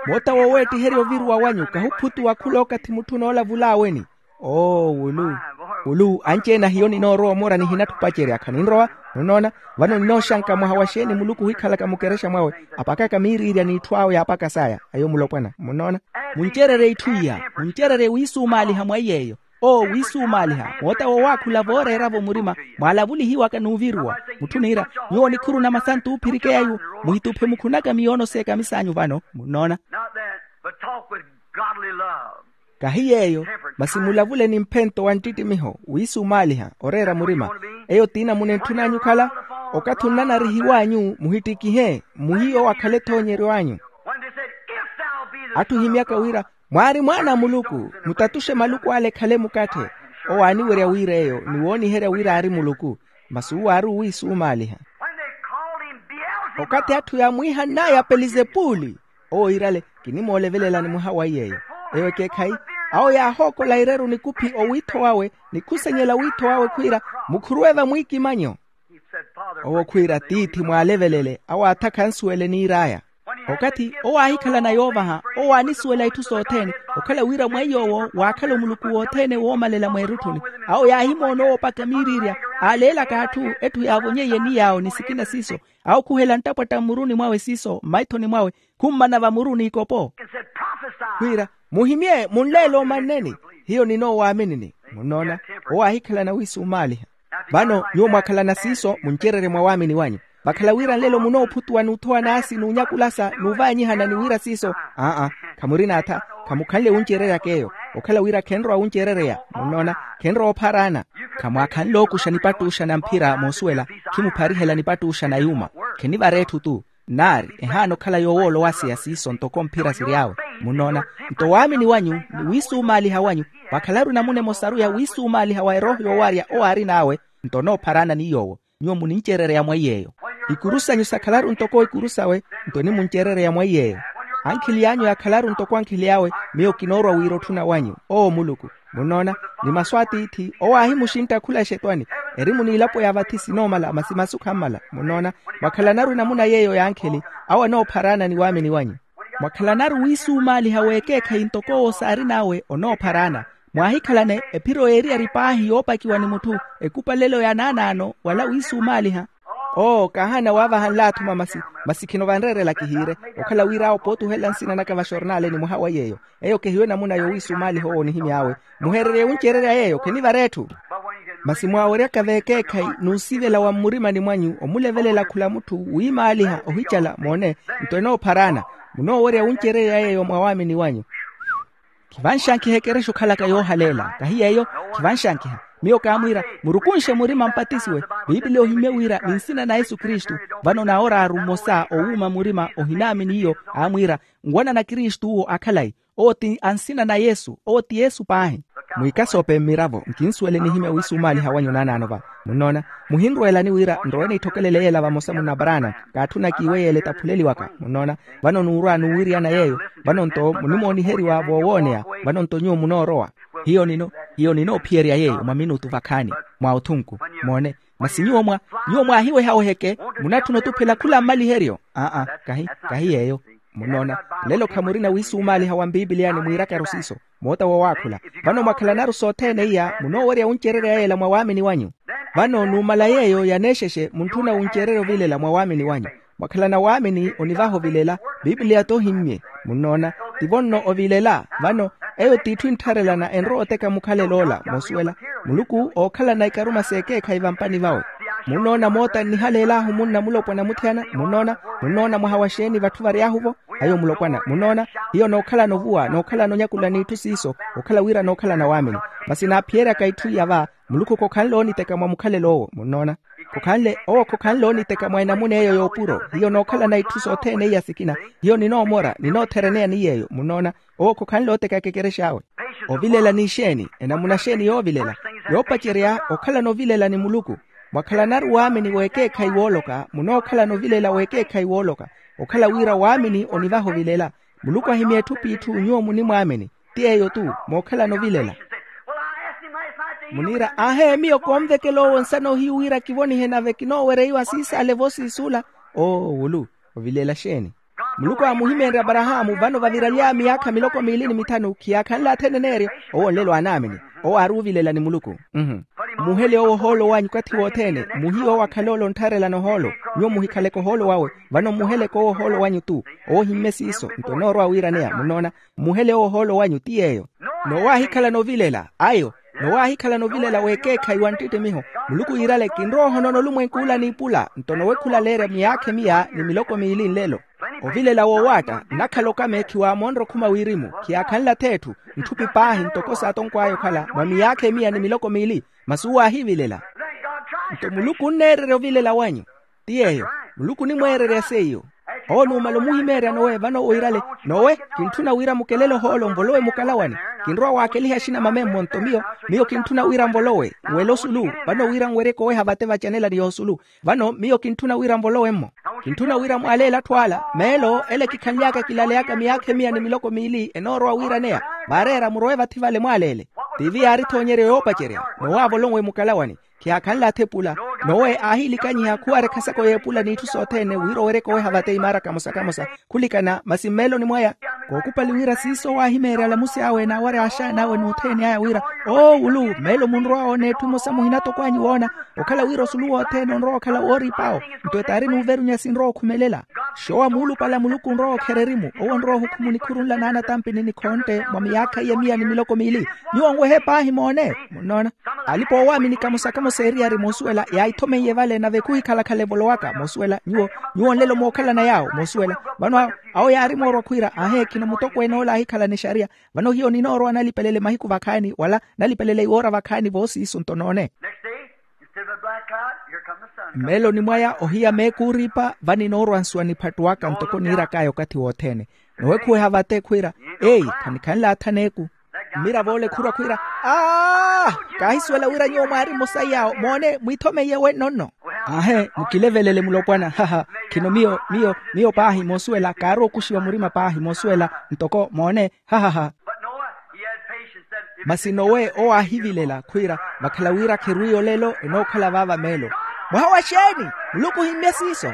Moota woweettiherya oviruwa wanyu kahuphutuwa khulookathi mutthu noolavul'aweni. Oo wulu wulu anci-ene a hiyo ninoorowa omora nihinatthi opacerya khaninrowa. Munnoona? Vano ninooxanka mwaha wa xeeni muluku ohikhalaka mukerexa mwawe apakaka miiriirya n'itthu awe yaapaka saya ayo mulopwana munnoona. Muncererye itthu iya muncererye wiisumaaliha mwa iy'eyo. Oo wiisumaaliha moota wowaakhula vooreera-vo murima mwaalavulihiwaka n'uviruwa. Mutthu oniira nyuwo nikhuru na masantu oophirikeya iwo muhituphe mukhunaka miyoono s'ekamisa anyu vano munnoona. Not that, but talk with godly love. Kahi yeeyo masi mulavule ni mphento wa nttittimiho wiisumaaliha oreera murima. Eyo t'inamuna etthu n'anyu okhala okathi onnanarihiw'anyu muhittikihe mmuhiyo akhale ethoonyeryo anyu. When they said, if thou be the atthu ohimyaka wira mwaari mwaana a muluku mutatuxe maluku ale ekhale mukatthe. Owo aaniwerya wira eyo ni wooniherya wira aari muluku. Masi uwo aari owiisumaaliha. When they called him Beelzebub. Okathi atthu yaamwiihann'aya pelizepuli owo iirale kinimoolevelelani mwaha wa iy'eyo. Eyo ekeekhayi awo yaahookola ireru nikuphi owiitho wawe ni khusenyela wiitho wawe khwiira mukhuruwe vamwiikimanyo. Owo khwiira tiithi mwaalevelele awo aatha khansuwele niir'aya. Okathi owo aahikhalana yoovaha owo aanisuwela itthu sothene okhala wira mwa iy'owo waakhala omuluku wothene woomalela mweerutthuni. Awo yaahimoona owo opaka miiriirya aaleelaka atthu etthu yaavonyeiye ni yaawo ni sikina siiso. Awo khuhela nttapwatta mmuruni mwawe siiso mmaithoni mwawe khummana vamuru n'ikopo. Khwiira muhimye munleele omanneni hiyo ninoowaminini. Munnoona owo aahikhalana wiisumaaliha. Vano nyuwo mwakhalana siiso muncererye mwa waamini wanyu vakhala wira nlelo munoophutuwa n'uthowa n'asi n'unyakulasa n'uvaanyihana ni wira siiso. Aa khamurina atha khamukhanle wuncereryaka eyo okhala wira khenrowa wuncerereya. Munnoona khenrowa opharaana. Khamwaakhanle ookuxa nipattuxa na mphira moosuwela khimupharihela nipattuxa na yuuma. Khenivara etthu-tu. Nari ehaana okhala yoowoolowaseya siiso ntoko mphira siry'awe. Munnoona nto waamini wanyu ni wiisumaaliha wanyu vakhalaru namuna emosaru ya wiisumaaliha wa erooho yoowaarya owo aarin'awe. Nto onoopharaana ni yoowo nyuwo munincerereya mwa iy'eyo. Ikuru sanyu sakhalaru ntoko ikuru sawe nto enimuncerereya mwa iy'eyo. Ankhili anyu yakhalaru ntoko ankhili awe miyo kinoorwa wira otthuna wanyu oo muluku. Munnoona ni masu a tiithi owo aahimuxintta khula exetwani erimu n'ilapo ya vathi sinoomala masi masu khammala. Munnoona mwakhalanaru enamuna yeeyo y'ankhili awo anoopharaana ni waamini wanyu. Mwakhalanaru wiisumaaliha w'ekeekhayi ntoko owo saarin'awe onoopharaana. Mwaahikhalane ephiro yeeriyari paahi yoopakiwa ni mutthu ekupalelo ya naanaano wala wiisumaaliha. Oo kaahaana waavaha nlaatthuma masi masi khino vanreerela kihiire okhala wira awo pootuhelela nsina naka vaxornaaleni mwaha wa yeeyo. Eyo kehiwe namuna yowiisumaaliha owo onihimy'awe muheererye wuncererya yeeyo khenivara etthu. Masi mwaaweryaka v'ekeekhayi n'usivela wa mmurimani mwanyu omulevelela khula mutthu wiimaaliha ohicala moone nto enoopharaana. Munoowerya wuncererya yeeyo mwa waamini wanyu. Khivanxankiha ekerexa okhalaka yoohaleela kahi yeeyo. Khivanxankiha Miyo kaamwiira, murukunxe murima mpatisiwe. Piipiliya ohimmye wira ni nsina na yesu kristu. Vano naoraaru mmosa owuuma murima ohinaamini iyo, aamwiira, nwanana kristu uwo akhalayi. Owo ti a nsina na yesu owo ti yesu paahi. Mwiikasoope mmiravo nkinsuwele nihimya wiisumaaliha wanyu naanaano va. Munnoona? Muhinrweelani wira nrowe niitthokelele yeela vamosa munna abraana. Kaatthuna kiiwe yeela etaphuleliwaka munnoona. Vano nuurwa nuuwiriyana yeeyo. Vano nto munimooniheriwa voowooneya. Vano nto nyuwo munoorowa. Hiyo nino hiyo ninoophiyerya yeeyo mwa minutu vakhaani. Mwa othunku. Moone. Masi nyuwo mwa nyuwo mwaahiweha oheke. Munatthuna otuphela khula mmaliheryo. Aa kahi kahi yeeyo. Munnoona? Lelo khamurina wiisumaaliha wa mpiipiliyani mwiirakaru siiso. Moota wowaakhula. Vano mwakhalanaru sothene iya munoowerya wuncererya yeela mwa waamini wanyu. Vano numala yeeyo yaneexexe muntthuna wuncererya ovilela mwa waamini wanyu. Mwakhalana waamini onivaha ovilela. Piipiliya t'ohimmye. Munnoona? Tivo nno ovilela. Vano eyo t'itthu enttharelana enrowa oteka mukhalelo ola moosuwela. Muluku ookhalana ikaruma s'ekeekhayi vampani vawe. Munnoona moota nnihaleel'ahu munna mulopwana muthiyana munnoona. Munnoona mwaha wa xeeni vatthu vary'ahu-vo? Ayo mulopwana munnoona. Hiyo nookhalana ovuwa nookhalana onyakula n'itthu siiso. Okhala wira nookhalana waamini. Masi naaphiyeryaka itthu iya va. Muluku khokhanle oniteka mwa mukhalel'owo munnoona. Khokhanle owo khokhanle oniteka mwa enamuna eyo y'opuro hiyo nookhalana itthu sothene iya sikina. Hiyo ninoomora ninoothereneya ni yeeyo munnoona. Owo khokhanle oteka ekekerex'awe. Ovilela n'ixeeni enamuna xeeni yoovilela? Yoopacerya okhalana ovilela ni muluku. Mwakhalanaru waamini w'ekeekhayi wooloka munookhalana ovilela w'ekeekhayi wooloka. Okhala wira waamini onivaha ovilela. Muluku ahimya etthu p'itthu nyuwo munimwaamini. Ti eyo-tu. Mookhalana ovilela. Muniira aahe miyo koonvekela owo nsana ohiyu wira kivonihe nave kinoowereiwa siisaale voosiisuula. Oo wulu. Ovilela xeeni? Muluku aamuhimeenrye aparahaamu vano vaviralya miyaakha miloko miili ni mithanu khiyaakhanle athene neeryo. Owo nlelo aanaamini. Owo aari ovilela ni muluku. Mmuhele owo ohoolo wanyu okathi wothene. Muhiye owo akhale ole onttharelana ohoolo. Nyuwo muhikhaleke ohoolo wawe. Vano mmuheleke owo ohoolo wanyu-tu. Owo ohimmye siiso nto enoorowa wiiraneya munnoona. Mmuhele owo ohoolo wanyu ti yeeyo. Nowaahikhalana ovilela ayo. Nowaahikhalana ovilela w'ekeekhayi wa nttittimiho. Muluku yiirale kinrowa ohonona olumwenku ula n'ipula nto nowe khulaleerya miyaakha emiya ni miloko miili nlelo. Ovilela wowaatta nnakhala okame khiwaamonre okhuma wirimu khiyaakhanle ath'etthu. Ntthupi paahi ntoko saatonkw'aya okhala mwa miyaakha emiya ni miloko miili. Masi uwo aahivilela. Nto muluku onneererya ovilela wanyu. Ti yeeyo. Muluku onimweererya seiyo. Owo numala omuhimeerya nowe vano owo iirale nowe. Kintthuna wira mukelele ohoolo nvolowe mukalawani. Kinrowa waakeliha axinamamemmo nto miyo miyo kintthuna wira nvolowe nwele osulu. Vano wira nweryeke oweha vate vacanelani y'osulu. Vano miyo kintthuna wira nvolowemmo. Kintthuna wira mwaaleele atthu ala meelo ele kikhanly'aka kilaleyaka miyaakha emiya ni miloko miili enoorowa wiiraneya. Vaareera murowe vathi vale mwaaleele. Tiivi yaari ethoonyeryo yoopacerya nowaavolowe mukalawani. Khiyaakhanle athepula. Nowe aahiilikanyiha khuwarekha sako y'epula n'itthu sothene wira oweryeke oweha vate imaara kamosa-kamosa. Khulikana masi mmeeloni mwaya kookupali wira siiso owaahimeerya alamusi awe n'awarya axaani awe n'othene aya wira, oowulu mmeelo munrowa woona etthu emosa muhinatokwanyu woona. Okhala wira osulu wothene onrowa okhala wooriip'awo. Nto etaari nuuverunya sinrowa okhumelela. Xoowa muulupale a muluku onrowa okherya erimu owo onrowa ohukhuma onikhurunla n'anatampini ni khontte mwa miyaakha iya miya ni miloko miili. Nyuwo nwehe paahi moone. Munnoona? Alipa oowaamini kamosa-kamosa eriyari moosuwela yaahithomeiye vale nave khuhikhala-khala evolowaka moosuwela nyuwo. Nyuwo nlelo mookhalana yaawo moosuwela. Vano awo yaari moorwa khwiira aahe khino mutokweene ole aahikhalana exariya. Vano hiyo ninoorowa nalipelele mahiku vakhaani wala nalipelele iwoora vakhaani voosiiso nto noone. Mmeeloni mwaya ohiya meeku ooriipa va ninoorwa nsuwa niphattuwaka ntoko niirak'aya okathi wothene. Nowekhuweha vate khwiira, eyi khanikhanle atha neeku. Mmiravo ole khurwa khwiira, aa kaahisuwela wira nyuwo mwaari mmosa iyaawo moone mwiithomeiye wenno nno. Aahe mukilevelele mulopwana haha. Khino miyo miyo miyo paahi moosuwela kaari okuxiwa murima paahi moosuwela ntoko moone hahaha. Masi nowe owo aahivilela khwiira vakhala wira kherwiiyo lelo enookhala vaava meelo. Mwaha wa xeeni? Muluku ohimmye siiso.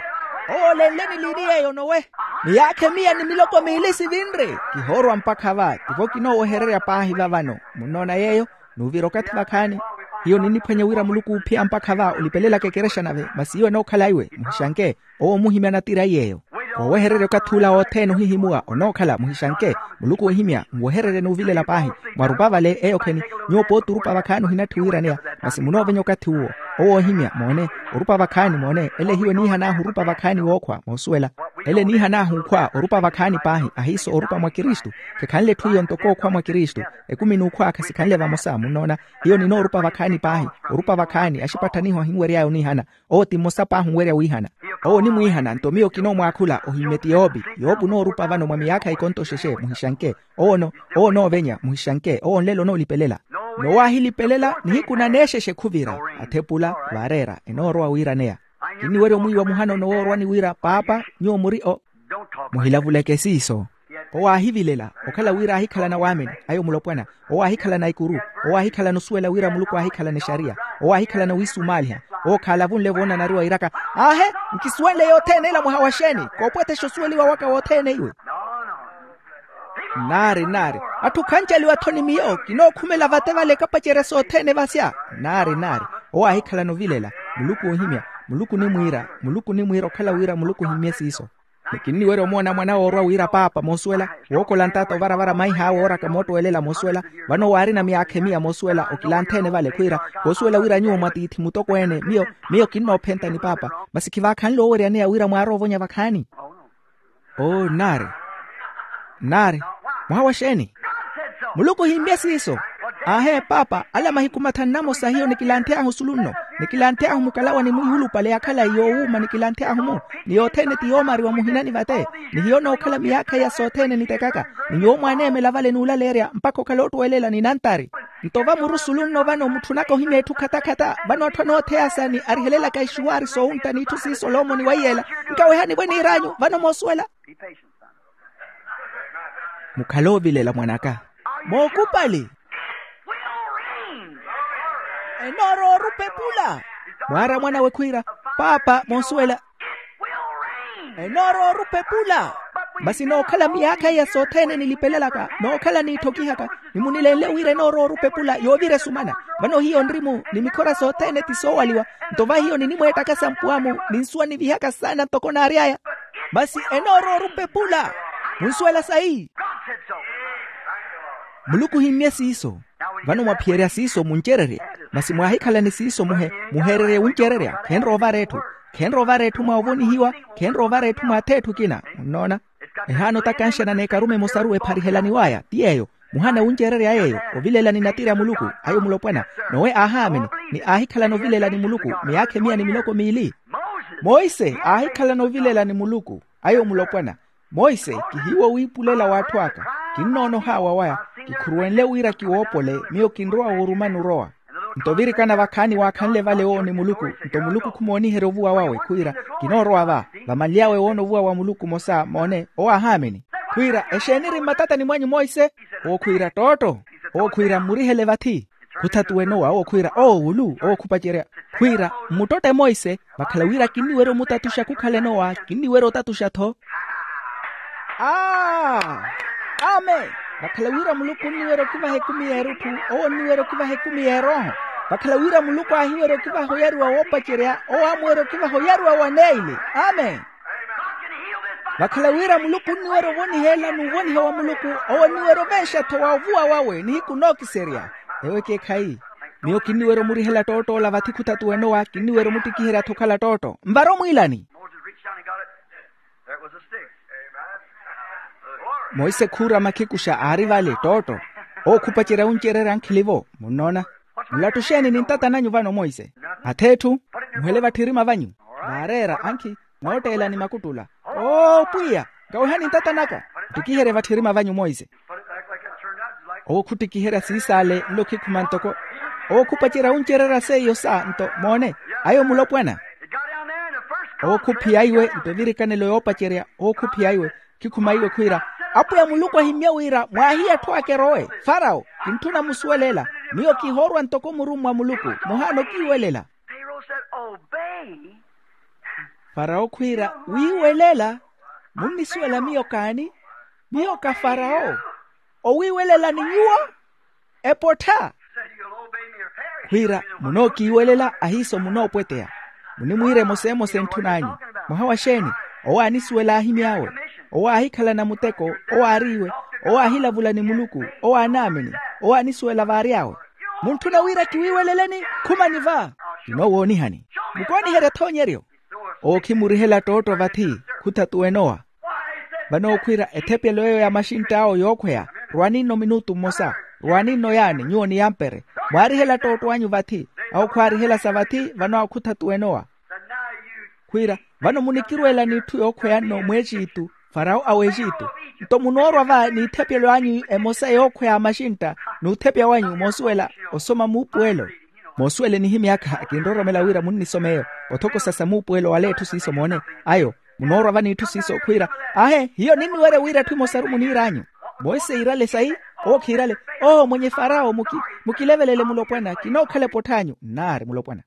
Owo olenleni liini yeeyo nowe? Miyaakha emiya ni miloko miili sivinre. Kihoorwa mpakha va tivo kinoowehererya paahi vavano. Munnoona yeeyo? Nuuvira okathi vakhaani. Hiyo ninniphwanya wira muluku oophiya mpakha va olipelelaka ekerexa nave masi iwe enookhala iwe muhixanke. Owo omuhimya natira iy'eyo. Koowehererya okathi ula wothene ohihimuwa onookhala muhixanke. Muluku oohimya nwehererye n'uvilela paahi. Mwarupa vale eyo kheni. Nyuwo pooti orupa vakhaani ohinatthi wiiraneya. Masi munoovenya okathi uwo. Owo oohimya moone. Orupa vakhaani moone ele hiyo niihan'ahu orupa vakhaani wookhwa moosuwela. Ele niihan'ahu okhwa orupa vakhaani paahi ahiiso orupa mwa kristu. Khekhanle etthu iyo ntoko okhwa mwa kristu. Ekumi n'ukhwa khasikhanle vamosa munnoona. Hiyo ninoorupa vakhaani paahi. Orupa vakhaani axipatthaniho ahinwery'aya oniihana. Owo ti mmosa paahi onwerya wiihana. Owo onimwiihana nto miyo kinoomwaakhula ohimmeti yoopi. Yoopi onoorupa vano mwa miyaakha ikonto xexe muhixanke. Owo no owo onoovenya muhixanke owo nlelo onoolipelela. Nowaahilipelela nihiku naneexexe khuvira. Athepula vaareera enoorowa wiiraneya. Kinniwerya omwiiwa muhana onowoorwani wira paapa nyuwo muri o. Muhilavuleke siiso. Owo aahivilela okhala wira aahikhalana waamini. Ayo mulopwana. Owo aahikhalana ikuru. Owo aahikhalana osuwela wira muluku aahikhalana exariya. Owo aahikhalana owiisumaaliha. Owo khaalavunle voonanariwa iiraka. Aahe, nkisuwenle yothene ila mwaha wa xeeni? Koopwetexa osuweliwa waka wothene iwe. Nnaari nnaari. Atthu khanjaliwa-tho ni miyo kinookhumela vate vale kapacerya sothene vasya. Nnaari nnaari. Owo aahikhalana ovilela. Muluku oohimya. Muluku onimwiira. Muluku onimwiira okhala wira muluku ohimmye siiso. Ni kinniwerya omoona mwana woorwa wira paapa moosuwela. Wookola ntata ovaravara maih'awe ooraka moottowelela moosuwela. Vano waarina miyaakha emiya moosuwela okilantheene vale khwiira. Koosuwela wira nyuwo mwatiithi mutokweene miyo miyo kinnoophenta ni paapa. Masi khivaakhanle oweryaneya wira mwaaroovonya vakhaani. Oo nnaari. Nnaari. Mwaha wa xeeni? Muluku ohimmye siiso. Aahe paapa ala mahiku mathanu namosa hiyo nikilanthey'ahu osulu nno. Nikilanthey'ahu mukalawa ni mwiihulupale yakhala yoowuuma nikilanthey'ahu-mu. Ni yothene ti yoomariwa muhinani vate. Ni hiyo nookhala miyaakha iya sothene nitekaka. Ni nyuwo mwaaneemela vale n'ulaleerya mpakha okhala ottwelela ni nantari. Nto vamuru osulu nno vano mutthunaka ohimya etthu khatakhata vano atthu anootheyasa ni arihelelaka ixuwaari soowuntta n'itthu siiso olomoni wa iyeela. Nkawehani vwe niir'anyu vano moosuwela. Mukhale ovilela mwan'aka. Mookupali. Enoorowa orupepula. Mwaara mwan'awe khwiira paapa moosuwela. Enoorowa orupepula. Masi nookhala miyaakha iya sothene nilipelelaka nookhala niitthokihaka. Nimunilenle wira enoorowa orupepula yoovira esumana. Vano hiyo nri-mu ni mikhora sothene ti soowaliwa. Nto va hiyo ninimweettaka sampuwa-mu ninsuwa nivihaka saana ntoko naary'aya. Masi enoorowa orupepula. Munsuwela sayi? Muluku ohimmye siiso. Vano mwaphiyerya siiso muncererye. Masi mwaahikhalani siiso muhe muheererye wuncererya khenroovara etthu. Khenroovara etthu mwa ovonihiwa. Khenroovara etthu mwa ath'etthu ekina. Munnoona? Ehaana otakanxana n'ekarume emosaru epharihelaniw'aya ti yeeyo. Muhana wuncererya yeeyo ovilelani natiri a muluku. Ayo mulopwana. Nowe aahaamini ni aahikhalana ovilelani muluku miyaakha emiya ni miloko miili. Monse aahikhalana ovilelani muluku. Ayo mulopwana. Monse kihiiwo wiipulela w'atthu aka. Kinnoonohaawa waya. Kikhuruwenle wira kiwoopole miyo kinrowa woorumani orowa. Nto virikana vakhaani waakhanle vale owo ni muluku. Nto muluku khumooniherya ovuwa wawe khwiira kinoorowa va. Vamanly'awe woona ovuwa wa muluku mmosa moone owo aahaamini. Khwiira exeeni eri mmatatani mwanyu monse? Owo khwiira tootto. Owo khwiira mmurihele vathi. Khuthatuwene owa owo khwiira owo wulu owo khupacerya. Khwiira mmuttotte monse. Vakhala wira kinniwerya omutatuxa khukhalene owa kinniwerya otatuxa-tho. Aa. Amen. Vakhala wira muluku onniwerya okivaha ekumi y'erutthu. Owo onniwerya okivaha ekumi y'erooho. Vakhala wira muluku aahiwerya okivaha oyariwa woopacerya owo aamuwerya okivaha oyariwa wa neili. Amen. Vakhala wira muluku onniwerya ovoniha ela n'uvoniha wa muluku. Owo onniwerya ovenxa-tho wa ovuwa wawe nihiku nookiserya. Ewo ekeekhayi. Miyo kinniwerya omurihela ttoottola vathi khuthatuwene owa kinniwerya omuttikiherya-tho okhala ttootto nvara omwiilani. Monse khuurama khikuxa aari vale ttootto. Owo khupacerya wuncererya ankhili-vo. Munnoona? Nlattu xeeni ni ntata nanyu vano monse? Ath'etthu. Muhele vatthirima vanyu. Vaareera ankhi. Nootteelani makuttula. Oo pwiya. Nkawehani ntata naka. Muttikiherye vatthirima vanyu monse. Owo khuttikiherya siisaale nlo khikhuma ntoko. Owo khupacerya wuncererya seiyo sa nto moone. Ayo mulopwana. Owo khuphiya iwe nto evirikanelo yoopacerya owo khuphiya iwe. Khikhuma iwe khwiira apwiya muluku ahimmye wira mwaahiye atthu aka erowe. Farawo kintthuna musuwelela. Miyo kihoorwa ntoko murummwa muluku. Muhaana okiiwelela. Farawo khwiira wiiwelela. Munnisuwela miyo kaani? Miyo ka farawo. Owiiwelela ni nyuwo. Epottha. Khwiira munookiiwelela ahiiso munoopweteya. Munimwiira emosa emosa entthun'anyu. Mwaha wa xeeni? Owo aanisuwela aahimy'awe. Owo aahikhalana muteko. Owo aariiwe. Owo aahilavula ni muluku. Owo aanaamini. Owo aanisuwela vaary'awe. Muntthuna wira kiwiiweleleni. Khumani va. Kinoowoonihani. Mukooniherya ethoonyeryo. Owo khimurihela ttootto vathi. Khutha t'uwenowa. Vano okhwiira ethepelo eyo ya maxintta awo yookhweya. Rwani nno minutu mmosa. Rwani nno yaani nyuwo niyampere. Mwaarihela ttootto anyu vathi. Awo khwaarihela sa vathi. Vano akhutha t'uwenowa. Khwiira, vano munikirweela n'itthu yookhweya nno mw'exitu, farao a w'exitu. Nto munoorwa va n'ithepelo anyu emosa yookhweya a maxintta, n'uthepya wanyu moosuwela osoma muupuwelo. Moosuwele nihimyakha kinroromela wira munnisomeeyo. Othokosa sa muupuwelo wala etthu siiso moone. Ayo, munoorwa va n'itthu siiso khwiira, ahe hiyo ninniwerya wira etthu emosaru muniir'anyu. Monse iirale sayi. Owo khiirale. Oho mwenye farao, mukilevelele mulopwana kinookhala epottha anyu nnaari mulopwana.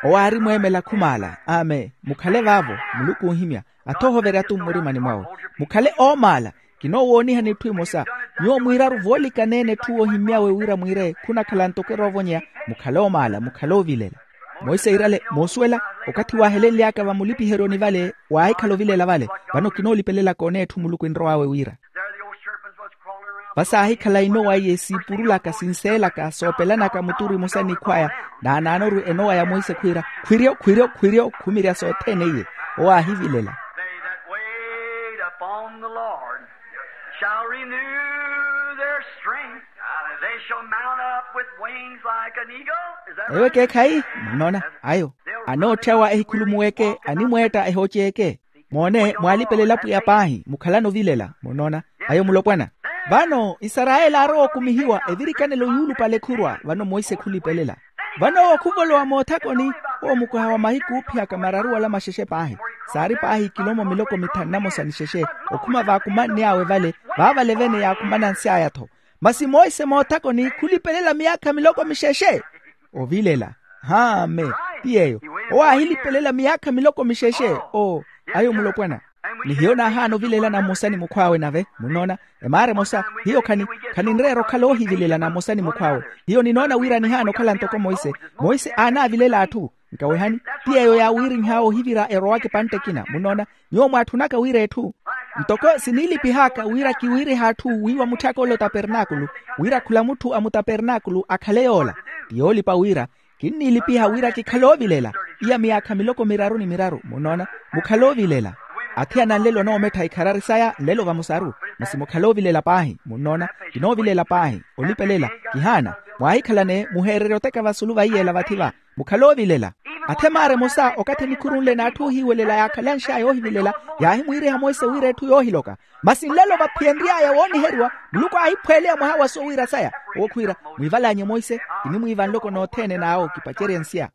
Owo aari mweemela khumaala. Amen. Mukhale vaavo. Muluku oohimya. Athohoverya-tho mmurimani mwawe. Mukhale oomaala. Kinoowoonihani etthu emosa. Nyuwo mwiiraru voolikaneene etthu woohimyawe wira mwiire khunakhala ntoko eroovonyeya. Mukhale oomaala mukhale oovilela. Monse iirale moosuwela. Okathi waahelenly'aka vamulipiheryoni vale waahikhala ovilela vale. Vano kinoolipelelaka oneya etthu muluku enrow'awe wira. Vasaahikhala inowa iye siipurulaka sinseelaka soopelanaka muturu imosa n'ikhw'aya. Naanaanoru enowa ya monse khwiira, khwiryo khwiryo khwiryo khumirya sothene iye. Owo aahivilela. They that wait upon the Lord shall renew their strength. They shall mount up with wings like an eagle. Is that eyo right? Ekeekhayi. Munnoona ayo. Anootthawa ehikhulumuweke animweetta ehooceeke. Moone mwaalipelela pwiya paahi mukhalana ovilela. Munnoona ayo mulopwana. Vano isarayeli aarowa okumihiwa evirikanelo yuulupale khurwa vano monse khulipelela. Vano owo khuvolowa moothakoni. Owo mukuha wa mahiku oophiyaka mararu wala maxexe paahi. Saari paahi kilomo miloko mithanu na mosa ni xexe. Okhuma vaakumanny'awe vale vaavale vene yaakumanansy'aya-tho. Masi monse moothakoni khulipelela miyaakha miloko mixexe. Ovilela. Haame. Ti yeeyo. Owo aahilipelela miyaakha miloko mixexe. Oo. Ayo mulopwana. Ni hiyo naahaana ovilela na mmosa ni mukhw'awe nave munnoona. Emaara emosa hiyo khani khaninreera okhala oohivilela na mmosa ni mukhw'awe. Hiyo ninoona wira nihaana okhala ntoko monse. Monse aanaavilela atthu. Nkawehani. Ti yeeyo yaawiirinh'awe ohivira erowaka epantte ekina munnoona. Nyuwo mwaatthunaka wira etthu ntoko siniilipih'aka wira kiwiirihe atthu wiiwa mutthaka ole otapernaakulu wira khula mutthu a mutapernaakulu akhale yoola. Ti yoolipa wira kinniilipiha wira kikhale oovilela. Iya miyaakha miloko miraru ni miraru munnoona. Mukhale oovilela. Athiyana nlelo onoomettha ikharari saya nlelo vamosaru. Masi mukhale oovilela paahi munnoona. Kinoovilela paahi olipelela. Kihaana. Mwaahikhalane muheererye oteka vasulu vaiyela vathi va. Mukhale oovilela. Athe maara emosa okathi enikhurunle n'atthu oohiiwelela yaakhalanx'aya oohivilela yaahimwiiriha monse wira etthu yoohiloka. Masi nlelo vaphiyenry'aya wooniheriwa muluku aahiphweeleya mwaha wa soowiira saya. Owo khwiira mwiival'anyu monse kinimwiiva nloko nothene n'awo kipacerye nsiya.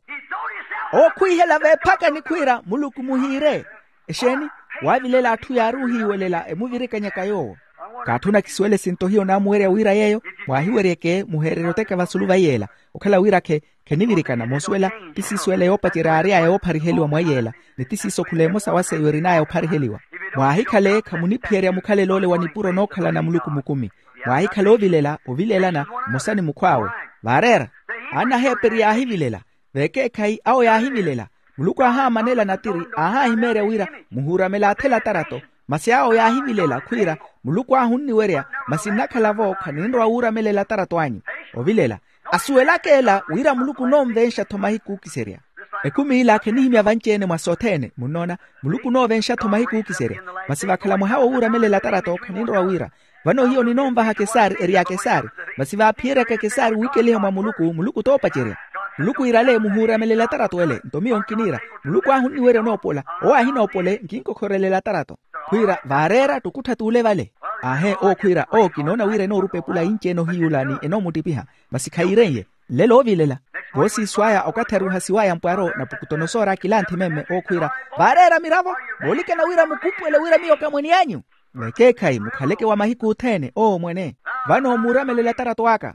Owo khwiihela veephakani khwiira muluku muhiire. Exeeni? Waavilela atthu yaari ohiiwelela emuvirikanyaka yoowo. Kaatthuna kisuwele sinto hiyo naamuwerya wira yeeyo. Mwaahiweryeke muheererye oteka vasulu vaiyela okhala wirakhe. Khenivirikana moosuwela ti siisuwela yoopacerya aary'aya yoophariheliwa mwaiyela ni ti siiso khula emosa wa seiyo erin'aya ophariheliwa. Mwaahikhale khamuniphiyerya mukhalel'ole wa nipuro nookhalana muluku mukumi. Mwaahikhale oovilela ovilelana mmosa ni mukhw'awe. Vaareera. Anaheeperi yaahivilela. Vekeekhayi awo yaahivilela. Muluku aahaamanela natiri aahaahimeerya wira muhuuramele athela atarato. Masi awo yaahivilela khwiira muluku ahu onniwerya. Masi nnakhala-vo khaninrowa wuuramelela atarato anyu. Ovilela asuwelaka ela wira muluku onoonvenxa-tho mahiku ookiserya. Ekumi ila khenihimya vanci-ene mwa sothene munnoona. Muluku onoonvenxa-tho mahiku ookiserya. Masi vakhala mwaha wowuuramelela atarato khaninrowa wira. Vano hiyo ninoonvaha kesari eri ya kesari. Masi vaaphiyeryaka kesari wiikeliha mwa muluku muluku t'opacerya. Muluku iirale muhuuramelela atarato ele nto miyo nkiniira. Muluku ahu onniwerya onoopola. Owo ahinoopole nkinkokhorwelela atarato. Khwiira vaareera ttukuttha t'ule vale. Aahe owo khwiira owo kinoona wira enoorupa epula inci ene ohiyuula ni enoomuttipiha. Masi khayiireiye. Nlelo oovilela. Voosiiso aya okathi ari ohasiw'aya mpwaro napukutonosoora akilanthi memme owo khwiira. Vaareera miravo. Moolikana wira mukupuwele wira miyo kamwene anyu. Vekeekhayi mukhaleke wa mahiku othene owo mwene. Vano muuramelela atarato aka.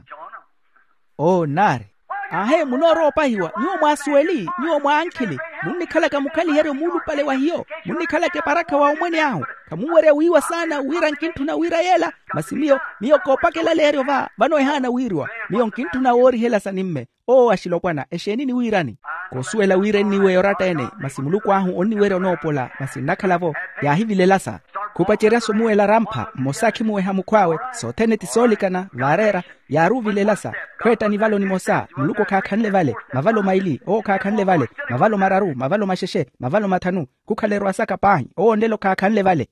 Oo nnaari. Aahe munoorowa opahiwa nyuwo mwaasuweli nyuwo mwaankhili. Munnikhalaka mukhaliheryo muulupale wa hiyo. Munnikhalaka eparakha wa omwene ahu. Khamunwerya wiiwa saana wira nkintthuna wira yeela. Masi miyo miyo koopakela leeryo va vano ehaana wiiriwa. Miyo nkintthuna woorihela sa nimme. Oo axilopwana exeeni niwiirani? Koosuwela wira enniiweya oratta-ene masi muluku ahu onniwerya onoopola masi nnakhala-vo. Yaahivilela sa. Khupacerya-so omuwela rampha mmosa akhimuweha mukhw'awe. Sothene ti soolikana vaareera. Yaari ovilela sa khweetta nivalo nimosa muluku okhaakhanle vale, mavalo maili owo okhaakhanle vale, mavalo mararu, mavalo maxexe, mavalo mathanu. Khukhala erwa saka paahi owo onlelo khaakhanle vale.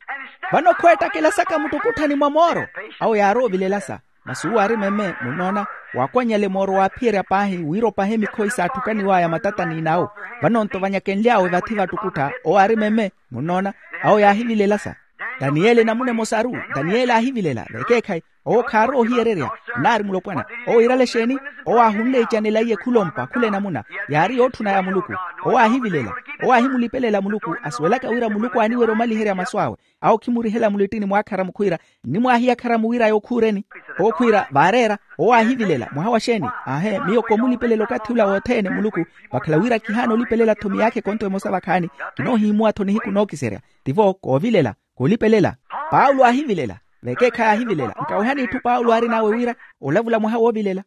Vano khweettakela saka muttukutthani mwa mooro. Awo yaari ovilela sa. Masi uwo aari meme munnoona, waakwannyale mooro waaphiyerya paahi wira opahe mikhoyi saatthukaniw'aya matatani n'awo. Vano-nto vanyakenly'awe vathi vattukuttha owo aari meme munnoona. Awo yaahivilela sa. Daniyeli enamuna emosaru. Daniyeli aahivilela vekeekhayi. Owo khaarowa ohiyererya. Nnaari mulopwana. Owo iirale exeeni? Owo aahunle icanela iye khulompa khula enamuna. Yaari yootthuna ya muluku. Owo aahivilela. Owo aahimulipelela muluku asuwelaka wira muluku aaniwerya omaliherya masu awe. Awo khimurihela mulittini mwaakharamu khwiira, nnimwaahiya akharamu wira yookhuureni? Owo khwiira vaareera. Owo aahivilela mwaha wa xeeni? Aahe miyo koomulipelela okathi ula wothene muluku. Vakhala wira kihaana olipelela-tho miyaakha ekonto emosa vakhaani. Kinoohihimuwa-tho nihiku nookiserya. Tivo koovilela, koolipelela. Paulo aahivilela. Vekeekhayi aahivilela nkawehani itthu paulo aarin'awe wira olavula mwaha woovilela.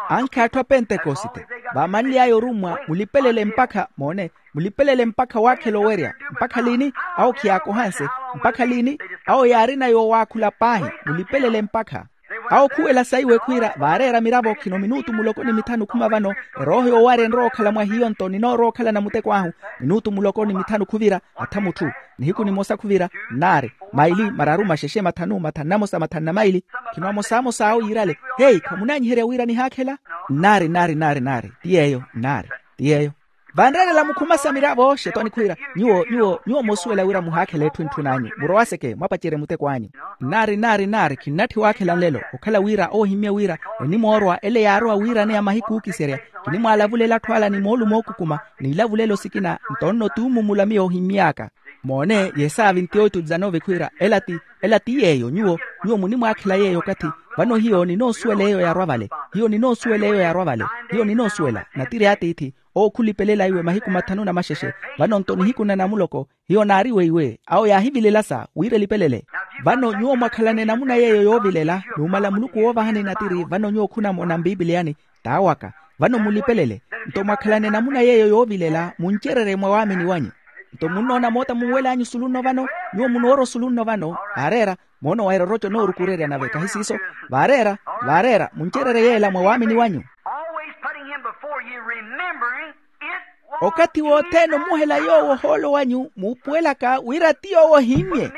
Ankhe atthu a pentekosite vaamanly'aya orummwa mulipelele mpakha moone, mulipelele mpakha waakhela owerya. Mpakha liini? Awo khiyaakohanse. Mpakha liini? Awo yaarina yoowaakhula paahi. Mulipelele mpakha. Awo khuwela saiwe khwiira vaareera miravo khino minutu muloko ni mithanu khuma vano. Erooho yoowarya enrowa okhala mwa hiyo-nto ninoorowa okhalana muteko ahu. Minutu muloko ni mithanu khuvira atha mutthu. Nihiku nimosa khuvira. Nnaari, maili, mararu, maxexe, mathanu, mathanu na mosa, mathanu na maili. Khino amosamosa awo yiirale, hei khamunaanyiherya wira nihaakhela? Nnaari nnaari nnaari nnaari ti yeeyo nnaari. Ti yeeyo. Vanreerela mukhumasa miravo xetwani khwiira, nyuwo nyuwo nyuwo moosuwela wira muhaakhela etthu entthun'anyu murowaseke mwapacerye muteko anyu. Nnaari nnaari nnaari khinnatthi waakhela nlelo okhala wira oohimmye wira enimoorwa ele yaarowa wiiraneya mahiku ookiserya. Kinimwaalavulela atthu ala ni moolumo ookukuma n'ilavulelo sikina nto nno tuumumula miyo ohimmy'aka. Moone yesaavi nti oitu dzanove khwiira ela ti ela ti yeeyo nyuwo nyuwo munimwaakhela yeeyo okathi. Vano hiyo ninoosuwela eyo yaarwa vale. Hiyo ninoosuwela eyo yaarwa vale. Hiyo ninoosuwela natiri a tiithi owo khulipelela iwe mahiku mathanu na maxexe. Vano nto nihiku na namuloko hiyo naari weiwe awo yaahivilela sa wira elipelele. Vano nyuwo mwakhalana enamuna yeeyo yoovilela numala muluku woovahani natiri vano nyuwo khunamona mpipiliyani taawaka. Vano mulipelele nto mwakhalana enamuna yeeyo yoovilela muncererye mwa waamini wanyu. Nto munnoona moota munwel'anyu sulu nno vano? Nyuwo munoora osulu nno vano vaareera. Moona owaira oroco noorukurerya nave kahi siiso. Vaareera vaareera muncererye yeela mwa waamini wanyu. Always putting him before you, remembering it was okathi wothene omuhela yoowo ohoolo wanyu muupuwelaka wira ti yoowo ohimmye.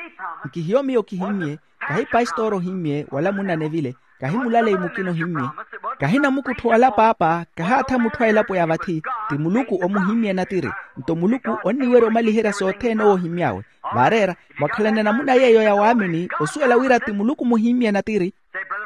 Nkihiyo miyo kihimmye kahi pastoro ohimmye wala munanevile kahi mulalei mukina ohimmye kahi namukuttho wala paapa kahaatha mutthu a elapo ya vathi. Ti muluku omuhimmye natiri nto muluku onniwerya omaliherya sothene owo ohimmy'awe. Vaareera mwakhalana enamuna yeeyo ya waamini osuwela wira ti muluku muhimmye natiri.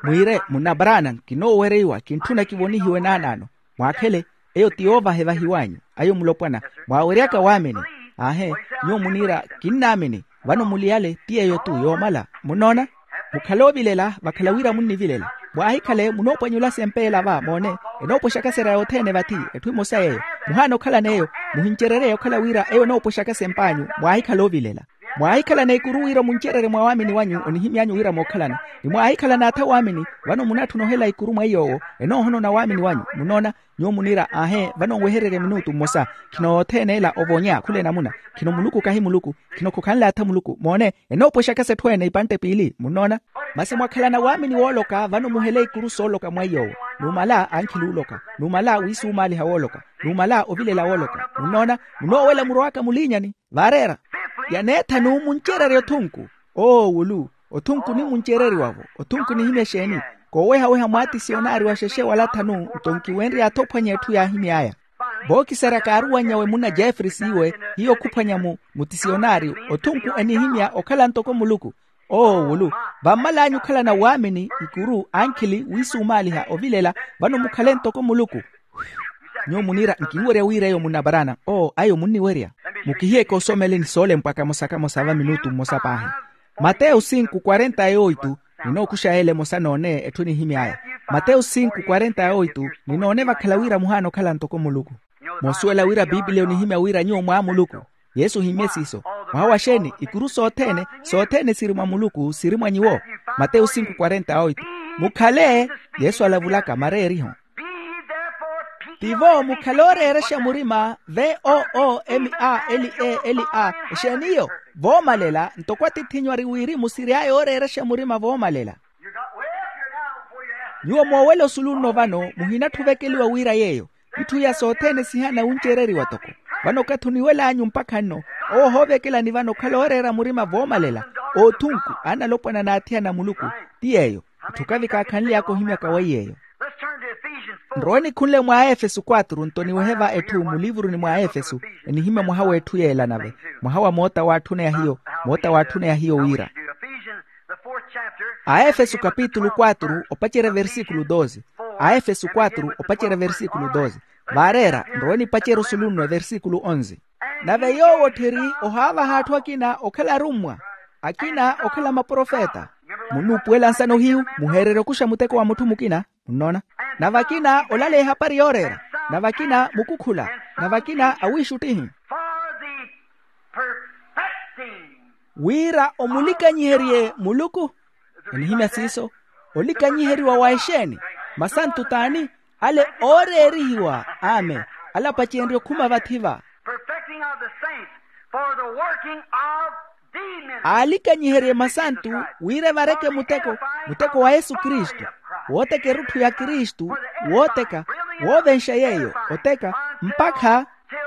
Mwiire munna branham kinoowereiwa kintthuna kivonihiwe naanaano. Mwaakhele eyo ti yoovaha evahiw'anyu ayo mulopwana mwaaweryaka waamini. Aahe nyuwo muniira kinnaamini. Vano muliyale ti yeeyo-tu yoomala munnoona. Mukhale oovilela vakhala wira munnivilela. Mwaahikhale munoopwanyulasa empeela va moone enoopwexaka serya yothene vathi. Etthu emosa yeeyo muhaana okhalana eyo muhincererye okhala wira eyo enoopwexaka semp'anyu. Mwaahikhala oovilela mwaahikhalana ikuru wira omuncererye mwa waamini wanyu onihimy'anyu wira mookhalana. Ni mwaahikhalana atha waamini vano munatthuna ohela ikuru mwa iy'owo enoohonona waamini wanyu munnoona. Nyuwo muniira aahe vano nwehererye minutu mmosa. Khino yothene ela ovonya khula enamuna khino muluku kahi muluku. Khino khukhanle atha muluku moone enoopwexaka s'etthu ene ipantte piili munnoona. Masi mwakhalana waamini wooloka vano muhele ikuru sooloka mwa iy'owo numala ankhili ooloka numala wiisumaaliha wooloka numala ovilela wooloka munnoona. Munoowela murowaka muliinyani vaareera. Ya neethanu muncererye othunku oowulu othunku nimuncereriwa-vo othunku nihimya exeeni? Koowehaweha mwaatisionaari wa xexe wala thanu nto nkiwenrye athophwanya etthu yaahimy'aya. Vookisarya kaaruwannyawe munna jeffrey siiwe hiyo khuphwanya mu mutisionaari othunku enihimya okhala ntoko muluku. Oowulu vammal'anyu okhalana waamini ikuru ankhili wiisumaaliha ovilela vano mukhale ntoko muluku. Nyuwo muniira nkinwerya wira eyo munna branham oo ayo munniwerya. Mukihiyeke osomele ni soolempwa kamosa kamosa va minutu mmosa paahi. Mateyo sinku kwarenta ya oitu. Ninookuxa yeela emosa noone etthu enihimy'aya. Mateyo sinku kwarenta ya oitu. Ninoone vakhala wira muhaana okhala ntoko muluku. Moosuwela wira pipiliya onihimya wira nyuwo mwaa muluku. Yesu ohimmye siiso. Mwaha wa xeeni ikuru sothene sothene siri mwa muluku siri mwa nyuwo. Mateyo sinku kwarenta ya oitu. Mukhale yesu alavulaka mareeriho. Tivo mukhale ooreerexa murima, v o o m a l e l a, exeen'iyo? Voomalela ntoko atith'inyu ari wirimu siry'aya ooreerexa murima voomalela. Nyuwo moowela osulu nno vano muhinatthi ovekeliwa wira yeeyo. Itthu iya sothene sihaana wuncereriwa toko. Vano okathi oniwel'anyu mpakha nno, owo ohoovekelani vano okhala ooreera murima voomalela, oothunku, aanalopwana n'athiyana a muluku. Ti yeeyo. Itthu okavi kaakhanly'aka ohimyaka weiy'eyo. Nrowe nikhunle mwa aefesu quatro nto niwehe va etthu mulivuruni mwa aefesu. Enihimya mwaha w'etthu yeela nave, mwaha wa moota w'atthuneya hiyo, moota w'atthuneya hiyo wira. Aefesu kapitulu quatro opacerya versikulu doze. Aefesu quatro opacerya versikulu doze. Vaareera nrowe nipacerya osulu nno versikulu onze. Nave yoowo otthiri ohaavaha atthu akina okhala arummwa, akina okhala maprofeta. Munnuupuwela nsano hiyu, muheererye okuxa muteko wa mutthu mukina. Munnoona? Nave akina olaleya ehapari yooreera, nave akina mukukhula, nave akina awiixuttihi. Wira omulikanyiherye muluku. Enihimya siiso. Olikanyiheriwa wa exeeni? Masantu t'ani? Ale ooreerihiwa. Amen. Ala apacenrye okhuma vathi va. Perfecting of the saints for the working of the ministry. Aalikanyiherye masantu wira evareke muteko, muteko wa yesu kristu, wooteka erutthu ya kristu, wooteka, woovenxa yeeyo oteka, mpakha till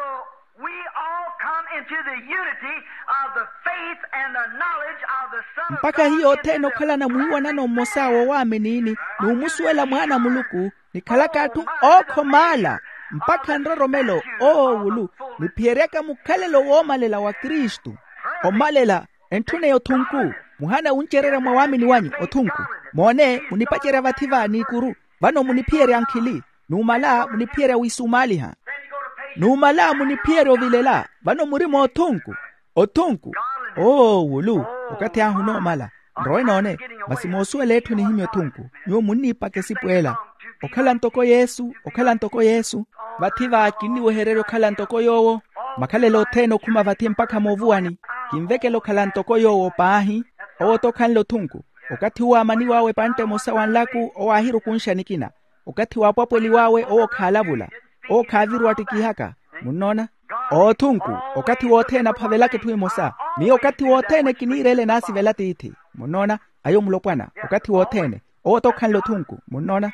we all come into the unity of the faith and the knowledge of the Son of God. Mpakha hiyo othene okhalana mwiiwanano mmosa wowaamini n'umusuwela mwaana a muluku, nikhalaka atthu ookhomaala mpakha nroromelo oowuulu, niphiyeryaka mukhalelo woomalela wa kristu. Omalela, entthuneya othunku. Muhaana wuncererya mwa waamini wanyu othunku. Moone, munipacerya vathi va n'ikuru. Vano muniphiyerya nkhili. Numala muniphiyerya wisumaaliha. Numala muniphiyerya ovilela. Vano muri moothunku. Othunku. Oowuulu. Okathi ahu onoomala. Nrowe noone. Masi moosuwela etthu enihimya othunku, nyuwo munniipaka esipu ela. Okhala ntoko yesu, okhala ntoko yesu. Vathi va kinniwehererya okhala ntoko yoowo. Makhalelo othene okhuma vathi mpakha moovuwani. Kinvekela okhala ntoko yoowo paahi. Owo-tho okhanle othunku. Okathi uwo aamaniw'awe epantte emosa wa nlaku owo aahirukunxa nikina. Okathi waapwapweliw'awe owo khaalavula. Owo khaavira owaattikihaka. Munnoona? Oothunku. Okathi wothene aphavelaka etthu emosa. Miyo okathi wothene kiniira ele enaasivela tiithi. Munnoona? Ayo mulopwana okathi wothene. Owo-tho okhanle othunku. Munnoona?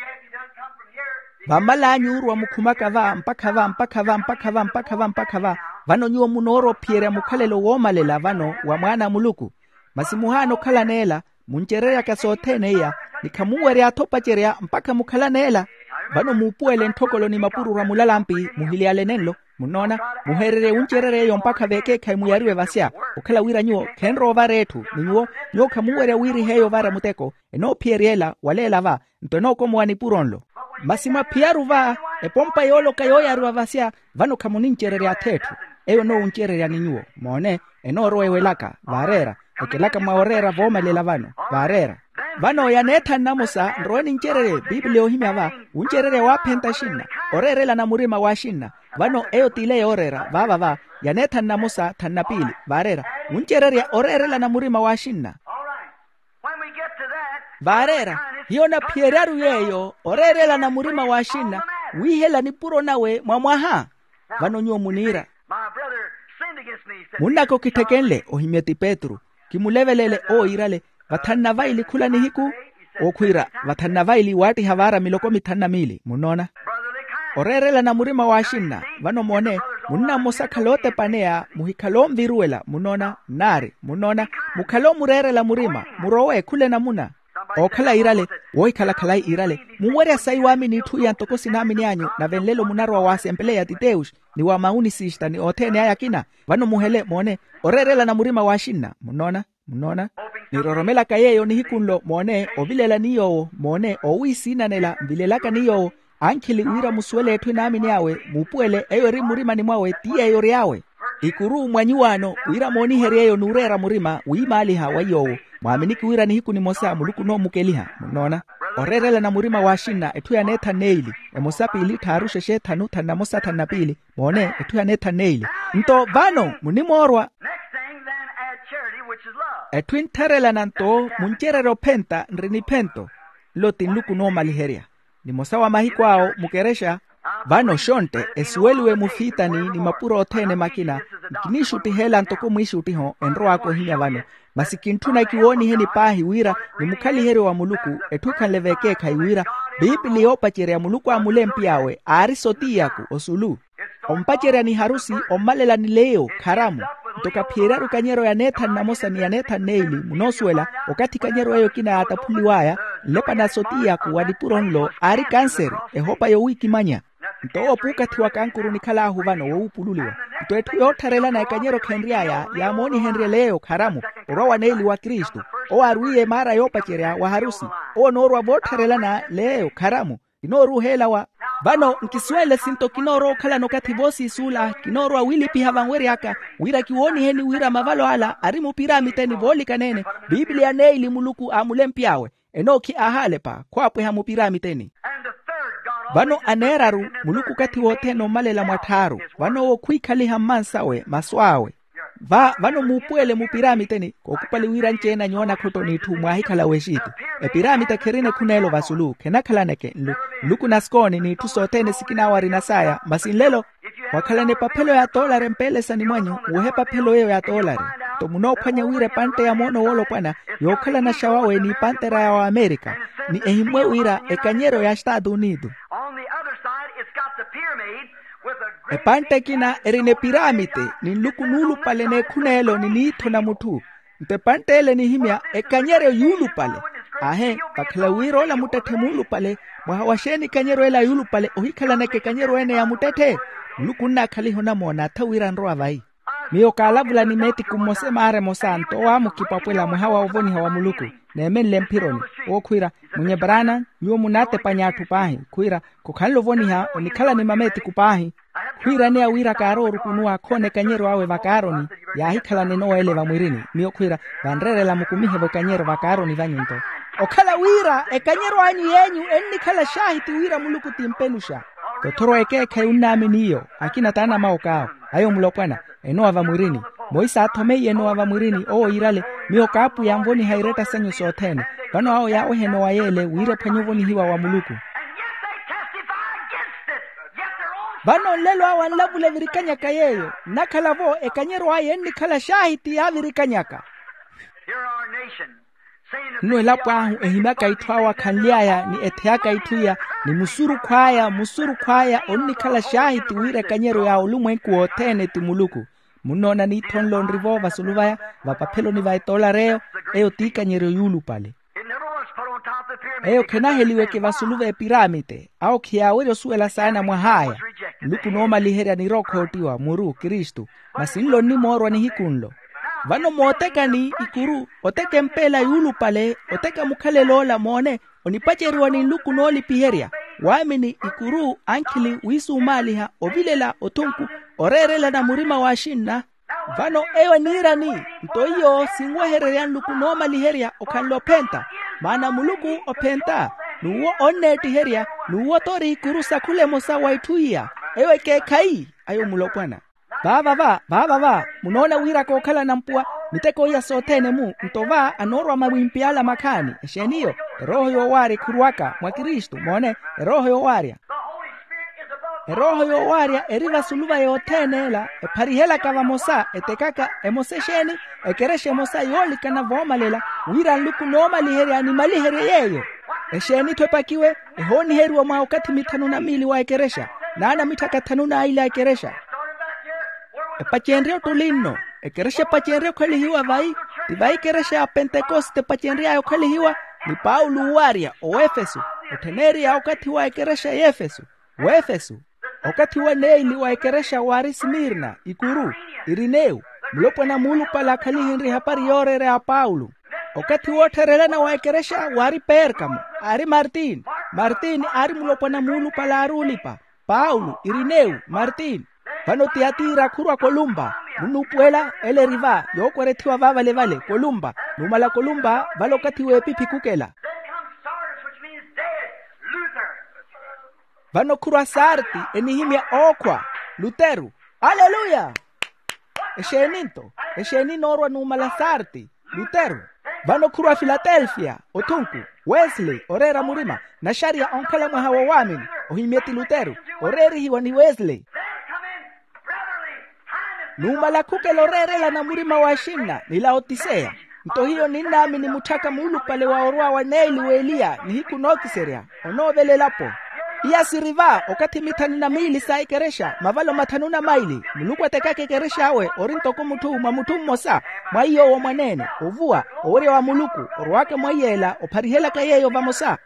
Vammal'anyu oorwa mukhumaka va mpakha va mpakha va mpakha va mpakha va mpakha va. Vano nyuwo munoorwa ophiyerya mukhalelo woomalela vano wa mwaana a muluku. Masi muhaana okhalana ela. Muncereryaka sothene iya, ni khamunwerya-tho opacerya mpakha mukhalana ela. Vano muupuwele ntthokolo ni mapururu a mulalampi muhiliyale nenlo. Munnoona? Muheererye wuncererya eyo mpakha veekeekhayi muyariwe vasya. Okhala wira nyuwo khenrowa ovara etthu ni nyuwo, nyuwo khamunwerya wiiriha eyo ovara muteko. Enoophiyerya ela waleela va, nto enookomowa nipuro nlo. Masi mwaphiyaru va, epompa yooloka yooyariwa vasya, vano khamunincererya-tho etthu. Eyo enoowuncererya ni nyuwo. Moone, enoorowa ewelaka vaareera, ekelaka mwa oreera voomalela vano vaareera. Vano yaneetha nnamosa nrowe nincererye bibiliya oohimya va, wuncererya waaphenta axinna, oreerelana murima w'axinna. Vano eyo t'ile yooreera vaava va, yaneetha nnamosa thanna piili vaareera, wuncererya oreerelana murima w'axinna. Vaareera, hiyo naphiyeryaru yeeyo oreerelana murima w'axinna, wiihela nipuro nawe mwa mwaha. Vano nyuwo muniira, munnaka okitteke nle ohimya ti petru, kimulevelele owo iirale, vathanna vaili khula nihiku. Owo khwiira, vathanna vaili waattiha vaara miloko mithanu na miili munnoona. Oreerelana murima w'axinna. Vano moone, munna mmosa akhala ootepaneya muhikhala onviruwela munnoona nnaari munnoona, mukhale omureerela murima murowe khula enamuna. Ookhala iirale, woohikhala khalayi iirale, munwerya sayi waamini itthu iya ntoko sinaamini anyu nave nlelo munarowa wa asempeleya titewuxi, ni wa maunisista ni othene aya akina. Vano muhele moone, oreerelana murima w'axinna munnoona. Munnoona, niroromelaka yeeyo nihiku nlo moone ovilela ni yoowo moone owiisiinanela nvilelaka ni yoowo, ankhili wira musuwele etthu enaamini awe muupuwele eyo eri mmurimani mwawe ti yeeyo ory'awe. Ikuru mwa nyuwaano wira mooniherye eyo n'ureera murima wiimaaliha wa yoowo, mwaaminiki wira nihiku nimosa muluku onoomukeliha munnoona. Oreerelana murima w'axinna etthu yaneetha nneili, emosa piili tthaaru xexe tthanu thannamosa thannapiili. Moone etthu yaneetha nneili. Nto vano munimoorwa. Etthu entherelana nto muncererya ophenta nri niphento. Nlo ti nluku noomaliherya. Nimosa wa mahiku awo mukerexa, Vano xontte esuweliwe mufiitani ni mapuro othene makina. Nkiniixuttiheela ntoko mwiixuttiho enrowaka ohimya vano, masi kintthuna kiwooniheni paahi wira ni mukhaliheryo wa muluku etthu ekhanle veekeekhayi wira, piipili yoopacerya muluku aamulempiy'awe aari sotiyaku osulu. Ompacerya ni harusi ommalela ni leyo kharamu. Nto kaphiyeryaru ekanyeryo ya neethanu namosa ni ya neethanu neili munoosuwela, okathi ekanyeryo eyo ekina yaataphuliw'aya nlepa na sotiyaku wa nipuro nlo aari kanseri, ehopa yowiikimanya. Nto owo puukatthi wa kankuru nikhal'ahu vano woowupululiwa. Nto etthu yoottharelana ekanyeryo khenry'aya yaamoonihenrye leyo kharamu, orwa wa neili wa kristu. Owo aarwiiye maara yoopacerya wa harusi. Owo onoorwa voottharelana leyo kharamu. Kinooruuheela wa vano nkisuwele sinto kinoorowa okhalana okathi voosiisuula kinoorowa wilipiha vanwery'aka, wira kiwooniheni wira mavalo ala ari mupiramiteni voolikaneene. Piipiliya neili muluku aamulempy'awe enookhi aahalepa khwaapweha mupiramiteni. Vano aneeraru muluku okathi wothene ommalela mwatthaaru. Vano owo khwiikhaliha mmansawe masu awe. Va vano muupuwele mupiramiteni kookupali wira anci-ene anyoona khotto n'itthu mwaahikhala w'exitu. Epiramite khirina ekhuneelo vasulu khenakhalaneke nlu nluku na sikooni n'itthu sothene sikina awo arina saya masi nlelo. Wakhalana epaphelo ya toolari empeelesani mwanyu, wohe epaphelo eyo ya toolari. Nto munoophwanya wira epantte ya moono woolopwana yookhalana xawawe n'ipanttera ya waamerika, ni ehimmwe wira ekanyeryo ya estaatu unitu. Epantte ekina erina epiramite ni nluku nuulupale n'ekhuneelo ni niitho na mutthu. Nto epantte ele enihimya ekanyeryo yuulupale. Aahe, vakhala wira ola muttetthe muulupale. Mwaha wa xeeni ekanyeryo ela yuulupale ohikhalanaka ekanyeryo ene ya muttetthe? Nluku onnaakhaliha onamoona atha wira anrowa vayi. Miyo kaalavula ni meetiku mmosa emaara emosa nto owo aamukipwapwela mwaha wa ovoniha wa muluku. Neemenle mphironi owo khwiira, munye brana, nyuwo munaatepanya atthu paahi khwiira, khukhanle ovoniha onikhalani mameetiku paahi. Khwiiraneya wira kaaroorukunuwa khoona ekanyeryo awe vakaaroni. Yaahikhalana enowa ele vamwirini miyo khwiira, vanreerela mukumihe-vo ekanyeryo vakaaroni vanyu nto. Okhala wira ekanyeryo anyu yeenyu ennikhala xaahiti wira muluku ti mpenuxa. Tothoro ekeekhayi onnaamini iyo akina t'anamawok'awo. Ayo mulopwana enowa vamwirini. Moisa aathomeiye enowa vamwirini owo yiirale, miyo kaapwiya anvoniha iretta sanyu sothene. Vano awo yaaweha enowa yeele wira ephwanye ovonihiwa wa muluku. Vano nlelo awo anlavula evirikanyaka yeeyo nnakhala-vo ekanyeryo aya ennikhala xaahiti yaavirikanyaka. Nno elapo ahu ehimyaka itthu awo akhanly'aya ni etheyaka itthu iya, ni musurukhu aya musurukhu aya onnikhala xaahiti wira ekanyeryo ya olumwenku wothene ti muluku. Munnoona niitho nlo nri-vo vasulu vaya, vapapheloni va etoolari eyo. Eyo t'ikanyeryo yuulupale. Eyo khenaheliweke vasulu v'epiramite awo khiyaawerya osuwela saana mwah'aya. Nluku noomaliherya nirowa okhoottiwa muru kristu. Masi nlo nnimoorwa nihiku nlo. Vano mootekani ikuru, oteka empeela yuulupale, oteka mukhalelo ola moone, onipaceriwa ni nluku noolipiherya. Waamini ikuru ankhili wiisumaaliha ovilela othunku, oreerelana murima w'axinna. Vano eyo eniirani? Nto iyo sinwehererya nluku noomaliherya okhanle ophenta. Maana muluku ophenta, n'uwo onneettiherya, n'uwo t'ori ikuru sa khula emosa wa itthu iya. Eyo ekeekhayi. Ayo mulopwana. Vaava va vaava va munoona wira kookhala nampuwa miteko iya sothene-mu. Nto va anoorwa mawimpiyala makhaani exeeni iyo? Erooho yoowaarya ekhurwaka mwa kristu moone. Erooho yoowaarya. Erooho yoowaarya eri vasulu va yothene ela epharihelaka vamosa etekaka emosa exeeni? Ekerexa emosa yoolikana voomalela wira nluku noomaliherya animaliherye yeeyo. Exeeni-tho epakiwe ehooniheriwa mwa okathi mithanu na miili wa ekerexa, n'ana mitthaka thanu n'aili a ekerexa. Epacenrye ottuli nno. Ekerexa epacenrye okhalihiwa vayi? Ti vayi ekerexa ya pentekoste epacenry'aya okhalihiwa? Ni paulo owarya owefesu. Ottheneriya okathi wa ekerexa y'efesu. Wefesu. Okathi wa neili wa ekerexa waari smirna ikuru, irinewu. Mulopwana muulupale akhalihenrye ehapari yooreera ya paulo. Okathi woottherelana wa ekerexa waari perkamo, aari martin. Martin aari mulopwana muulupale aari ulipa. Paulo, irinewu, martin. Vano tiyatira khurwa kolumpa. Munnuupuwela ele eri va yookwerethiwa vaavale vale kolumpa. Numala kolumpa vale okathi w'epiphi khukela. Vano khurwa sarti enihimya ookhwa. Luteru. Aleluya. Exeeni nto? Exeeni noorwa numala sarti? Luteru. Vano khurwa filatelfia, othunku, wesley oreera murima, naxariya onkhala mwaha wa waamini, ohimye ti luteru, oreerihiwa ni wesley. Numala khukela oreerelana murima w'axinna ni laotiseya. Nto hiyo ninnaamini mutthaka muulupale wa orwa wa neeli w'eliya nihiku nookiserya, onoovelelapo. Iya siri va okathi mithanu na miili sa ekerexa mavalo mathanu na maili, muluku atekaka ekerex'awe ori ntoko mutthu mwa mutthu mmosa, mwa iy'owo mwaneene ovuwa, owerya wa muluku orwaka mwa iy'ela opharihelaka yeeyo vamosa.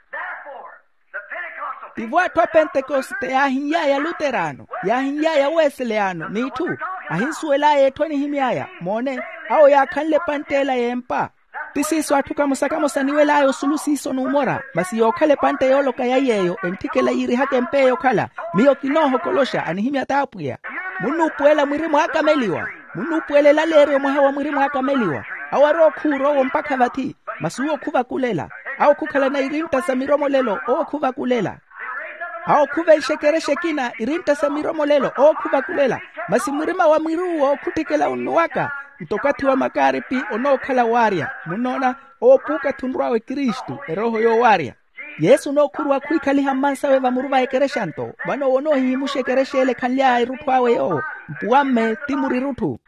Tivo atthu a pentekoste yaahinly'aya luterano, yaahinly'aya weseleyano n'itthu, ahinsuwel'aya etthu enihimy'aya moone, awo yaakhanle epantte ela y'empa. Ti siiso atthu kamosa-kamosa aniwel'aya osulu siiso numora masi yookhala epantte yooloka ya yeeyo entthikela yiirihaka empa eyo okhala, miyo kinoohokoloxa anihimya t'apwiya. Munnuupuwela mwiri mwaakameliwa, munnuupuwela elaleeryo mwaha wa mwiri mwaakameliwa. Awo arowa okhuura owo mpakha vathi, masi uwo khuvakulela. Awo khukhalana irintta sa miromolelo owo khuvakulela. Awo khuvenxa ekerexa ekina irintta sa miromolelo owo khuvakulela. Masi murima wa mwiri uwo khutthikela onnuwaka. Nto okathi wa makaaripi onookhala waarya, munnoona, owo puukathi onrw'awe kristu erooho yoowaarya. Yesu onookhurwa khwiikhaliha mmansawe vamuru va ekerexa nto, vano owo onoohihimuxa ekerexa ele ekhanly'aya erutthu awe yoowo. Mpuwamme ti murirutthu.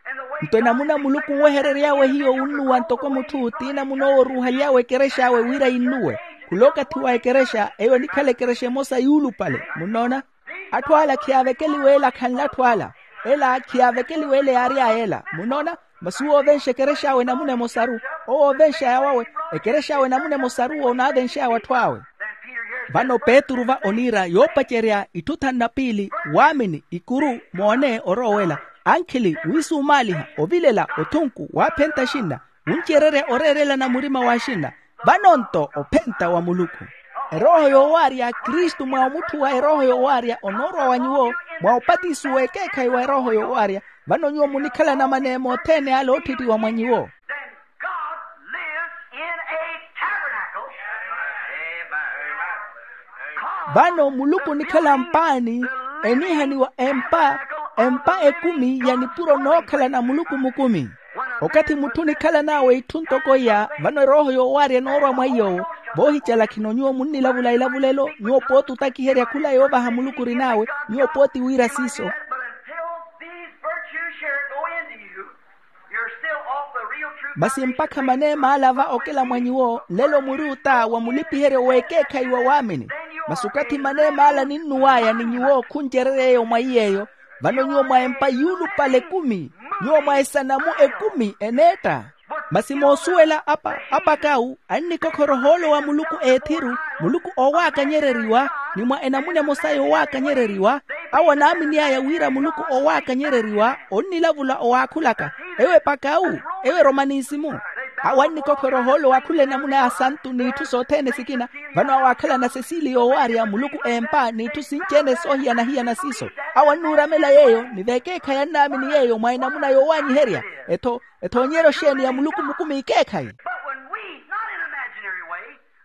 Nto enamuna muluku onweherery'awe hiyo wunnuwa ntoko mutthu ti enamuna owo oruuhaly'awe ekerex'awe wira yinnuwe. Khula okathi wa ekerexa eyo enikhala ekerexa emosa yuulupale, munnoona. Atthu ala khiyaavekeliwa ela khanla atthu ala. Ela khiyaavekeliwa ela yaary'aya ela, munnoona. Masi uwo oovenxa ekerex'awe enamuna emosaru, owo oovenx'aya wawe ekerex'awe enamuna emosaru owo onaavenx'aya w'atthu awe. Vano petru va oniira yoopacerya itthu thanu na piili, waamini, ikuru, moone orowa owela, ankhili, wiisumaaliha, ovilela, othunku, waaphenta axinna, wuncererya oreerelana murima w'axinna. Vano nto ophenta wa muluku. Erooho yoowaarya kristu mwa omutthu wa erooho yoowaarya onoorwa wa nyuwo, mwa opatiso w'ekeekhayi wa erooho yoowaarya. Vano nyuwo munikhalana maneema othene ale ootthittiwa mwa nyuwo. Then God lives in a tabernacle. Vano muluku onikhala mpaani, eniihaniwa empa, empa ekumi ya nipuro nookhalana muluku mukumi. Okathi mutthu onikhalan'awe itthu ntoko iya, vano erooho yoowaarya enoorwa mwa iy'owo. Voohicalakhi-no nyuwo munnilavula elavulelo, nyuwo pooti otakiherya khula yoovaha muluku orin'awe, nyuwo pooti wiira siiso. Masi mpakha maneema ala va okela mwa nyuwo nlelo muri ota wa mulipiheryo w'ekeekhayi wa waamini. Masi okathi maneema ala ninnuw'aya ni nyuwo khuncererya eyo mwa iy'eyo, vano nyuwo mwa empa yuulupale ekumi, nyuwo mwa esanamu ekumi eneetta. Masi moosuwela apa, apakawu annikokhora ohoolo wa muluku eethiru, muluku oowaakanyereriwa, ni mwa enamuna emosa yoowaakanyereriwa. Awo anaamin'aya wira muluku oowaakanyereriwa onnilavula owaakhulaka. Ewo epakawu, ewo eromanisimu. Awo annikokhora ohoolo wa khula enamuna ya asantu n'itthu sothene sikina. Vano awo aakhalana sesiili yoowaarya muluku empa n'itthu sinci-ene soohiyana-hiyana siiso. Awo annuuramela yeeyo ni vekeekhayi annaamini yeeyo mwa enamuna yoowaanyiherya. Etho ethoonyeryo xeeni ya muluku mukumi ekeekhayi?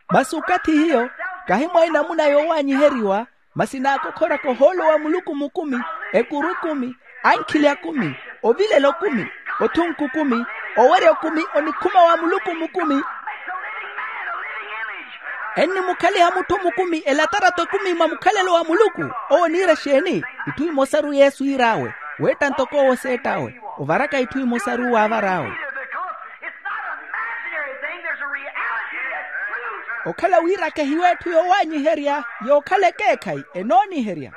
Masi okathi hiyo, kahi mwa enamuna yoowaanyiheriwa, masi naakokhoraka ohoolo wa muluku mukumi, ekuru ekumi, ankhili akumi, ovilela okumi, othunku okumi, owerya okumi onikhuma wa muluku mukumi. Ennimukhaliha mutthu mukumi elatarato ekumi mwa mukhalelo wa muluku. Owo oniira exeeni? Itthu imosaru yesu iir'awe, weetta ntoko owo seett'awe, ovaraka itthu imosaru waavar'awe. Okhala wiiraka ehiyo etthu yoowaanyiherya, yookhala ekeekhayi enooniherya.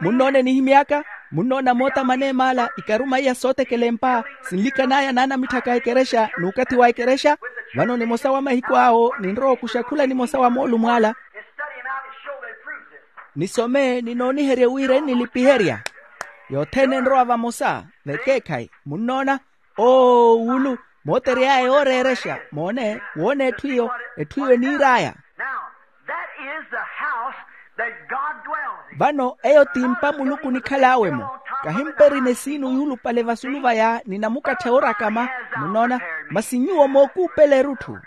Munnoona enihimy'aka? Munnoona moota maneem'ala ikaruma iya sootekela empa, sinlikan'aya naanamitthaka ekerexa n'ukathi wa ekerexa. Vano nimosa wa mahiku awo ninrowa okuxa khula nimosa wa moolumo ala. Nisome ninooniherye wira ennilipiherya. Yothene enrowa vamosa vekeekhayi, munnoona. Oo wulu, mootery'aya yooreerexa moone woona etthu iyo, etthu iyo eniir'aya. Vano eyo ti mpa muluku onikhal'awe-mo. Kahimperi nesiinu yuulupale vasulu vaya ni namukatthe oorakama, munnoona. Masi nyuwo mookuupela erutthu,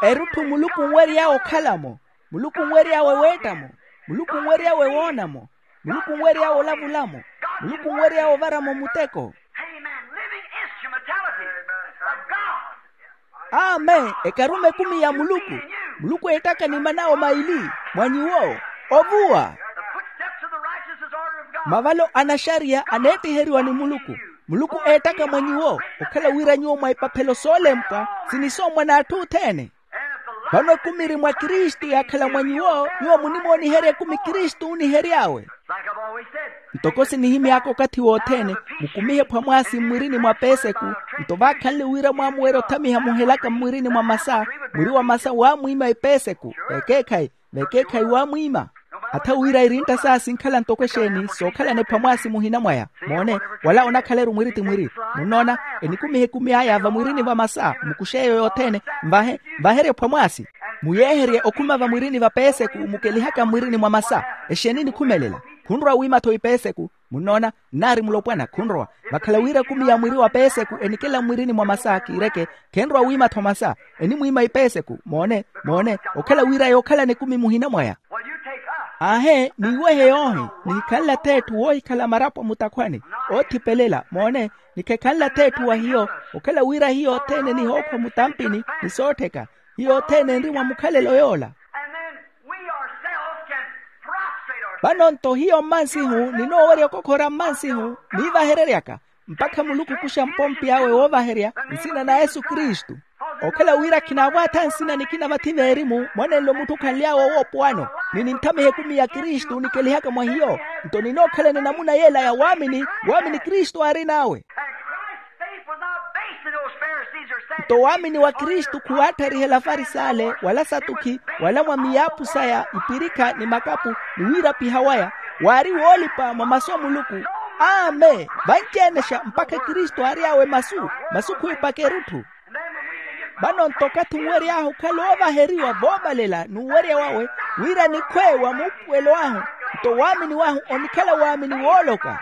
erutthu muluku onwery'awe okhala-mo, muluku onwery'awe weetta-mo, muluku onwery'awe woona-mo, muluku onwery'awe olavula-mo, muluku onwery'awe ovara-mo muteko. Amen. Ekarume ekumi ya muluku. Muluku eettaka ni manao maili mwa nyuwo. Ovuwa. Mavalo a naxariya aneettiheriwa ni muluku. Muluku eettaka mwa nyuwo okhala wira nyuwo mwa ipaphelo soolempwa, sinisoomwa n'atthu othene. Vano ekumi eri mwa kristu yaakhala mwa nyuwo, nyuwo munimooniherya ekumi kristu oonihery'awe. Ntoko sinihimy'aka okathi wothene, mukumihe phwamwaasi mmwirini mwa peeseku. Nto vaakhanle wira mwaamuwerya othamiha muhelaka mmwirini mwa masa, mwiri wa masa waamwiima epeeseku. Vekeekhayi, vekeekhayi waamwiima. Atha wira irintta saya sinkhala ntoko exeeni sookhalana ephwamwaasi muhina mwaya. Moone, wala onakhala-ru mwiri ti mwiri. Munnoona, enikumiha ekumi aya vamwirini va masa mukuxe eyo yothene. Mvahe, mvaherye ephwamwaasi. Muyeeherye okhuma vamwirini va peeseku mukelihaka mmwirini mwa masa. Exeeni enikhumelela? Khunrowa wiima-tho ipeeseku. Munnoona, nnaari mulopwana khunrowa. Vakhala wira ekumi ya mwiri wa peeseku enikela mmwirini mwa masa kiireke, khenrowa wiima-tho masa. Enimwiima ipeeseku. Moone, moone, okhala wira yookhalana ekumi muhina mwaya. Aahe, niiwehe yoohi. Nihikhanle ath'etthu woohikhala marapo mutakhwani, oothipelela. Moone, nikhekhanle ath'etthu wa hiyo, okhala wira hiyo othene nihookhwa mutampini ni soottheka. Hiyo othene enri mwa mukhalelo yoola. Vano-nto hiyo mmansihu ninoowerya okokhora mmansihu, niivahereryaka mpakha muluku okuxa mpompi awe woovaherya nsina na yesu kristu. Okhala wira khinaavwaatha nsina nikina vathi veerimu mwanenle omutthu okhanly'awe owoopwano, ni ninthamiha ekumi ya kristu nikelihaka mwa hiyo. Nto ninookhalana enamuna yeela ya waamini, waamini kristu aarin'awe. Nto waamini wa kristu khuwaatthariha ela afarisale wala asatukhi wala mwa miyaaphu saya ipirikha ni makapu ni wiirapiha waya, waari woolipa mwa masu a muluku. Amen. Vanci-enexa mpakha kristu aary'awe masu, masu khwiipaka erutthu. Vano-nto okathi onwery'ahu okhala oovaheriwa voovalela n'uwerya wawe, wira nikhwe wa muupuwelo ahu, nto waamini wahu onikhala waamini wooloka.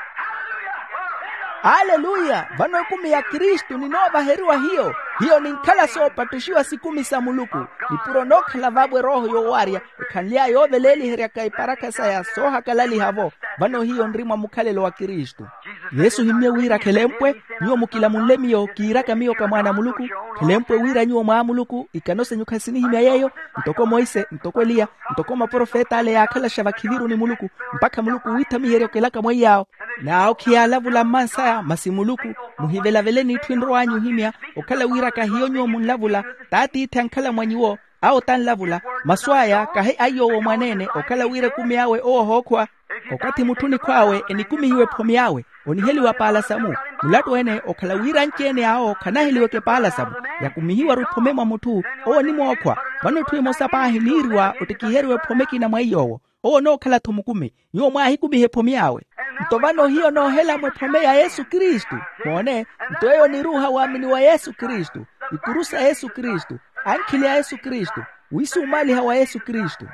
Aleluya. Vano ekumi ya kristu ninoovaheriwa hiyo. Hiyo ninkhala soopattuxiwa sikumi sa muluku. Nipuro nookhala vaavo erooho yoowaarya ekhanly'aya yooveleeliheryaka iparakha saya soohakalaliha-vo. Vano hiyo nri mwa mukhalelo wa kristu. Yesu ohimmye wira khelempwe, nyuwo mukilamunle miyo kiiraka miyo ka mwaana a muluku. Khelempwe wira nyuwo mwaamuluku ikano senyu khasinihimya yeeyo, ntoko monse ntoko eliya, ntoko maprofeta ale yaakhalaxa vakhiviru ni muluku, mpakha muluku wiithamiherya okelaka mweiy'awo. N'awo khiyaalavula mmansaya masi muluku. Muhivelavele n'itthu enrow'anyu ohimya, okhala wira kahiyo nyuwo munlavula, t'atiithi ankhala mwa nyuwo. Awo tanlavula, masu aya kahi aiy'owo mwaneene okhala wira ekumi awe owo ohookhuwa. Okathi mutthu onikhw'awe enikumihiwa ephome awe, oniheliwa paala samu. Mulattu ene okhala wira anci-ene awo khanaheliweke paala samu, yakumihiwa-ru ephome mwa mutthu, owo onimookhwa. Vano etthu emosa paahi niiriwa ottikiheriwa ephome ekina mwa iy'owo, owo onookhala-tho mukumi. Nyuwo mwaahikumiha ephome awe. Nto vano hiyo noohela-mo ephome ya yesu kristu. Moone, nto eyo oniruuha waamini wa yesu kristu, ikuru sa yesu kristu, ankhili a yesu kristu, wiisumaaliha wa yesu kristu.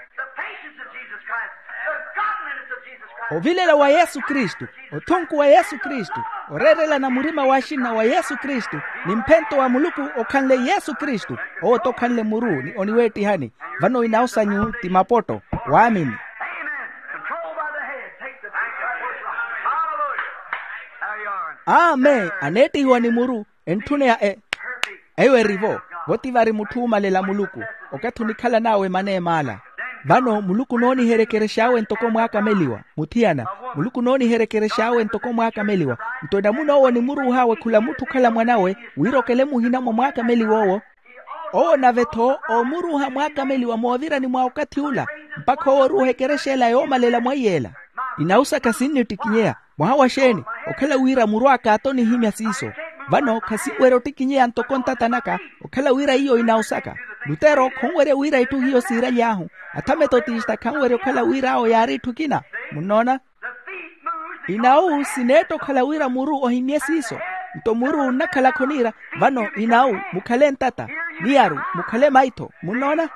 Ovilela wa yesu kristu, othunku wa yesu kristu, oreerelana murima w'axinna wa yesu kristu, ni mphento wa muluku okhanle yesu kristu. Owo t'okhanle muru ni oniweettihani. Vano inawu sanyu ti mapoto. Waamini. Amen. Aneettihiwa ni muru, entthuneya e eyo eri-vo. Vo ti vari mutthu oomalela muluku, okathi onikhalan'awe maneem'ala. Vano muluku onooniherekerex'awe ntoko mwaakameliwa. Muthiyana, muluku onooniherekerex'awe ntoko mwaakameliwa. Nto enamuna owo onimuruuh'awe khula mutthu okhala mwan'awe, wira okele muhina mwa mwaakameliwa owo. Owo nave-tho oomuruuha mwaakameliwa moovirani mwa okathi ula, mpakha owo oruuha ekerexa ela yoomalela mweiy'ela. Inawu saka sinnittikinyeya. Mwaha wa xeeni? Okhala wira muru aka t'onihimya siiso. Vano khasinwerya ottikinyeya ntoko ntata naka, okhala wira iyo inawu saka. Lutero khonwerya wira itthu hiyo siiraly'ahu. Athame-tho tista khanwerya okhala wira awo yaari itthu ekina. Munnoona? Inawu sineetta okhala wira muru ohimye siiso. Nto muru onnakhala khoniira. Vano inawu mukhale ntata, miyaru mukhale maitho. Munnoona?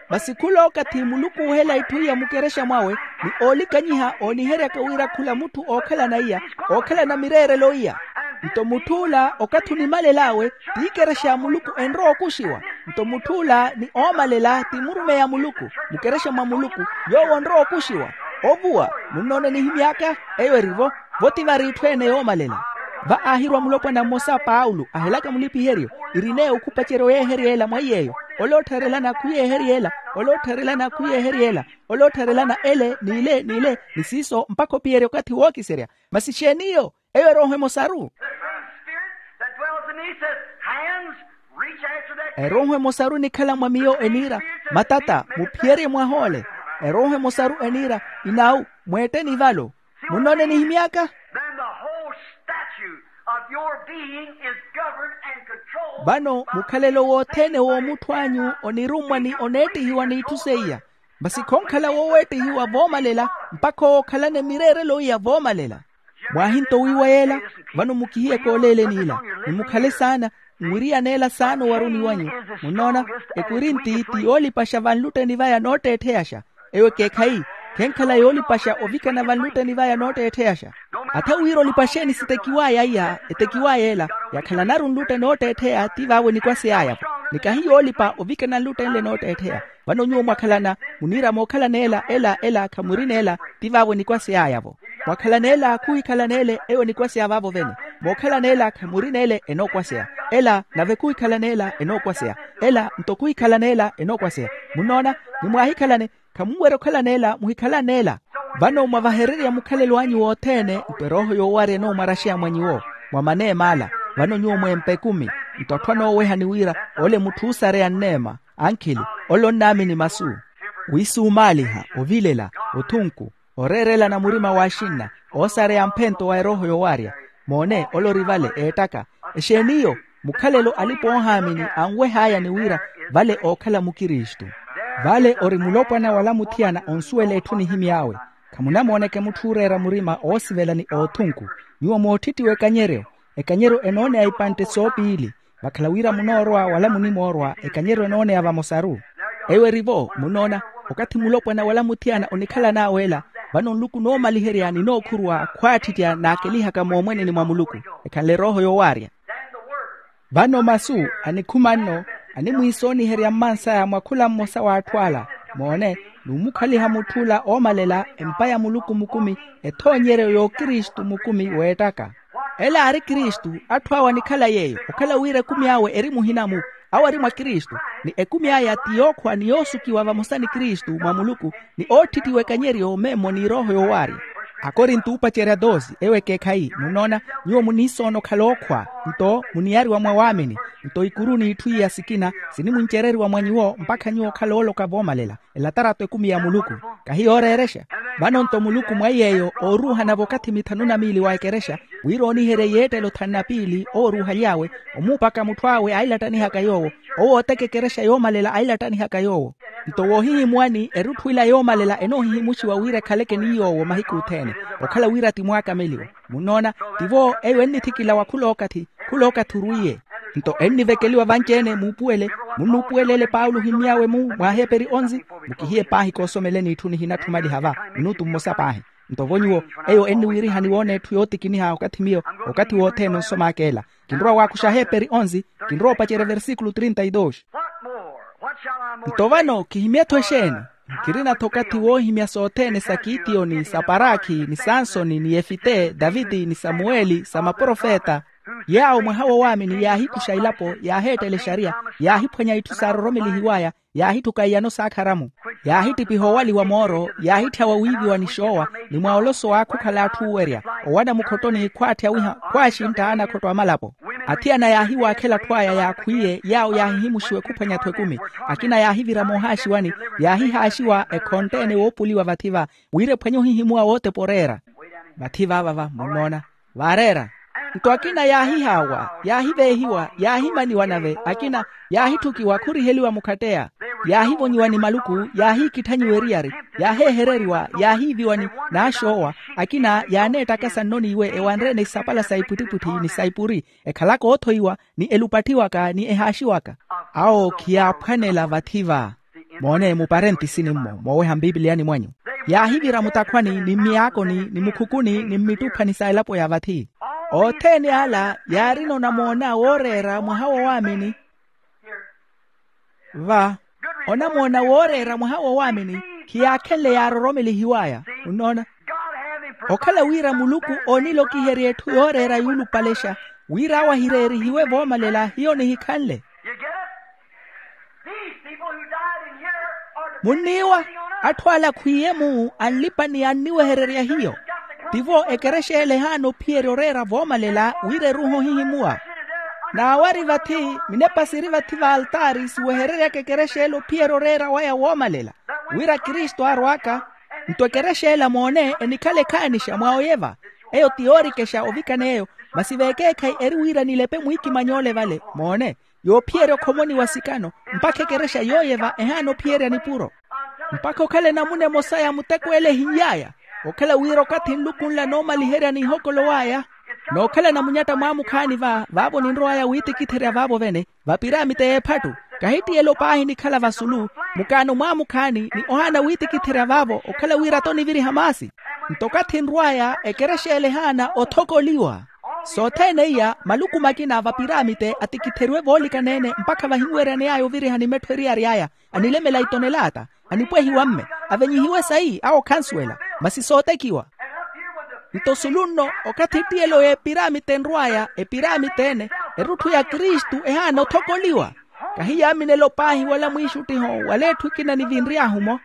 Masi khula okathi muluku oohela itthu iya mukerexa mwawe, ni oolikanyiha ooniheryaka wira khula mutthu ookhalana iya, ookhalana mireerelo iya. Nto mutth'ula okathi onimalel'awe, t'ikerexa ya muluku enrowa okuxiwa. Nto mutth'ula ni oomalela ti murumeyi a muluku, mukerexa mwa muluku, yoowo onrowa okuxiwa. Ovuwa. Munnoona enihimy'aka? Eyo eri-vo. Vo ti vari itthu ene yoomalela. Va aahirwa mulopwana mmosa paulo ahelaka mulipiheryo, irineya okhupacerya oyeeherya ela mwa iy'eyo. Ole ottharelana khuyeeherya ela, ole ottharelana khuyeeherya ela, ole ottharelana ele n'ile n'ile, ni siiso mpakha opiyerya okathi wookiserya. Masi exeeni iyo? Eyo erooho emosaru. The Holy Spirit that dwells in me says, "Hands, reach after that." Erooho emosaru enikhala mwa miyo eniira, "Matata, muphiyerye mwahoole." Erooho emosaru eniira, "Inawu, mweetteni valo." Munnoona enihimy'aka? Then the whole statue of your being is governed and controlled. Vano mukhalelo wothene w'omutthu anyu onirummwa ni oneettihiwa n'itthu seiya. Masi khonkhala woweettihiwa voomalela, mpakha owo okhalane mireerelo iya voomalela. Mwaahinto wiiwa yeela? Vano mukihiye kooleeleni ila, ni mukhale saana, nwiriyaneela saana owaruni wanyu. Munnoona, ekorinti ti yoolipaxa vanlutteni vaya nootteettheyaxa. Eyo ekeekhayi, khenkhala yoolipaxa ovikana vanlutteni vaya nootteettheyaxa. Atha wira olipaxeeni sitekiwaya iya etekiwaya ela, yakhalanaru nlutte nootteettheya ti vaawo enikwaseyaya-vo. Ni kahi yoolipa ovikana nluttenle nootteettheya. Vano nyuwo mwakhalana, muniira mookhalana ela ela ela khamurina ela, ti vaawo enikwaseyaya-vo. Mwakhalana ela khuhikhalana ele eyo enikwaseya vaavo vene. Mookhalana ela khamurina ele enookwaseya, ela nave khuhikhalana ela enookwaseya, ela nto khuhikhalana ela enookwaseya. Munnoona? Ni mwaahikhalane, khamunwerya okhalana ela muhikhalane ela. Vano mwavahererya mukhalelo anyu wothene nto erooho yoowarya enoomwaraxeya mwa nyuwo, mwa maneema ala. Vano nyuwo mweempa ekumi, nto atthu anoowehani wira ole mutthu oosareya nneema, ankhili, ole onnaamini masu, wiisuumaaliha, ovilela, othunku, oreerelana murima w'axinna, oosareya mphento wa erooho yoowarya. Moone ole ori vale eettaka. Exeeni iyo? Mukhalelo alipa oohaamini anweh'aya ni wira vale ookhala mukristu. Vale ori mulopwana wala muthiyana onsuwela etthu nihimy'awe. Khamunamooneke mutthu ooreera murima oosivela ni oothunku. Nyuwo moottittiwa ekanyeryo. Ekanyeryo enooneya ipantte soopiili. Vakhala wira munoorowa wala munimoorowa ekanyeryo enooneya vamosaru. Eyo eri-vo munnoona, okathi mulopwana wala muthiyana onikhalan'awe ela, vano nluku noomaliherya ni nookhuruwa khwaattittya naakelihaka moomweneni mwa muluku, ekhanle erooho yoowaarya. Vano masu anikhuma nno, animwiisooniherya mmansaya mwa khula mmosa w'atthu ala. Moone, nummukhaliha mutth'ula oomalela empa ya muluku mukumi, ethoonyeryo y'okristu mukumi weettaka. Ela aari kristu. Atthu awo anikhala yeeyo okhala wira ekumi awe eri muhina-mu, awo ari mwa kristu, ni ekumi aya ti yookhwa ni yoosukiwa vamosa ni kristu mwa muluku, ni ootthittiwa ekanyeryo memmo n'irooho yoowaarya. Akorinto oopacerya dosi ewo ekeekhayi munnoona, nyuwo muniisoona okhala ookhwa, nto muniyariwa mwa waamini, nto ikuru n'itthu iya sikina sinimwincereriwa mwa nyuwo mpakha nyuwo okhala ooloka voomalela. Elatarato ekumi ya muluku kahi yooreerexa. Vano nto muluku mwa iy'eyo ooruuhana v'okathi mithanu na miili wa ekerexa, wira ooniherye yeettelo thanu na piili owo oruuhaly'awe, omuupaka mutthu awe ailattanihaka yoowo, owo ooteka ekerexa yoomalela ailattanihaka yoowo. Nto woohihimuwani erutthu ila yoomalela enoohihimuxiwa wira ekhaleke ni yoowo mahiku othene, okhala wira ti mwaakameliwa. Munnoona, tivo eyo ennithikila wa khulookathi, khulookathi orwiiye. Nto ennivekeliwa vanci-ene muupuwele, munnuupuwelele paulo ohimmy'awe-mu mwa aheeperi onzi. Mukihiye paahi koosomeleni itthu nihina-tthumaliha va minutu mmosa paahi. Nto vo nyuwo, eyo enniwiirihani woona etthu yootikiniha okathi miyo, okathi wothene onsom'aka ela. Kinrowa waakuxa aheeperi onzi, kinrowa opacerya versikulu trinta y dos. Nto vano khihimya-tho exeeni? Nkirina-tho okathi woohimya sothene sa kitiyoni, sa parakhi, ni sansoni, ni yefite, taviti, ni samuweli, sa maprofeta. Yaawo mwaha wa waamini yaahikuxa ilapo, yaaheettela exariya, yaahiphwanya itthu saaroromelihiwaya, yaahitthuka iyano saakhara-mu, yaahittipiha owaliwa mooro, yaahitthyawa wiiviwa ni xoowa, ni mwa oloso aakha okhala atthu oowerya, owana mukhottoni khwaatthawiha, khwaaxintta anakhotto a malapo. Athiyana yaahiwaakhela atthu aya yaakhwiiye yaawo yaahihimuxiwa ekhuphwanya-tho ekumi. Akina yaahivira moohaaxiwani, yaahihaaxiwa ekhontte-ene woopuliwa vathi-va, wira ephwanye ohihimuwa wootepa oreera. Vathi vaava va munnoona, vaareera. Nto akina yaahihaawa, yaahiveehiwa, yaahimaniwa nave akina, yaahitthukiwa khuriheliwa mukhatteya, yaahivonyiwa ni maluku, yaahiikitthanyiwa eriyari, yaaheehereriwa, yaahiiviwa ni naaxoowa. Akina yaaneettakasa nno n'iwe ewanre-ene isapala sa ipwittipwitthi ni sa ipuri, ekhalaka oothoiwa, ni elupatthiwaka ni ehaaxiwaka. Awo khiyaaphwanela vathi-va. Moone muparentisini-mmo mooweha mpipiliyani mwanyu. Yaahivira mutakhwani ni mmiyaakoni ni mukhukuni ni mmittuphani sa elapo ya vathi. Othene ala yaarina onamoona wooreera mwaha wa waamini. Va, onamoona wooreera mwaha wa waamini khiyaakhenle yaaroromelihiwaya. Munnoona? Okhala wira muluku oonilokiherya etthu yooreera yuulupalexa, wira awo ahireerihiwe voomalela hiyo nihikhanle. You get it? These people who died in here are the munniiwa. Atthu ala akhwiiye-mu anlipa ni anniwehererya hiyo. Tivo ekerexa ele ehaana ophiyerya oreera voomalela wira eruuha ohihimuwa. N'awari vathi minepa siri vathi v'altaari siwehereryaka ekerexa ele ophiyerya oreera waya woomalela, wira kristu aarw'aka. Nto ekerexa ela moone enikhala ekhaanixa mwa oyeva. Eyo ti yoorikexa ovikana eyo, masi vekeekhayi eri wira nilepe mwiikimanya ole vale moone, yoophiyerya okhomoniwa sikano, mpakha ekerexa yooyeva ehaana ophiyerya nipuro. Mpakha okhale namuna emosa ya muteko ele ehin'yaya, okhala wira okathi nluku nla noomaliherya n'ihokolo waya, n'okhala namunyatta mwaamukhaani va vaavo ninrow'aya wiitikitherya vaavo vene, vapiramite y'ephattu, kahittiyelo paahi nikhala vasulu, mukaano mwaamukhaani ni ohaana wiitikitherya vaavo okhala wira toniviriha maasi. Nto okathi nrw'aya ekerexa ele ehaana othokoliwa. Sothene iya maluku makina vapiramite atikitheriwe voolikana-ene mpakha vahinweryane yaya ovirihani mettho eriyari aya, anilemela itonelaata, anipwehiwa mme, avenyihiwe sayi awo khansuwela, masi sootekiwa. Nto sulu nno, okathi ettiyelo y'epiramite enrw'aya epiramite ene, erutthu ya kristu ehaana othokoliwa. Kahi yaaminelo paahi wala mwiixuttiho wala etthu ekina nivinry'ahu-mo.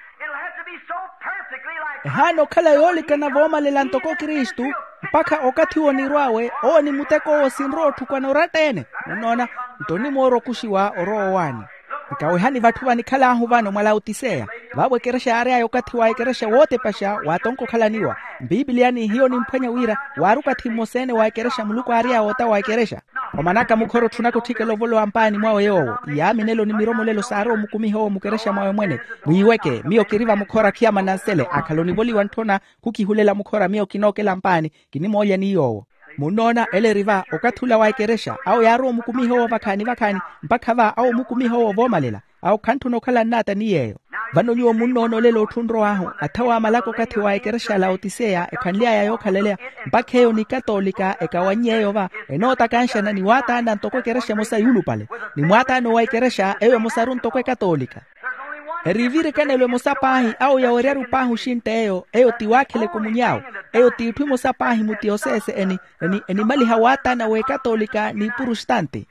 Ehaana okhala yoolikana voomalela ntoko kristu, mpakha okathi onirw'awe owo ni muteko owo sinrowa otthukwana oratta-ene. Munnoona? Nto onimoora okuxiwa orowa owaani. Nkawehani vatthu vanikhal'ahu vano mwa laotiseya, vaavo ekerexa yaary'aya okathi wa ekerexa wootepaxa waatonka okhalaniwa. Mpiipiliya ni hiyo nimphwanya wira waari okathi mmosa-ene wa ekerexa muluku aary'aya ota wa ekerexa. Omanaka mukhora otthunaka otthikela ovolowa mpaani mwawe yoowo. Iyaaminelo ni miromolelo saarowa omukumiha owo mukerexa mwawe mwene. Mwiiweke miyo kiri vamukhora khiyamana nsele akhala onivoliwa ntthona. Khukihulela mukhora miyo kinookela mpaani. Kinimoolya ni yoowo. Munnoona ele eri va okathi ula wa ekerexa awo yaarowa omukumiha owo vakhaani vakhaani. Mpakha va awo omukumiha owo voomalela. Awo khantthuna okhala nnaata ni yeeyo. Vano nyuwo munnoona olelo otthu onrow'ahu athawa amalaka okathi wa ekerexa ya laotiseya ekhanly'aya yookhalaleya. Mpakha eyo ni katoolika ekawannye eyo va enootakanxana ni waataana ntoko ekerexa emosa yuulupale, ni mwaataana owa ekerexa eyo emosaru ntoko ekatoolika. Eri evirikanelo emosa paahi awo yaweryaru paahi oxintta eyo eyo ti waakhela ekumuny'awe. Eyo ti itthu emosa paahi mu tiyoseese eni enimaliha waataana w'ekatoolika n'iprustanti.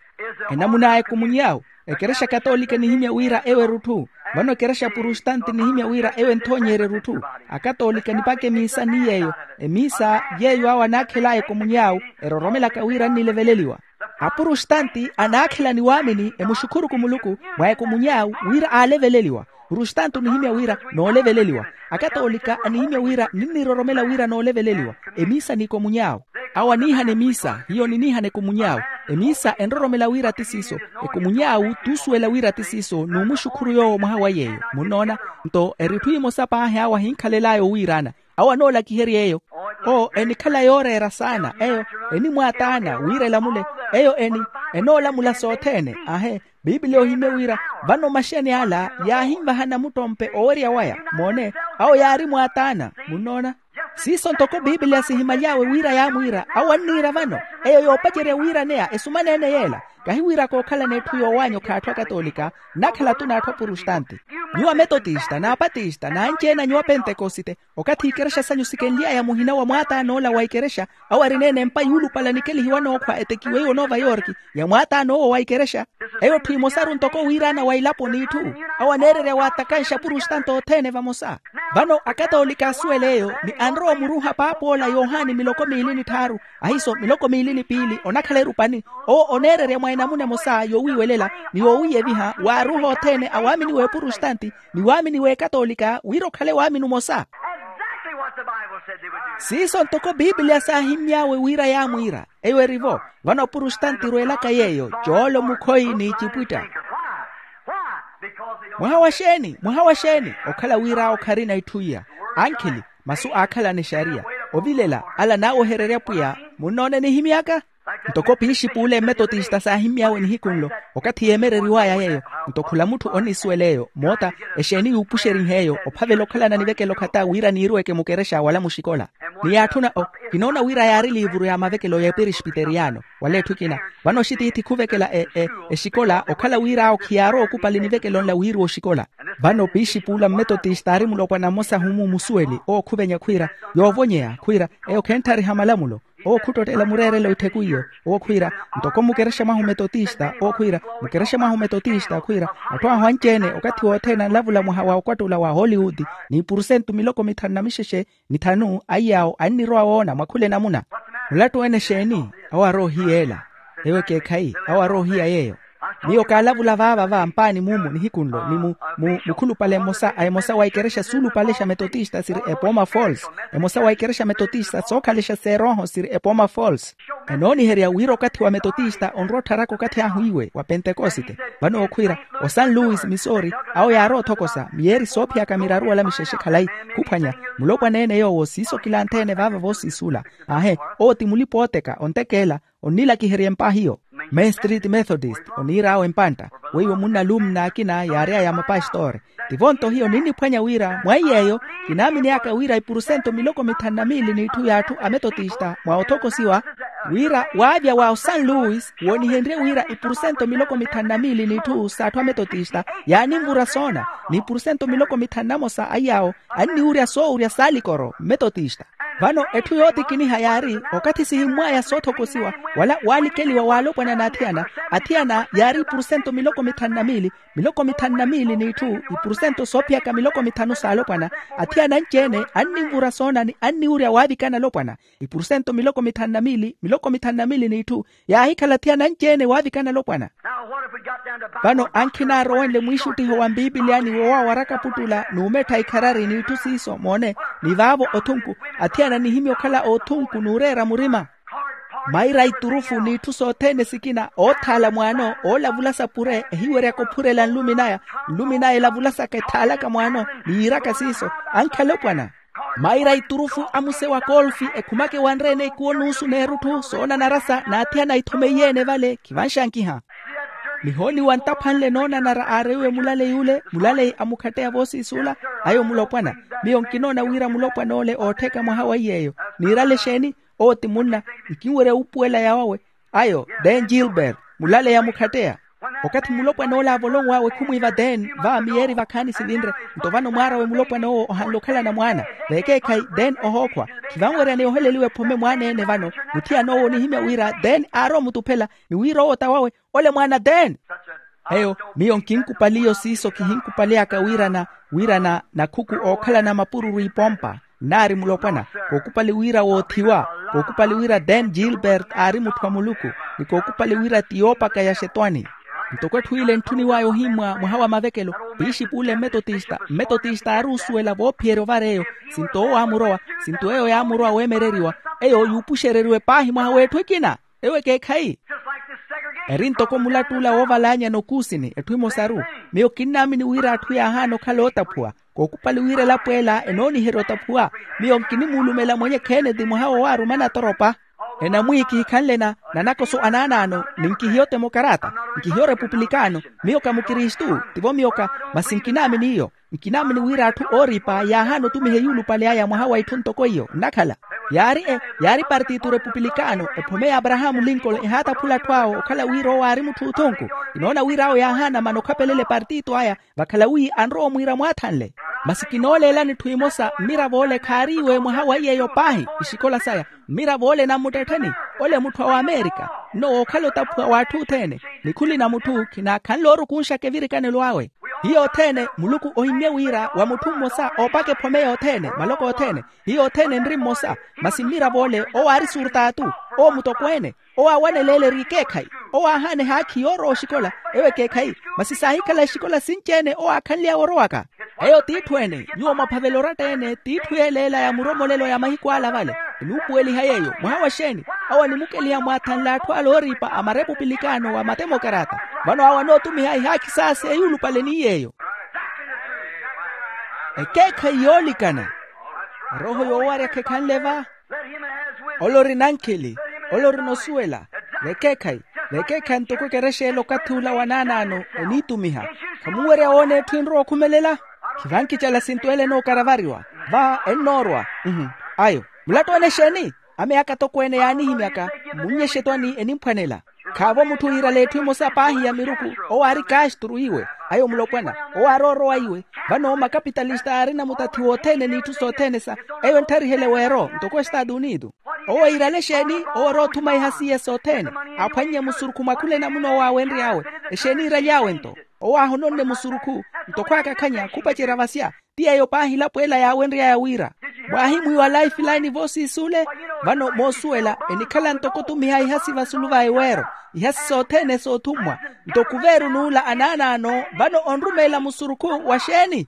Enamun'aya ekumuny'awe. Ekerexa katoolika enihimya wira eyo erutthu. Vano ekerexa prustanti enihimya wira eyo enthoonyeerya erutthu. Akatoolika enipaka emiisa ni yeeyo. Emiisa yeeyo awo anaakhel'aya ekumuny'awe eroromelaka wira annileveleliwa. Aprustanti anaakhela ni waamini emuxukhuru-ku muluku mwa ekumuny'awe wira aaleveleliwa. Prustanti onihimya wira nooleveleliwa. Akatoolika anihimya wira ninniroromela wira nooleveleliwa. Emiisa n'ikomuny'awe. Awo aniihana emiisa hiyo niniihana ekomuny'awe. Emiisa enroromela wira ti siiso. Ekomuny'awe t'usuwela wira ti siiso n'umuxukhuru yoowo mwaha wa yeeyo munnoona. Nto eri itthu emosa paahi awo ahinkhalel'aya owiiraana. Awo anoolakiherya eyo. Owo enikhala yooreera saana eyo enimwaataana wira elamule. Eyo eni enoolamula sothene ahe. Piipiliya ohimye wira vano maxeni ala yaahinvaha namuttompe owerya waya moone. Awo yaari mwaataana munnoona. Siiso ntoko piipiliya sihimaly'awe wira yaamwiira awo anniira vano. Eyo yoopacerya wiiraneya esumaneene yeela. Kahi wira kookhalana etthu yoowaanya okhala atthu akatoolika nnakhala-tu n'atthu aprustanti. Nyuwo ametotista n'apatista n'anci-ene a nyuwo apentekosite. Okathi ikerexa sanyu sikenly'aya muhina wa mwaataana ola wa ikerexa awo arineene empa yuulupala nikelihiwa nookhwa etekiwe iwo nova yorki ya mwaataana owo wa ikerexa. Eyo tthi imosaru ntoko wiiraana wa ilapo n'itthu. Awo aneererya waatakanxa apurustanti othene vamosa. Vano akatoolika asuwela eyo ni anrowa omuruuha paap'ola yohani miloko miili ni tthaaru ahiiso miloko miili ni piili onakhala erupani. Owo oneererya mwa enamuna emosa yoowiiwelela ni yoowiiyeviha waaruuha othene awaamini w'epurustanti ni waamini w'ekatoolika wira okhale waamini omosa. Siiso ntoko piipiliya saahimmy'awe wira yaamwiira. Eyo eri-vo. Vano apurustanti erweelaka yeeyo coolo mukhoyi n'icipwitta. Mwaha wa xeeni mwaha wa xeeni? Okhala wira awo kharina itthu iya. Ankhili masu aakhalana exariya ovilela ala naawehererya pwiya. Munnoona enihimy'aka ntoko piixip'ule mmetotista saahimmy'awe nihiku nlo okathi yeemereriw'aya yeeyo. Nto khula mutthu onnisuwela eyo moota exeeni yuupuxerihe eyo ophavela okhalana nivekelo khata wira niiruweke mukerexa wala muxikola. Ni yaatthuna o kinoona wira yaari liivuru ya mavekelo y'eperespiteriyano wala etthu ekina. Vano oxitiithi khuvekela exikola okhala wira awo khiyaarowa okupali nivekelo nla wiiruwa oxikola. Vano pixipuula mmetotista aari mulopwana mmosa ahumu musuweli owo khuvenya khwiira, yoovonyeya khwiira, eyo khenttariha malamulo. Owo khuttottela mureerelo ittheku iyo. Owo khwiira, ntoko mukerexa mwahu metotista owo khwiira, mukerexa mwahu metotista khwiira, atthu ahu anci-ene okathi wothene anlavula mwaha wa okwattula wa hollywood, n'ipurusentu miloko mithanu na mixexe, mithanu aiyaawo annirowa woona mwakhula enamuna. Mulattu ene exeeni? Awo aroohiyeela. Ewo ekeekhayi, awo aroohiya yeeyo. Miyo kaalavula vaava va mpaani mumu nihiku nlo ni mu mukhulupale emosa a emosa wa ikerexa suulupale xa metotista siri epoma falls. Emosa wa ikerexa metotista sookhalexa seerooho siri epoma falls. Enooniherya wira okathi wa metotista onrowa ottharaka okathi ahu iwe wa pentekosite. Vano okhwiira, o san luis missouri, awo yaarowa othokosa miyeeri soophiyaka miraru wala mixexe khalayi, khuphwanya, mulopwana ene yoowo siiso kilantheene vaava voosiisula. Aahe, owo ti mulipa ooteka ontekeela, onnilakiherya empahiyo. Main street methodist oniir'awe mpantta. Weiwo munna alumna akina yaary'aya mapastori. Tivo-nto hiyo ninniphwanya wira mwa iy'eyo, kinaaminiyaka wira ipurusento miloko mithanu na miili n'itthu y'atthu a metotista mwa othokosiwa, wira waavya wa osan luis woonihenrye wira ipurusento miloko mithanu na miili n'itthu s'atthu a metotista yaaninvura soona, n'ipurusento miloko mithanu na mosa a iy'awo anniwurya soowurya saalikoro mmetotista. Vano etthu yootikiniha yaari, okathi sihimmw'aya soothokosiwa wala waalikeliwa w'alopwana n'athiyana, athiyana yaari ipurusento miloko mithanu na miili, miloko mithanu na miili n'itthu ipurusento soophiyaka miloko mithanu s'alopwana. Athiyana anci-ene anninvura soona ni anniwurya waavikana alopwana. Ipurusento miloko mithanu na miili miloko mithanu na miili n'itthu yaahikhala athiyana anci-ene waavikana alopwana. Vano ankhi naarowenle mwiixuttiho wa mpipiliyani woowawaraka puttula n'umettha ikharari n'itthu siiso moone, ni vaavo othunku, athiyana nihimya okhala othunku n'ureera murima. Maira a iturufu n'itthu sothene sikina oothaala mwaano oolavulasa pure ehiweryaka ophurela nlumi naya, nlumi naya elavulasaka ethaalaka mwaano ni yiiraka siiso. Ankhi alopwana, maira a iturufu a muse wa kolfi ekhumaka ewanre-ene ikuwo nuusu n'erutthu soona narasa n'athiyana ithomeiye-ene vale khivanxankiha. Nihooniwa ntaphwanle noonanara aareiwe mulaleyi ule mulaleyi a mukhatteya voosiisuula. Ayo mulopwana, miyo nkinoona wira mulopwan'ole oottheka mwaha wa iy'eyo. Niirale exeeni? Owo ti munna, nkinwerya wuupuwela yaawawe. Ayo den gilbert, mulaleya mukhatteya. Okathi mulopwan'ole aavolonw'awe khumwiiva den va miyeeri vakhaani sivinre. Nto vano mwaar'awe mulopwan'owo ohanle okhalana mwaana. Veekeekhayi den ohookhwa, khivanwerya ni oheleliwa ephome mwaana-ene vano. Muthiyan'owo onihimya wira den aarowa omutuphela ni wira owo t'awawe. Ole mwaana den. Eyo miyo nkinkupaliyo siiso kihinkupaliyaka wirana, wirana nakhuku ookhalana mapururu ipompa. Nnaari mulopwana, kookupali wira woothiwa, kookupali wira dan gilbert aari mutthu a muluku, ni kookupali wira ti yoopaka ya xetwani. Ntoko etthu ile ntthuniw'aya ohimmwa mwaha wa mavekelo, pixipuule mmetotista mmetotista aari osuwela voophiyerya ovar'eyo. Sinto owo aamurowa, sinto eyo yaamurowa weemereriwa, eyo yuupuxereriwe paahi mwaha w'etthu ekina. Ewo ekeekhayi. Eri ntoko mulattuula woovalaanyana okuusini etthu emosaru. Miyo kinnaamini wira atthu yaahaana okhala ootaphuwa, kookupali wira elapo ela enooniherya otaphuwa. Miyo nkinimuulumela mwenye kheneti mwaha wowaarumana atoropa. Enamwiiyi kihikhanle na nanakoso anaanaano, ni nkihiyo temokarata, nkihiyo repupulikano. Miyo ka mukristu, tivo miyo ka, masi nkinaamini iyo. Nkinaamini wira atthu ooripa yaahaana otumiha eyuulupale aya mwaha wa itthu ntoko iyo nnakhala. Yaari e yaari partitu repupulikano ephome ya abrahamu lincoln ehaataphula atthu awo okhala wira owo aari mutthu othunku. Kinoona wira awo yaahaana mana okhapelela epartitu aya, vakhala wiiyi anrowa omwiira mwaathanle. Masi kinooleelani etthu emosa mmirav'ole khaariiwe mwaha wa iyeeyo paahi. Ixikola saya, mmirav'ole nammuttettheni, ole mutthu a wamerika, nno wookhala otaphuwa w'atthu othene. Nikhuli na mutthu khinaakhanle oorukunxaka evirikanelo awe. Hiyo othene muluku ohimmye wira wa mutthu mmosa oopaka ephome yothene maloko othene. Hiyo othene enri mmosa. Masi mmirav'ole owo aari surtaatu, owo mutokweene, owo aawaneleele eri ekeekhayi, owo aahaana ehaakhi yoorowa oxikola. Ewo ekeekhayi. Masi saahikhala exikola sinci-ene owo aakhanly'awe orowaka. Eyo t'itthu ene nyuwo mwaphavela oratta-ene t'itthu yeeleela ya muromolelo ya mahiku ala vale. Enuupuweliha yeeyo mwaha wa xeeni? Awo animukeliha mwaathanle atthu ala ooripa a marepupilikano wa matemokarata. Vano awo anootumiha ihaakhi saase eyuulupale ni yeeyo. Ekeekhayi yoolikana. Erooho yoowarya khekhanle va. Ole orina ankhili, ole orina osuwela. Vekeekhayi, vekeekhayi ntoko ekerexeela okathi ula wa naanaano eniitumiha. Khamunwerya woona etthu enrowa okhumelela? Khivankicala sinto ele enookaravariwa. Va ennoorwa. Ayo, mulattu ene exeeni? Ame aka atokweene yaanihimyaka, mmunnye exetwani enimphwanela. Khaavo mutthu wiirale etthu emosa paahi ya miruku. Owo aari kasturu iwe, ayo mulopwana. Owo aari orowa iwe. Vano makapitalista aarina mutathi wothene n'itthu sothene sa, eyo entharihele weero ntoko estaatu unitu. Owo iirale exeeni? Owo ori othuma iha s'iye sothene, aphwannye musurukhu mwa khula enamuna owo aawenry'awe. Exeeni iiraly'awe nto? Owo aahononne musurukhu nto khwaakakhanya khupacerya vasya. Ti eyo paahi elapo ela yaawenry'aya wira, mwaahimwiiwa lifeline voosiisi ole. Vano moosuwela enikhala ntoko otumiha ihasi vasulu va eweero, ihasi sothene soothummwa. Nto kuveeru n'ula anaanaano vano onrumeela musurukhu wa xeeni?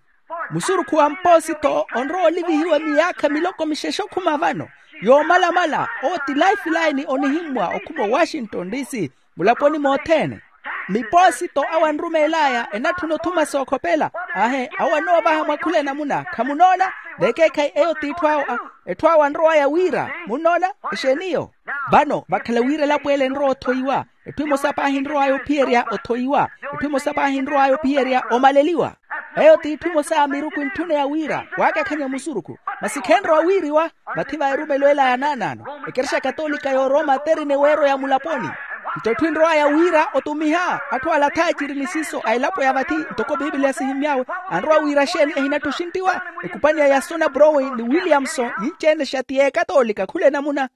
Musurukhu wa mpoositho onrowa olivihiwa miyaakha miloko mixexe okhuma vano. Yoomalamala owo ti lifeline onihimmwa okhuma owashington dc, mulaponi mothene. Mipoosito awo anrumeel'aya enatthuna othuma sookhopela. Aahe, awo anoovaha mwa khula enamuna khamunoona. Vekeekhayi eyo t'itthu awo, etthu awo anrow'aya wira munnoona. Exeeni eyo? Vano vakhala wira elapo ele enrowa othoiwa. Etthu emosa paahi enrow'aya ophiyerya othoiwa. Etthu emosa paahi enrow'aya ophiyerya omaleliwa. Eyo t'itthu emosa ya miruku entthuna ya wira waakakhanya musurukhu. Masi khenrowa wiiriwa. Vathi va erumelo ela ya naanaano, ekerexa katoolika y'oroma terina eweero ya mulaponi. Nto etthu enrow'aya wira otumiha atthu ala athaaciri ni siiso a elapo ya vathi, ntoko piipiliya sihimmy'awe, anrowa wira xeeni ehinattha oxinttiwa? Ekupani ya yasona browen ni williamson yinci-ene xa ti y'ekatoolika khula enamuna.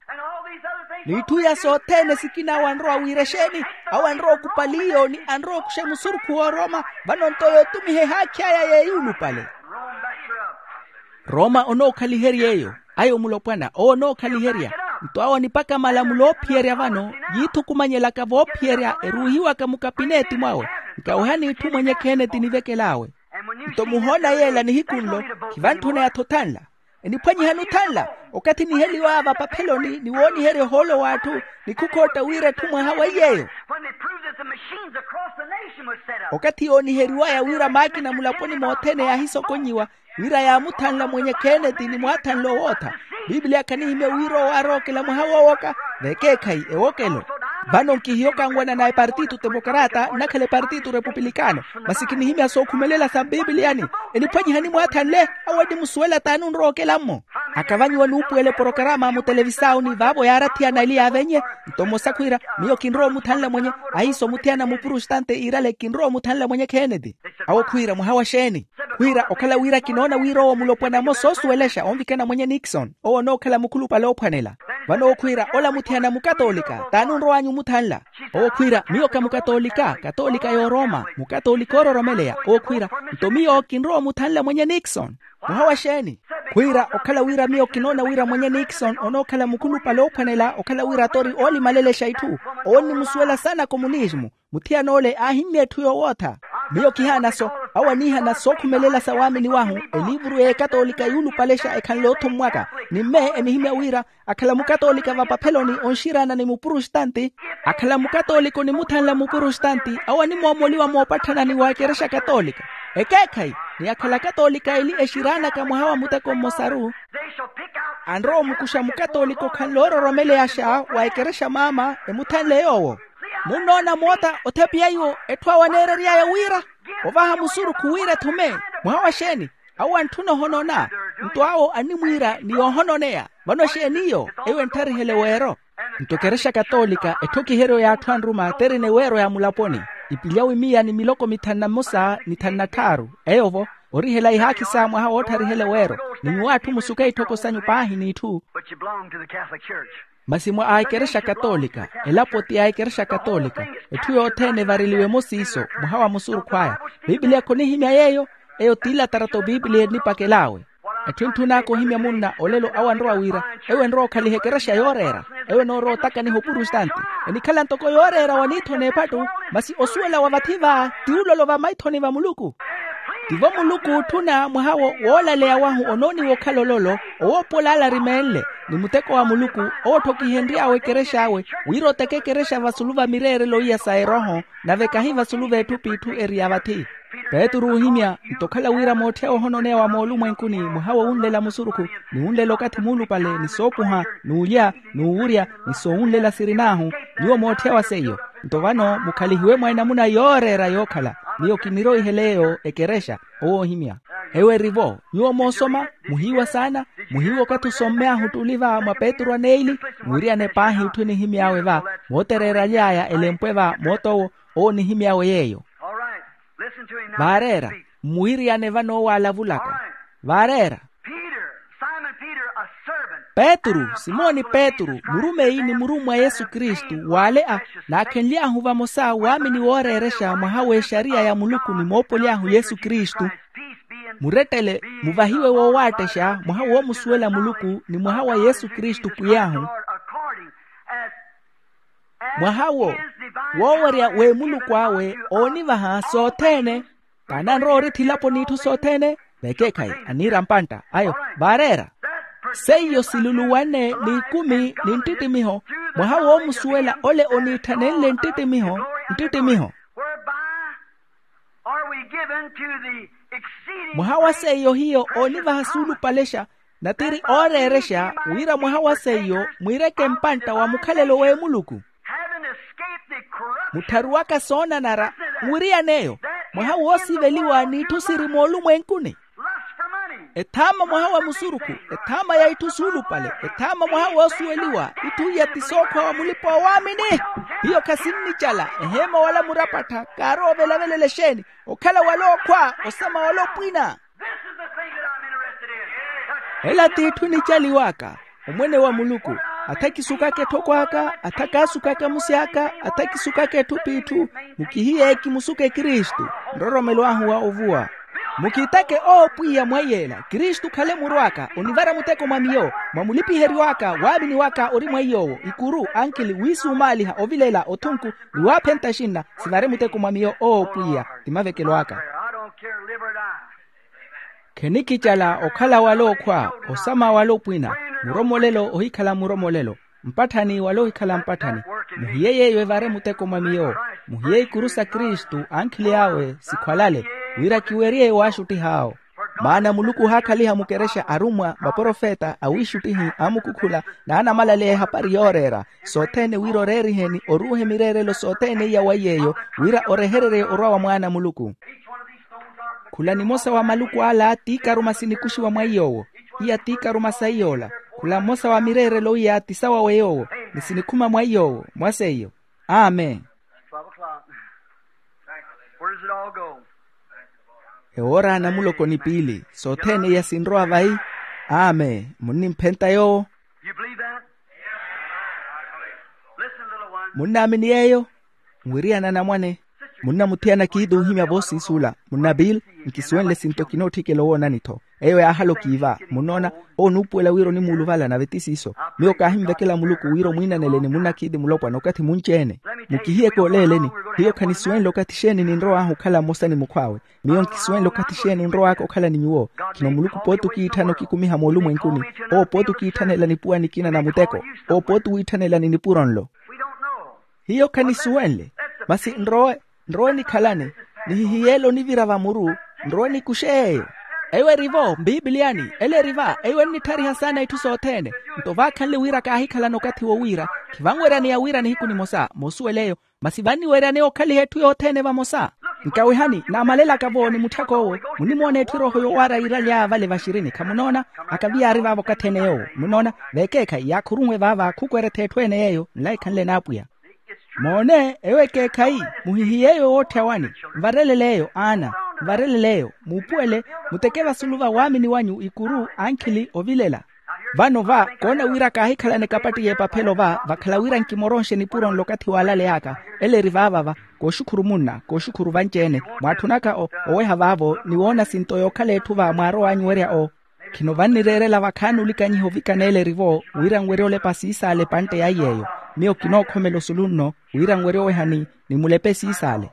N'itthu iya sothene sikina awo anrowa wira exeeni? Awo anrowa okupali iyo ni anrowa okuxa musurukhu w'oroma. Vano nto yootumiha ehaakhi aya y'eyulupale. Roma onookhaliherya eyo. Ayo mulopwana owo onookhaliherya. Nto awo anipaka malamulo oophiyerya vano, yiithukumanyelaka voophiyerya eruuhiwaka mukapineeti mwawe. Nkaweha n'itthu mwenye kheneti nivekel'awe. Nto muhoona yeela nihiku nlo, khivantthuneyatho othanla. Eniphwanyihani othanla? Okathi niheliw'aya vapapheloni ni wooniherya ohoolo w'atthu, ni khukhootta wira etthu mwaha wa iy'eyo. When they proved that the machines across the nation was set up. Okathi yooniheriw'aya wira maakina mulaponi mothene yaahisokonnyiwa, wira yaamuthanla mwenye kheneti ni mwaathanla owootha. Piipiliya khanihimya wira owo aarookela mwaha woowoka. Vekeekhayi ewokelo. Vano nkihiyo kanwana na epartito temokrata nnakhala epartito repupilikano. Masi kinihimya sookhumelela sa mpiipiliyani. Eniphwanyihani mwaathanle? Awo enimusuwela t'ani onrowa okela-mmo. Akavanyiwa n'upuwela eporokarama mutelevisau ni vaavo yaarathiyana eli yaavenye. Nto mmosa khwiira, miyo kinrowa omuthanla mwenye. Ahiiso muthiyana mupurostante iirale kinrowa omuthanla mwenye kheneti. Awo khwiira mwaha wa xeeni? Khwiira okhala wira kinoona wira owo mulopwana mmosa oosuwelexa onvikana mwenye nixon owo onookhala mukhulupale oophwanela. Vano owo khwiira ola muthiyana mukatoolika t'ani onrow'anyu omuthanla? Owo khwiira miyo ka mukatoolika katoolika y'oroma mukatoolika oororomeleya. Owo khwiira nto miyo kinrowa omuthanla mwenye nixon. Mwaha wa xeeni? Khwiira okhala wira miyo kinoona wira mwenye nixon onookhala mukhulupale oophwanela okhala wira atori oolimalelexa itthu. Owo onnimusuwela saana komunismu. Muthiyana ole aahimmya etthu yoowootha. Miyo kihaana-so. Awo aniihana sookhumelela sa waamini wahu. Eliivuru y'ekatoolika yuulupalexa ekhanle oothummwaka. Ni mme enihimmya wira akhala mukatoolika vapapheloni onxiraana ni mupurostante. Akhala mukatoolika onimuthanla mupurostante awo animoomoliwa moopatthana ni wa ekerexa katoolika. Ekeekhayi, ni akhala katoolika eli exiraanaka mwaha wa muteko mmosaru. Anrowa omukuxa mukatoolika okhanle oororomeleyaxa wa ekerexa maama emuthanle yoowo. Munnoona moota othepiya iwo etthu awo aneerery'aya wira ovaha musurukhu wira ethume. Mwaha wa xeeni? Awo antthuna ohonona. Nto awo animwiira ni yoohononeya. Vano xeeni iyo? Eyo entharihele weero. Nto ekerexa katoolika etthokiheryo y'atthu anruma terina eweero ya mulaponi. Ipilya wimiya ni miloko mithanu na mmosa ni thanu na tthaaru. Eyo-vo orihela ihaakhi sa mwaha wootthariha eleweero. Ni nyuwo atthu musuke itthoko sanyu paahi n'itthu. But you belong to the Catholic Church. Masi mwa a ekerexa katoolika. Elapo ti a ekerexa katoolika. Etthu yothene evareliwe emosi iso mwaha wa musurukhu aya. Piipiliya khonihimya yeeyo. Eyo ti latarato piipiliya enipakel'awe. Etthu entthun'aka ohimya munna olelo awo anrowa wira eyo enrowa okhaliha ekerexa yooreera. Eyo enoorowa otakaniha opurostante. Enikhala ntoko yooreera wa niitho n'ephattu. Masi osuwela wa vathi va ti ulolo va maithoni va muluku. Tivo muluku ootthuna mwaha wo woolaleya wahu onooniwa okhala ololo. Owoopola ale arimeenle ni muteko wa muluku. Owo otthokihenry'awe ekerex'awe wira oteke ekerexa vasulu va mireerelo iya sa erooho. Nave kahi vasulu v'etthu p'itthu eri ya vathi. Petru oohimya nto okhala wira mootthy'awe ohononeya wa moolumwenkuni mwaha wo wunlela musurukhu ni wunlela okathi muulupale ni soopuha n'ulya n'uwurya ni soowunlela sirin'ahu. Nyuwo mootthy'awe seiyo. Nto vano mukhalihiwe mwa enamuna yooreera yookhala. Miyo kinirowihela eyo ekerexa. Owo oohimya. Eyo eri-vo. Nyuwo moosoma, muhiiwa saana. Muhiiwa okathi osommey'ahu ottuli va mwa petru a neili, mwiriyane paahi etthu enihimy'awe va, mootereeraly'aya elempwe va moot'owo. Owo onihimy'awe yeeyo. Vaareera. Mmuwiriyane vano owo aalavulaka. Vaareera. Petru, simoni petru murumeyi ni murummwa a yesu kristu w'ale a, naakhenly'ahu vamosa waamini wooreerexa mwaha w'exariya ya muluku ni moopoly'ahu yesu kristu. Murettele, muvahiwe woowattexa mwaha woomusuwela muluku ni mwaha wa yesu kristu pwiy'ahu. Mwaha wo, woowerya w'emuluku awe oonivaha sothene. Kaananrowa orithilaponi itthu sothene. Vekeekhayi, aniira mpantta ayo. Vaareera. Seiyo siluluwane n'ikumi ni nttittimiho, mwaha woomusuwela ole oniitthanenle nttittimiho. Nttittimiho. Mwaha wa seiyo hiyo oonivaha suulupalexa, natiri ooreerexa wira mwaha wa seiyo mwiireke mpantta wa mukhalelo w'emuluku. Muttharuwaka soonanara, mwiriyan'eyo. Mwaha woosiveliwa n'itthu siri moolumwenkuni. Ethaama mwaha wa musurukhu. Ethaama ya itthu suulupale. Ethaama mwaha woosuweliwa itthu iya ti sookhwa wa mulipa wa waamini. Hiyo khasinnicala eheema wala murapattha kaarowa ovelavelela exeeni. Okhala wala okhwa osama wala opwina. Ela t'itthu enicaliw'aka. Omwene wa muluku, atha kisukaka etthoko aka, atha kaasukaka musi aka, atha kisukaka etthu p'itthu. Mukihiye kimusuke kristu. Nroromelo ahu wa ovuwa. Mukitake owo pwiya mwa iy'ela kristu khale muru aka onivara muteko mwa miyo mwa mulipiheryo aka waamini waka ori mwa iy'owo ikuru ankhili wiisumaaliha ovilela othunku. Ni waaphenta exinna sivare muteko mwa miyo owo pwiya. Ti mavekelo aka. Khenikicala okhala wala okhwa osama wala opwina. Muromolelo ohikhala muromolelo mpatthani wala ohikhala mpatthani. Muhiye yeeyo evare muteko mwa miyo. Muhiye ikuru sa kristu ankhili awe sikhwalale wira kiwerye waaxuttih'awo. Maana muluku ohaakhaliha mukerexa arummwa vaprofeta awiixuttihi aamukhukhula n'anamalaleya ehapari yooreera sothene wira oreeriheni oruuhe mireerelo sothene iya wa iy'eyo wira orehererye orwa wa mwaana a muluku. Khula nimosa wa maluku ala tiikaruma sinikuxiwa mwa iy'owo. Iya tiikaruma sa iy'ola. Khula mmosa wa mireerelo iya ti sawawe yoowo ni sinikhuma mwa iy'owo mwa seiyo. Amen. Ewoora namuloko ni piili sothene iya sinrowa vayi. Amen munnimphenta yoowo. Munnaamini yeeyo? Nwiriyana anamwane. Munnamuthiyana kiiti ohimya voosiisula munna bill. Nkisuwenle sinto kinootthikela owoonani-tho. Eyo yaahala okiiva munnoona. Owo onuupuwela wira onimuuluvala nave ti siiso. Miyo kaahinvekela muluku wira omwiinaneleni munnakiiti mulopwana okathi munci-ene. Mukihiyeke oleeleni. Hiyo khanisuwenle okathi xeeni ninrow'ahu okhala mmosa ni mukhw'awe. Miyo nkisuwenle okathi xeeni onrow'aka okhala ni nyuwo. Khino muluku pooti okiitthana okikumiha moolumwenkuni. Owo pooti okiitthanela nipuwa nikina na muteko. Owo pooti wiitthanela ni nipuro nlo. Hiyo khanisuwenle. Masi nrowe nrowe nikhalane. Nihihiyeele onivira vamuru. Nrowe nikuxe yeeyo. Eyo eri-vo mpiipiliyani ela eri va eyo ennitthariha saana itthu sothene. Nto vaakhanle wira kaahikhalana okathi wo wira khivanweryaneya wira nihiku nimosa moosuwela eyo. Masi vanniweryaneya okhaliha etthu yothene vamosa. Nkawihani naamalelaka-vo ni mutthak'owo. Munnimoona etthu erooho yowaara yiiraly'aya vale vaxirini khamunoona. Akavi yaari vaavo okathi ene yoowo munoona. Veekeekhayi yaakhurunwe vaava khukweretha etthu ene yeeyo nlaikhanle n'apwiya. Moone eyo ekeekhayi. Muhihiye eyo wootthya wani. Nvarelele eyo aana. Nvarelele eyo muupuwele. Muteke vasulu va waamini wanyu ikuru ankhili ovilela. Vano va koona wira kaahikhalane kapatti y'epaphelo va vakhala wira nkimoronxe nipuro nlo okathi waalaley'aka. Ela eri vaavava. Kooxukhuru munna kooxukhuru vanci-ene mwaatthunaka oweha vaavo ni woona sinto yookhala etthu va mwaarow'anyu werya o. Khino vannireerela vakhaani olikanyiha ovikana ela eri-vo wira nwerye olepa siisaala epantte ya iy'eyo. Miyo kinookhomela osulu nno wira nwerye owehani ni mulepe siisaale.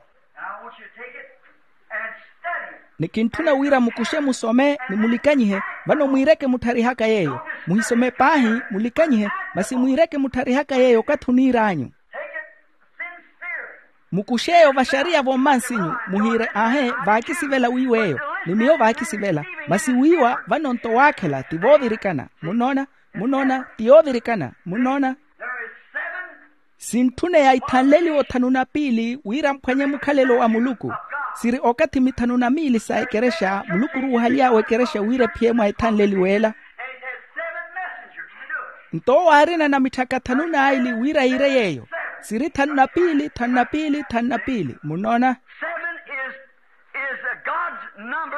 Ni kintthuna wira mukuxe musome ni mulikanyihe. Vano mwiireke muttharihaka yeeyo. Muhisome paahi mulikanyihe. Masi mwiireke muttharihaka yeeyo okathi oniir'anyu. Mukux'eyo vaxariya vommansinyu muhiire aahe vaakisivela wiiw'eyo. Ni miyo vaakisivela. Masi wiiwa vano-nto waakhela ti voovirikana. Munnoona? Munnoona ti yoovirikana. Munnoona? Sintthuneya ithanleliwa othanu na piili wira mphwanye mukhalelo wa muluku. Siri okathi mithanu na miili sa ekerexa muluku oruuhaly'awe ekerexa wira ephiye mwa ethanleliwe ela. Nto owo aarina na mitthaka thanu n'aili wira iire yeeyo. Siri thanu na piili thanu na piili thanu na piili munnoona.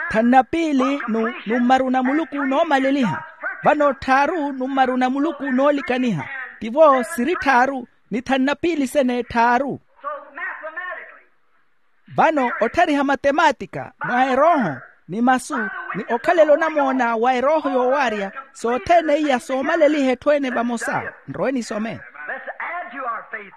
Thanu na piili nummaru na muluku noomaleliha. Vano tthaaru nummaru na muluku noolikaniha. Tivo siri tthaaru ni thanu na piili sene tthaaru. Vano otthariha matematika mwa erooho ni masu ni okhalela onamoona wa erooho yoowaarya sothene iya soomaleliha etthu ene vamosa. Nrowe nisome.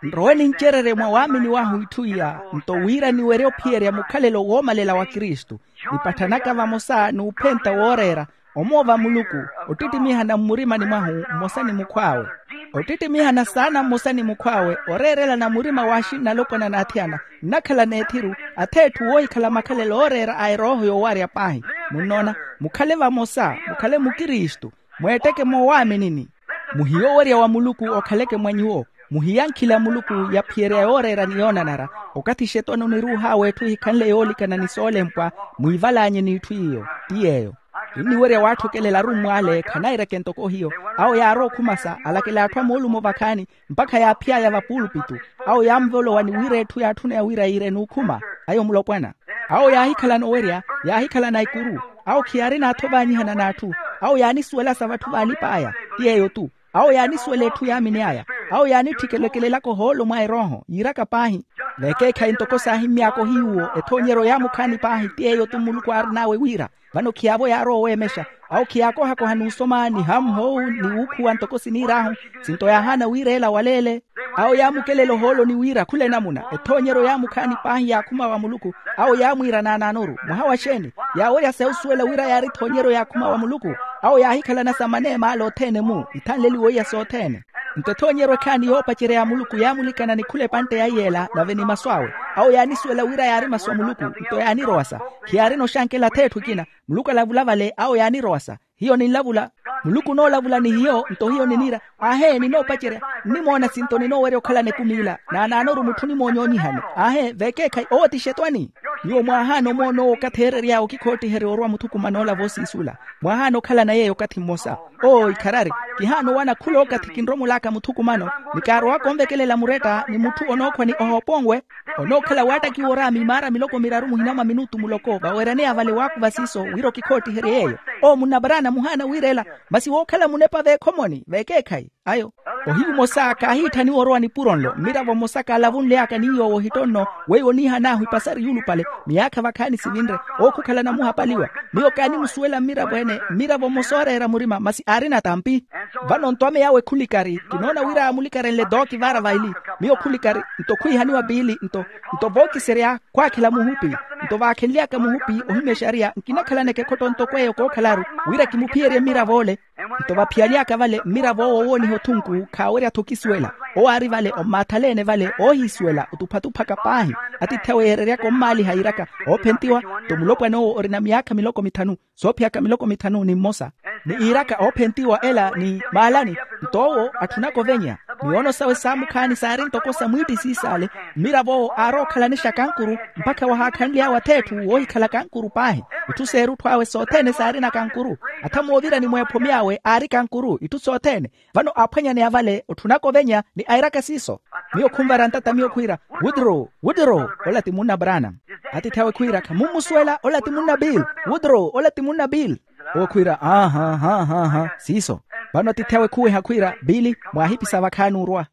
Nrowe nincererye mwa waamini wahu itthu iya nto wira niwerye ophiyerya mukhalelo woomalela wa kristu, nipatthanaka vamosa n'uphenta wooreera omoova muluku, ottittimiha na mmurimani mwahu mmosa ni mukhw'awe. Ottittimiha na saana mmosa ni mukhw'awe oreerela na murima w'axinna alopwana n'athiyana nnakhala n'ethiru, atheetthu woohikhala makhalelo ooreera a erooho yoowarya paahi. Munnoona, mukhale vamosa mukhale mukristu, mweetteke moowaaminini. Muhiye owerya wa muluku okhaleke mwa nyuwo. Muhiye ankhila a muluku yaphiyerya yooreera ni yoonanara. Okathi xetwani oniruuh'awe etthu ehikhanle yoolikana ni soolempwa, mwiivalaanye n'itthu iyo. Ti yeeyo. Kinniwerya waatthokelela arummw'ale khanaireke ntoko hiyo. Awo yaarowa okhumasa alakela atthu a moolumo vakhaani mpakha yaaphiy'aya vapuulupitu. Awo yaamuvolowa ni wira etthu yaatthuna ya wira yiire n'ukhuma ayo mulopwana. Awo yaahikhalana owerya, yaahikhalana ikuru. Awo khiyaarina atho vaanyihana n'atthu. Awo yaanisuwela sa vatthu vaalip'aya. Ti yeeyo-tu. Awo yaanisuwela etthu yaamini aya. Awo yaanitthikelekelelaka ohoolo mwa erooho yiiraka paahi. Vekeekhayi ntoko saahimmy'aka ohiyuwo ethoonyeryo yaamukhaani paahi ti yeeyo-tu muluku aarin'awe wira. Vano khiyaavo yaarowa oweemexa. Awo khiyaakohakoha n'usoma ni hamuhoowu ni wuukhuwa ntoko siniir'ahu. Sinto yaahaana wira ela waleele. Awo yaamukelela ohooloni wira khula enamuna ethoonyeryo yaamukhaani paahi yaakhuma wa muluku. Awo yaamwiira naanaanoru mwaha wa xeeni? Yaawerya sa osuwela wira yaari ethoonyeryo yaakhuma wa muluku. Awo yaahikhalana sa maneem'ale othene-mu ithanleliwe iya sothene. Nto ethoonyeryo ekhaani yoopacerya ya muluku yaamulikana ni khula epantte ya iy'ela nave ni masu awe. Awo yaanisuwela wira yaari masu a muluku. Nto yaanirowasa. Khiyaarina oxankela atheetthu ekina. Muluku alavula vale awo yaanirowasa. Hiyo ninlavula. Muluku onoolavula ni hiyo nto hiyo niniira. Aahe ninoopacerya. Nnimoona sinto ninoowerya okhalana ekumi ila naanaanoru mutthu onimoonyoonyihani. Aahe vekeekhayi owo ti xetwani. Nyuwo mwaahaana omoona owo okathi eerery'awe okikhoottiherya orwa muthukumano ola voosiisula. Mwaahaana okhalana yeeyo okathi mmosa. Oo ikharari. Kihaana owana khula okathi kinromol'aka muthukumano. Ni kaarowaka onvekelela muretta ni mutthu onookhwa ni ohooponwe. Onookhala waattakiwa oraami maara miloko miraru muhina mwa minutu muloko vaweeraneya vale waakuva siiso wira okikhoottiheriye yeeyo. Oo munnaparana muhaana wiirela. Masi wookhala munepa veekhomoni veekeekhayi ayo. Ohiyu omosa kaahiitthaniwa orowa nipuro nlo mmiravo mmosa kaalavunly'aka ni yoowo ohitto nno. Weiwo oniihan'ahu epasari yuulupale miyaakha vakhaani sivinre. Ookhukhalana muhapaliwa. Miyo kaanimusuwela mmiravo-ene mmiravo mmosa ooreera murima masi aarina tampi. Vano nto ame yawe khulikari kinoona wira aamulikarhenle tooki vaara vaili. Miyo khulikari nto khwiihaniwa piili nto nto vookiserya khwaakhela muhupi. Nto vaakhenly'aka muhupi ohimya exariya nkinakhalaneke ekhotto ntoko eyo kookhalaru wira kimuphiyerye mmirav'ole. Nto vaphiyaly'aka vale mmirav'owo owooniha othunku khaawerya-tho okisuwela. Owo aari vale ommaathalene vale oohiisuwela otuphatuphaka paahi. Atiithi awe yeereryaka ommaaliha yiiraka oophentiwa. Nto mulopwan'owo orina miyaakha miloko mithanu soophiyaka miloko mithanu ni mmosa. Ni iiraka oophentiwa ela ni maalani. Nto owo atthunaka ovenya. Miyoono sawe saamukhaani saari ntoko sa mwiittisiis'ale. Mmirav'owo aarowa okhalanixa kankuru mpakha wahaakhanly'awe atheetthu woohikhala kankuru paahi. Itthu s'erutthu awe sothene saarina kankuru. Atha moovirani mweepho my'awe aari kankuru itthu sothene. Vano aaphwanyaneya vale otthunaka ovenya ni airaka siiso. Miyo khunvara ntata miyo khwiira, wudro wudro. Ola ti munna branam. Atiithi awe khwiira khamummusuwela ola ti munna bill. Wudro ola ti munna bill. Owo khwiira aaha aaha aaha siiso. Vano atiithi awe khuweha khwiira bill, mwaahipisa vakhaani orwa.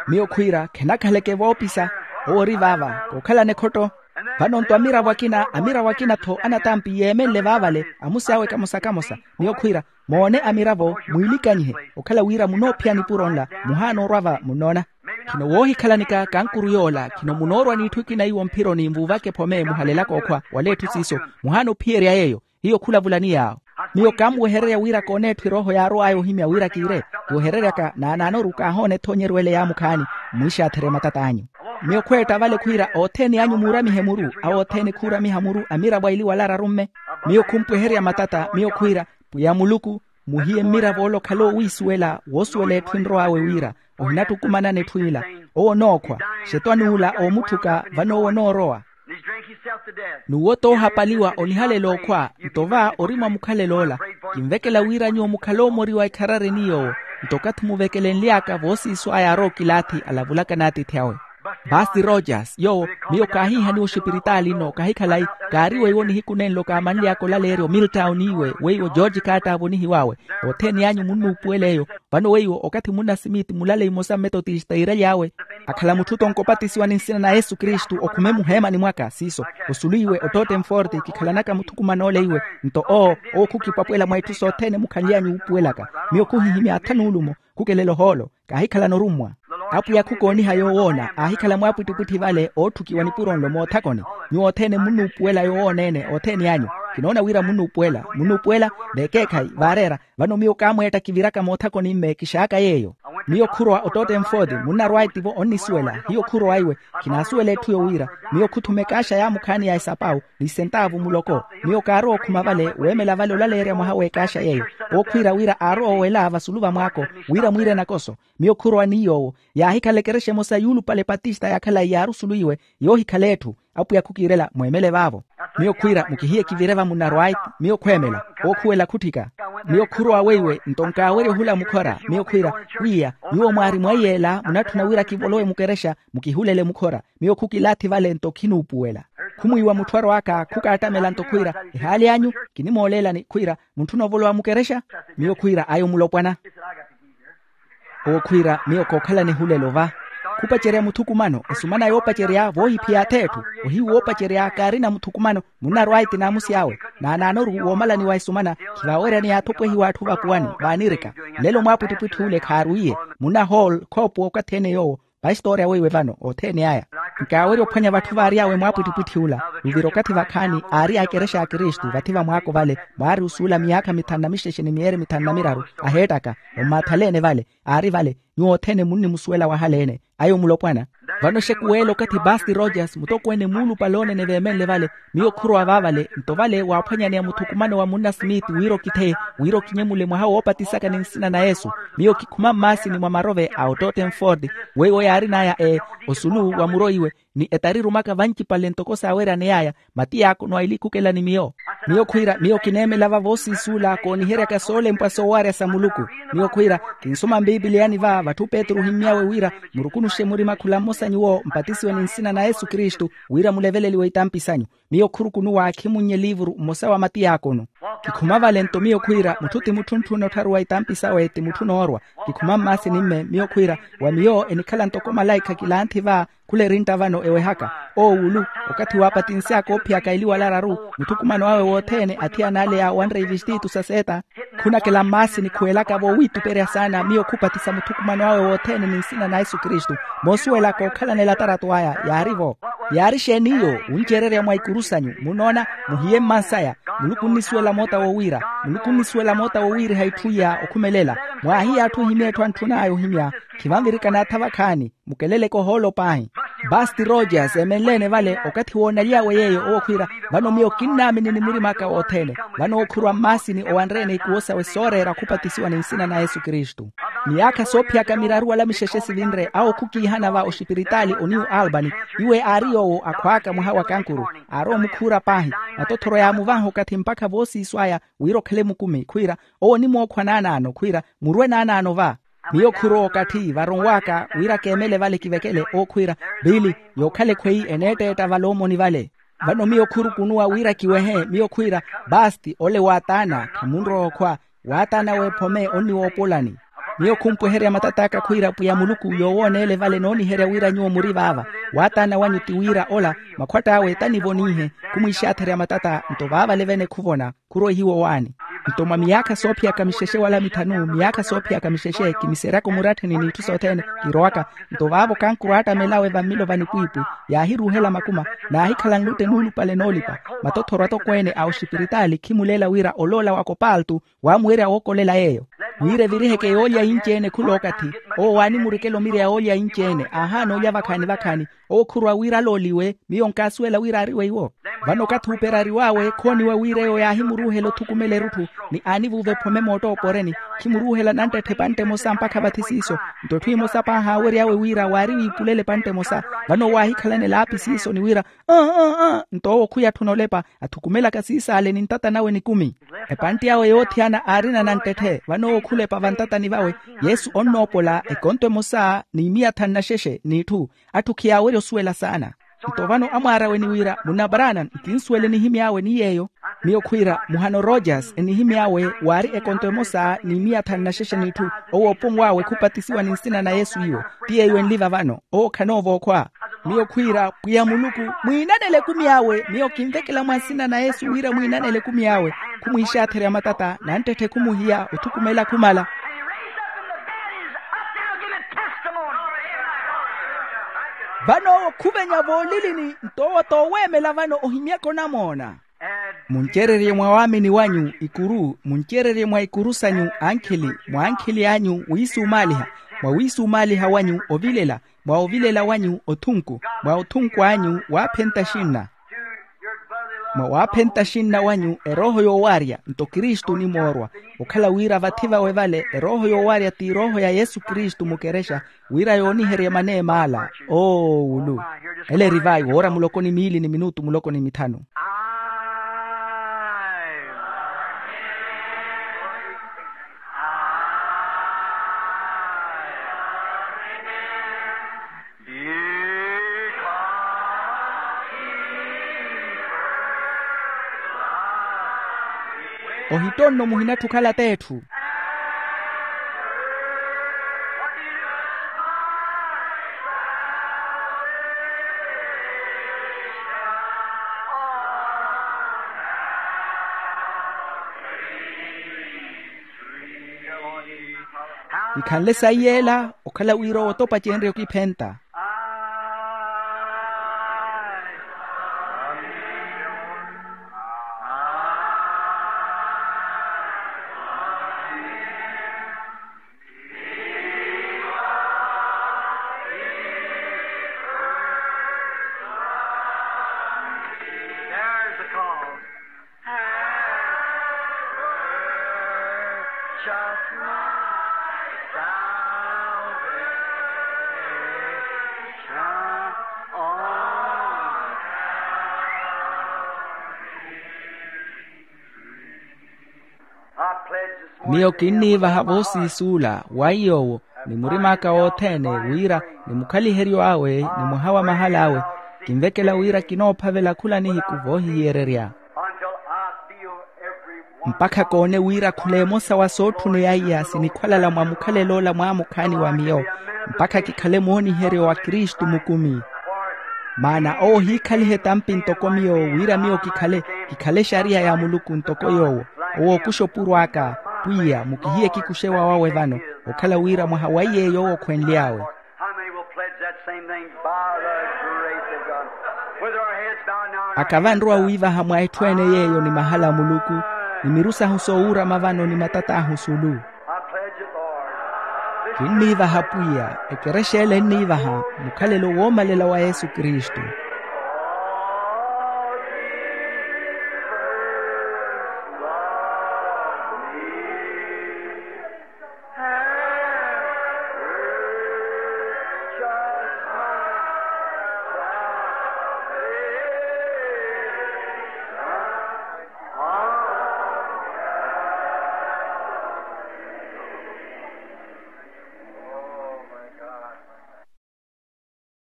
Miyo khwiira khenakhaleke voopisa. Owo ori vaava kookhalana ekhotto. Vano nto amiravo akina amiravo akina-tho anatampi yeemenle vaavale amusi awe kamosa kamosa. Miyo khwiira moone amiravo mwiilikanyihe. Okhala wira munoophiya nipuro nla muhaana orwa va munnoona. Khino woohikhalanika kankuru yoola khino munoorwa n'itthu ekina iwo mphironi nvuuvaka ephome muhalelaka okhwa wala etthu siiso. Muhaana ophiyerya yeeyo. Hiyo khulavulani yaawo. Miyo kaamuwehererya wira kooneetthu erooho yaarow'aya ohimya wira kiire. Kiwehereryaka naanaanoru kaahoona ethoonyeryo ele yaamukhaani. Mmwiixaatherye matat'anyu. Miyo khweetta vale khwiira othene anyu muuramihe muru awo othene khuuramiha muru amiravo aili wala ararumme. Miyo khumpweherya matata miyo khwiira, pwiya muluku muhiye mmirav'ole okhala oowiisuwela woosuwela etthu enrow'awe wira ohinattukumanana etthu ila. Owo onookhwa xetwani ula oomutthuka vano owo onoorowa. N'uwo t'ohapaliwa onihalela okhwa. Nto va ori mwa mukhalel'ola kinvekela wira nyuwo mukhale omoriwa ekharareni yoowo. Nto okathi muvekelenly'aka voosiiso aya arowa okilaathi alavulaka n'atiithi awe. Basti rogers yoowo, miyo kaahiihaniwa oxipiritaali nno kahikhala-i. Kaari weiwo nihiku nenlo kaamanly'aka olaleerya omiltawo n'iwe weiwo george kaattaavo nihiw'awe. Othene anyu munnuupuwela eyo. Vano weiwo okathi munna simiti mulale imosa mmetotista yiiraly'awe akhala mutthu tonko opatisiwa ni nsina na yesu kristu okhume muheemani mwaka siiso. Osulu iwe ottootte nforti kikhalanaka muthukuman'ole iwe. Nto owo owo khukipwapwela mwa itthu sothene mukhanly'anyu wuupuwelaka. Miyo khuhihimya atha nuulumo khukelela ohoolo. Kaahikhalana orummwa. Apwiya khukooniha yoowoona aahikhala mwaapwittipwitthi vale ootthukiwa nipuro nlo moothakoni. Nyuwo othene munnuupuwela yoowoona-ene othene anyu. Kinoona wira munnuupuwela munnuupuwela. Veekeekhayi vaareera. Vano miyo kaamweetta kiviraka moothakoni-mme kixaaka yeeyo. Miyo khurowa ottootte nfoti munnarwayi tivo onnisuwela hiyo khurowa iwe. Khinaasuwela etthu yowira miyo khuthuma ekaaxa yaamukhaani ya esapawu ni sentaavu muloko. Miyo kaarowa okhuma vale weemela vale olaleerya mwaha w'ekaaxa yeeyo. Ookhwiira wira aarowa owela vasulu va mwaako wira mwiire nakoso. Miyo khurowa ni yoowo yaahikhala ekerexa emosa yuulupale patista yakhalayi yaari osulu iwe. Yoohikhala etthu apwiya khukiirela mweemele vaavo. Miyo khwiira mukihiye kivire va munnarwayi. Miyo khweemela ookhuwela khutthika. Miyo khurowa weiwe nto nkaawerya ohula mukhora miyo khwiira pwiya nyuwo mwaari mwaiy'ela munatthuna wira kivolowe mukerexa mukihulele mukhora. Miyo khukilaathi vale nto khinuupuwela. Khumwiiwa mutthu arowaka khukaattamela nto khwiira ehaali anyu kinimooleelani khwiira muntthuna ovolowa mukerexa. Miyo khwiira ayo mulopwana. Owo khwiira miyo kookhalana ehulelo va. Khupacerya muthukumano esumana yoopacerya voohiphiya ath'etthu. Ohiyu woopacerya kaarina muthukumano munnarwayi ti naamusi awe. Naanaanoru woomalaniwa esumana khivaaweryaneya athopwehiwa atthu vapuwani vaanirika. Nlelo mwaapwittipwitthi ule khaarwiiye munna hall khoopuwa okathi ene yoowo. Pahistoriya weiwe vano othene aya nkaawerya ophwanya vatthu vaary'awe mwaapwittipwitthi ula. Luvira okathi vakhaani aari a ekerexa ya kristu vathi vamwaako vale mwaari osuula miyaakha mithanu na mixexe ni miyeeri mithanu na miraru aheettaka. Ommaathalene vale aari vale. Nyuwo othene munnimusuwela wahaleene ayo mulopwana. Vano exekuweela okathi basti rogers mutokweene muulupale oonene veemenle vale. Miyo khurowa vaavale nto vale waaphwanyaneya muthukumano wa munna smith wira okitheye wira okinyemule mwaha woopatisaka ni nsina na yesu. Miyo kikhuma mmaasini mwa marove a ottootten ford weiwo yaarin'aya e osulu wa muro iwe ni etarirumaka vancipale ntoko saaweryaney'aya. Matiyakono a ilikhukela ni miyo. Miyo khwiira miyo kineemela va voosiisuula kooniheryaka soolempwa soowarya sa muluku. Miyo khwiira kinsoma mpipiliyani va vatthu petru ohimmy'awe wira murukunuxe murima khula mmosa nyuwo mpatisiwe ni nsina na yesu kristu wira muleveleliwe itampi sanyu. Miyo khurukunuwa khimunnye eliivuru mmosa wa matiyakono. Kikhuma vale nto miyo khwiira mutthu ti mutthu ontthuuna ottharuwa itampi sawe ti mutthu onoorwa. Kikhuma mmaasini mme miyo khwiira wa miyo enikhala ntoko malaikha kilanthi va khula erintta vano ewehaka. Oowulu okathi waapatinsy'aka oophiyaka eliwala araru muthukumano awe wothene athiyana ale ya wanre ivistitu sa seeta. Khunakela mmaasini khuwelaka-vo wiituperya saana miyo khupatisa muthukumano awe wothene ni nsina na yesu kristu. Moosuwelaka okhalana elatarato aya yaari-vo. Yaari xeeni iyo wuncererya mwa ikuru sanyu munnoona? Muhiye mmansaya. Muluku onnisuwela moota wowiira. Muluku onnisuwela moota wowiiriha itthu iya okhumelela. Mwaahiye atthu ohimya etthu antthun'aya ohimya. Khivanvirikana atha vakhaani. Mukeleleke ohoolo paahi. Basti rogers eemenle-ene vale okathi woonaly'awe yeeyo owo khwiira vano miyo kinnaamini ni murim'aka wothene. Vano owo khuruwa mmaasini owanre-ene ikuwo sawe sooreera khupatisiwa ni nsina na yesu kristu. Miyaakha soophiyaka miraru wala mixexe sivinre awo khukiihana va oxipiritaali oniyu albany. Iwe aari yoowo akhwaaka mwaha wa kankuru aarowa omukhuura paahi. Matothoro yaamuvanha okathi mpakha voosiiso aya wira okhale mukumi khwiira owo onimookhwa naanaano khwiira murwe naanaano va. Miyo khurowa okathi varonw'aka wira keemele vale kivekele owo khwiira biili yookhala ekhweyi eneetteetta vale omoni vale. Vano miyo khurukunuwa wira kiwehe miyo khwiira basti ole waataana khamunrowa okhwa. Waataana w'ephome onniwoopolani. Miyo khumpweherya matat'aka khwiira pwiya muluku yoowooneele vale nooniherya wira nyuwo muri vaava. Waataana wanyu ti wira ola makhwatt'awe tanivoniihe. Khumwiixaatherya matata nto vaavale vene khuvona. Khuroihiwa owaani. Nto mwa miyaakha soophiyaka mixexe wala mithanu miyaakha soophiyaka mixexe kimiseryaka omurattheni n'itthu sothene. Kirowaka nto vaavo kankuru aattamelawe vammilo va nipwiipwi yaahiruuhela makuma. Naahikhala nlutte nuulupale noolipa. Matothoro atokweene a oxipiritaali khimuleela wira oloola wa kopaltu waamuwerya wookolela yeeyo. Wira eviriheke yoolya yinci-ene khula okathi owo waanimurikela omirya yoolya yinci-ene aahaana olya vakhaani vakhaani. Owo khurwa wira alooliwe. Miyo nkaasuwela wira aari weiwo. Vano okathi uperariw'awe khooniwa wira eyo yaahimuruuhela othukumela erutthu, ni aanivuuva ephome moottooporeni. Khimuruuhela nanttetta epantte emosa mpakha vathi siiso. Nto etthu emosa paahi aawery'awe wira waari wiipulele epantte emosa. Vano owo aahikhalana elaapi siiso ni wira, aa aa aa. Nto owo khuyatthuna olepa athukumelaka siis'ale ni ntata nawe nikumi. Epantte awe yoothiyana aarina nanttetthe vano owo khulepa vantatani vawe. Yesu onnoopola ekonto emosa ni miya thanu na xexe n'itthu. Atthu khiyaawerya osuwela saana. Nto vano amwaara awe ni wira munna branham nkinsuwele enihimy'awe ni yeeyo. Miyo khwiira muhano rogers enihimy'awe waari ekonto emosa ni miya thanu na xexe n'itthu. Owo opunw'awe khupatisiwa ni nsina na yesu iwo. Ti yeeyo enliva vano owo khanoova okhwa. Miyo khwiira pwiya muluku mwiinanele ekumi awe miyo kinvekela mwa nsina na yesu wira mwiinanele ekumi awe. Khumwiixaatherya matata nanttetthe khumuhiya othukumela khumala. Vano owo khuvenya voolilini nto owo t'oweemela vano ohimyaka onamoona. Muncererye mwa waamini wanyu ikuru muncererye mwa ikuru sanyu ankhili mwa ankhili anyu wiisumaaliha mwa wiisumaaliha wanyu ovilela mwa ovilela wanyu othunku mwa othunku anyu waaphenta xinna mwa waaphenta xinna wanyu erooho yoowarya nto kristu onimoorwa okhala wira vathi vawe vale erooho yoowarya ti erooho ya yesu kristu mukerexa wira yooniherye maneem'ala oowulu. Ele eri vayi woora muloko ni miili ni minutu muloko ni mithanu. Ohittonno muhinatthu okhala t'etthu. Ikhanle sayi yeela okhala wira owo t'opacenrye okiphenta. Miyo kinniivaha voosiisuula wa iy'owo ni murim'aka wothene wira ni mukhaliheryo awe ni mwaha wa mahala awe kinvekela wira kinoophavela khula nihiku voohihiyererya mpakha koone wira khula emosa wa sootthuna eyaiya sinikhwalala mwa mukhalel'ola mwaamukhaani wa miyo mpakha kikhale mooniheryo wa kristu mukumi. Maana owo ohiikhaliha etampi ntoko miyo wira miyo kikhale kikhale exariya ya muluku ntoko yoowo. Owo okuxa opuro aka pwiya mukihiye ekikuxewa wawe vano okhala wira mwaha wa iy'eyo owo okhwenly'awe. Aka vanrowa wiivaha mwa etthu ene yeeyo ni mahala a muluku ni miru sahu soowuurama vano ni matat'ahu sulu. Kinniivaha pwiya ekerexa ele enniivaha mukhalelo woomalela wa yesu kristu.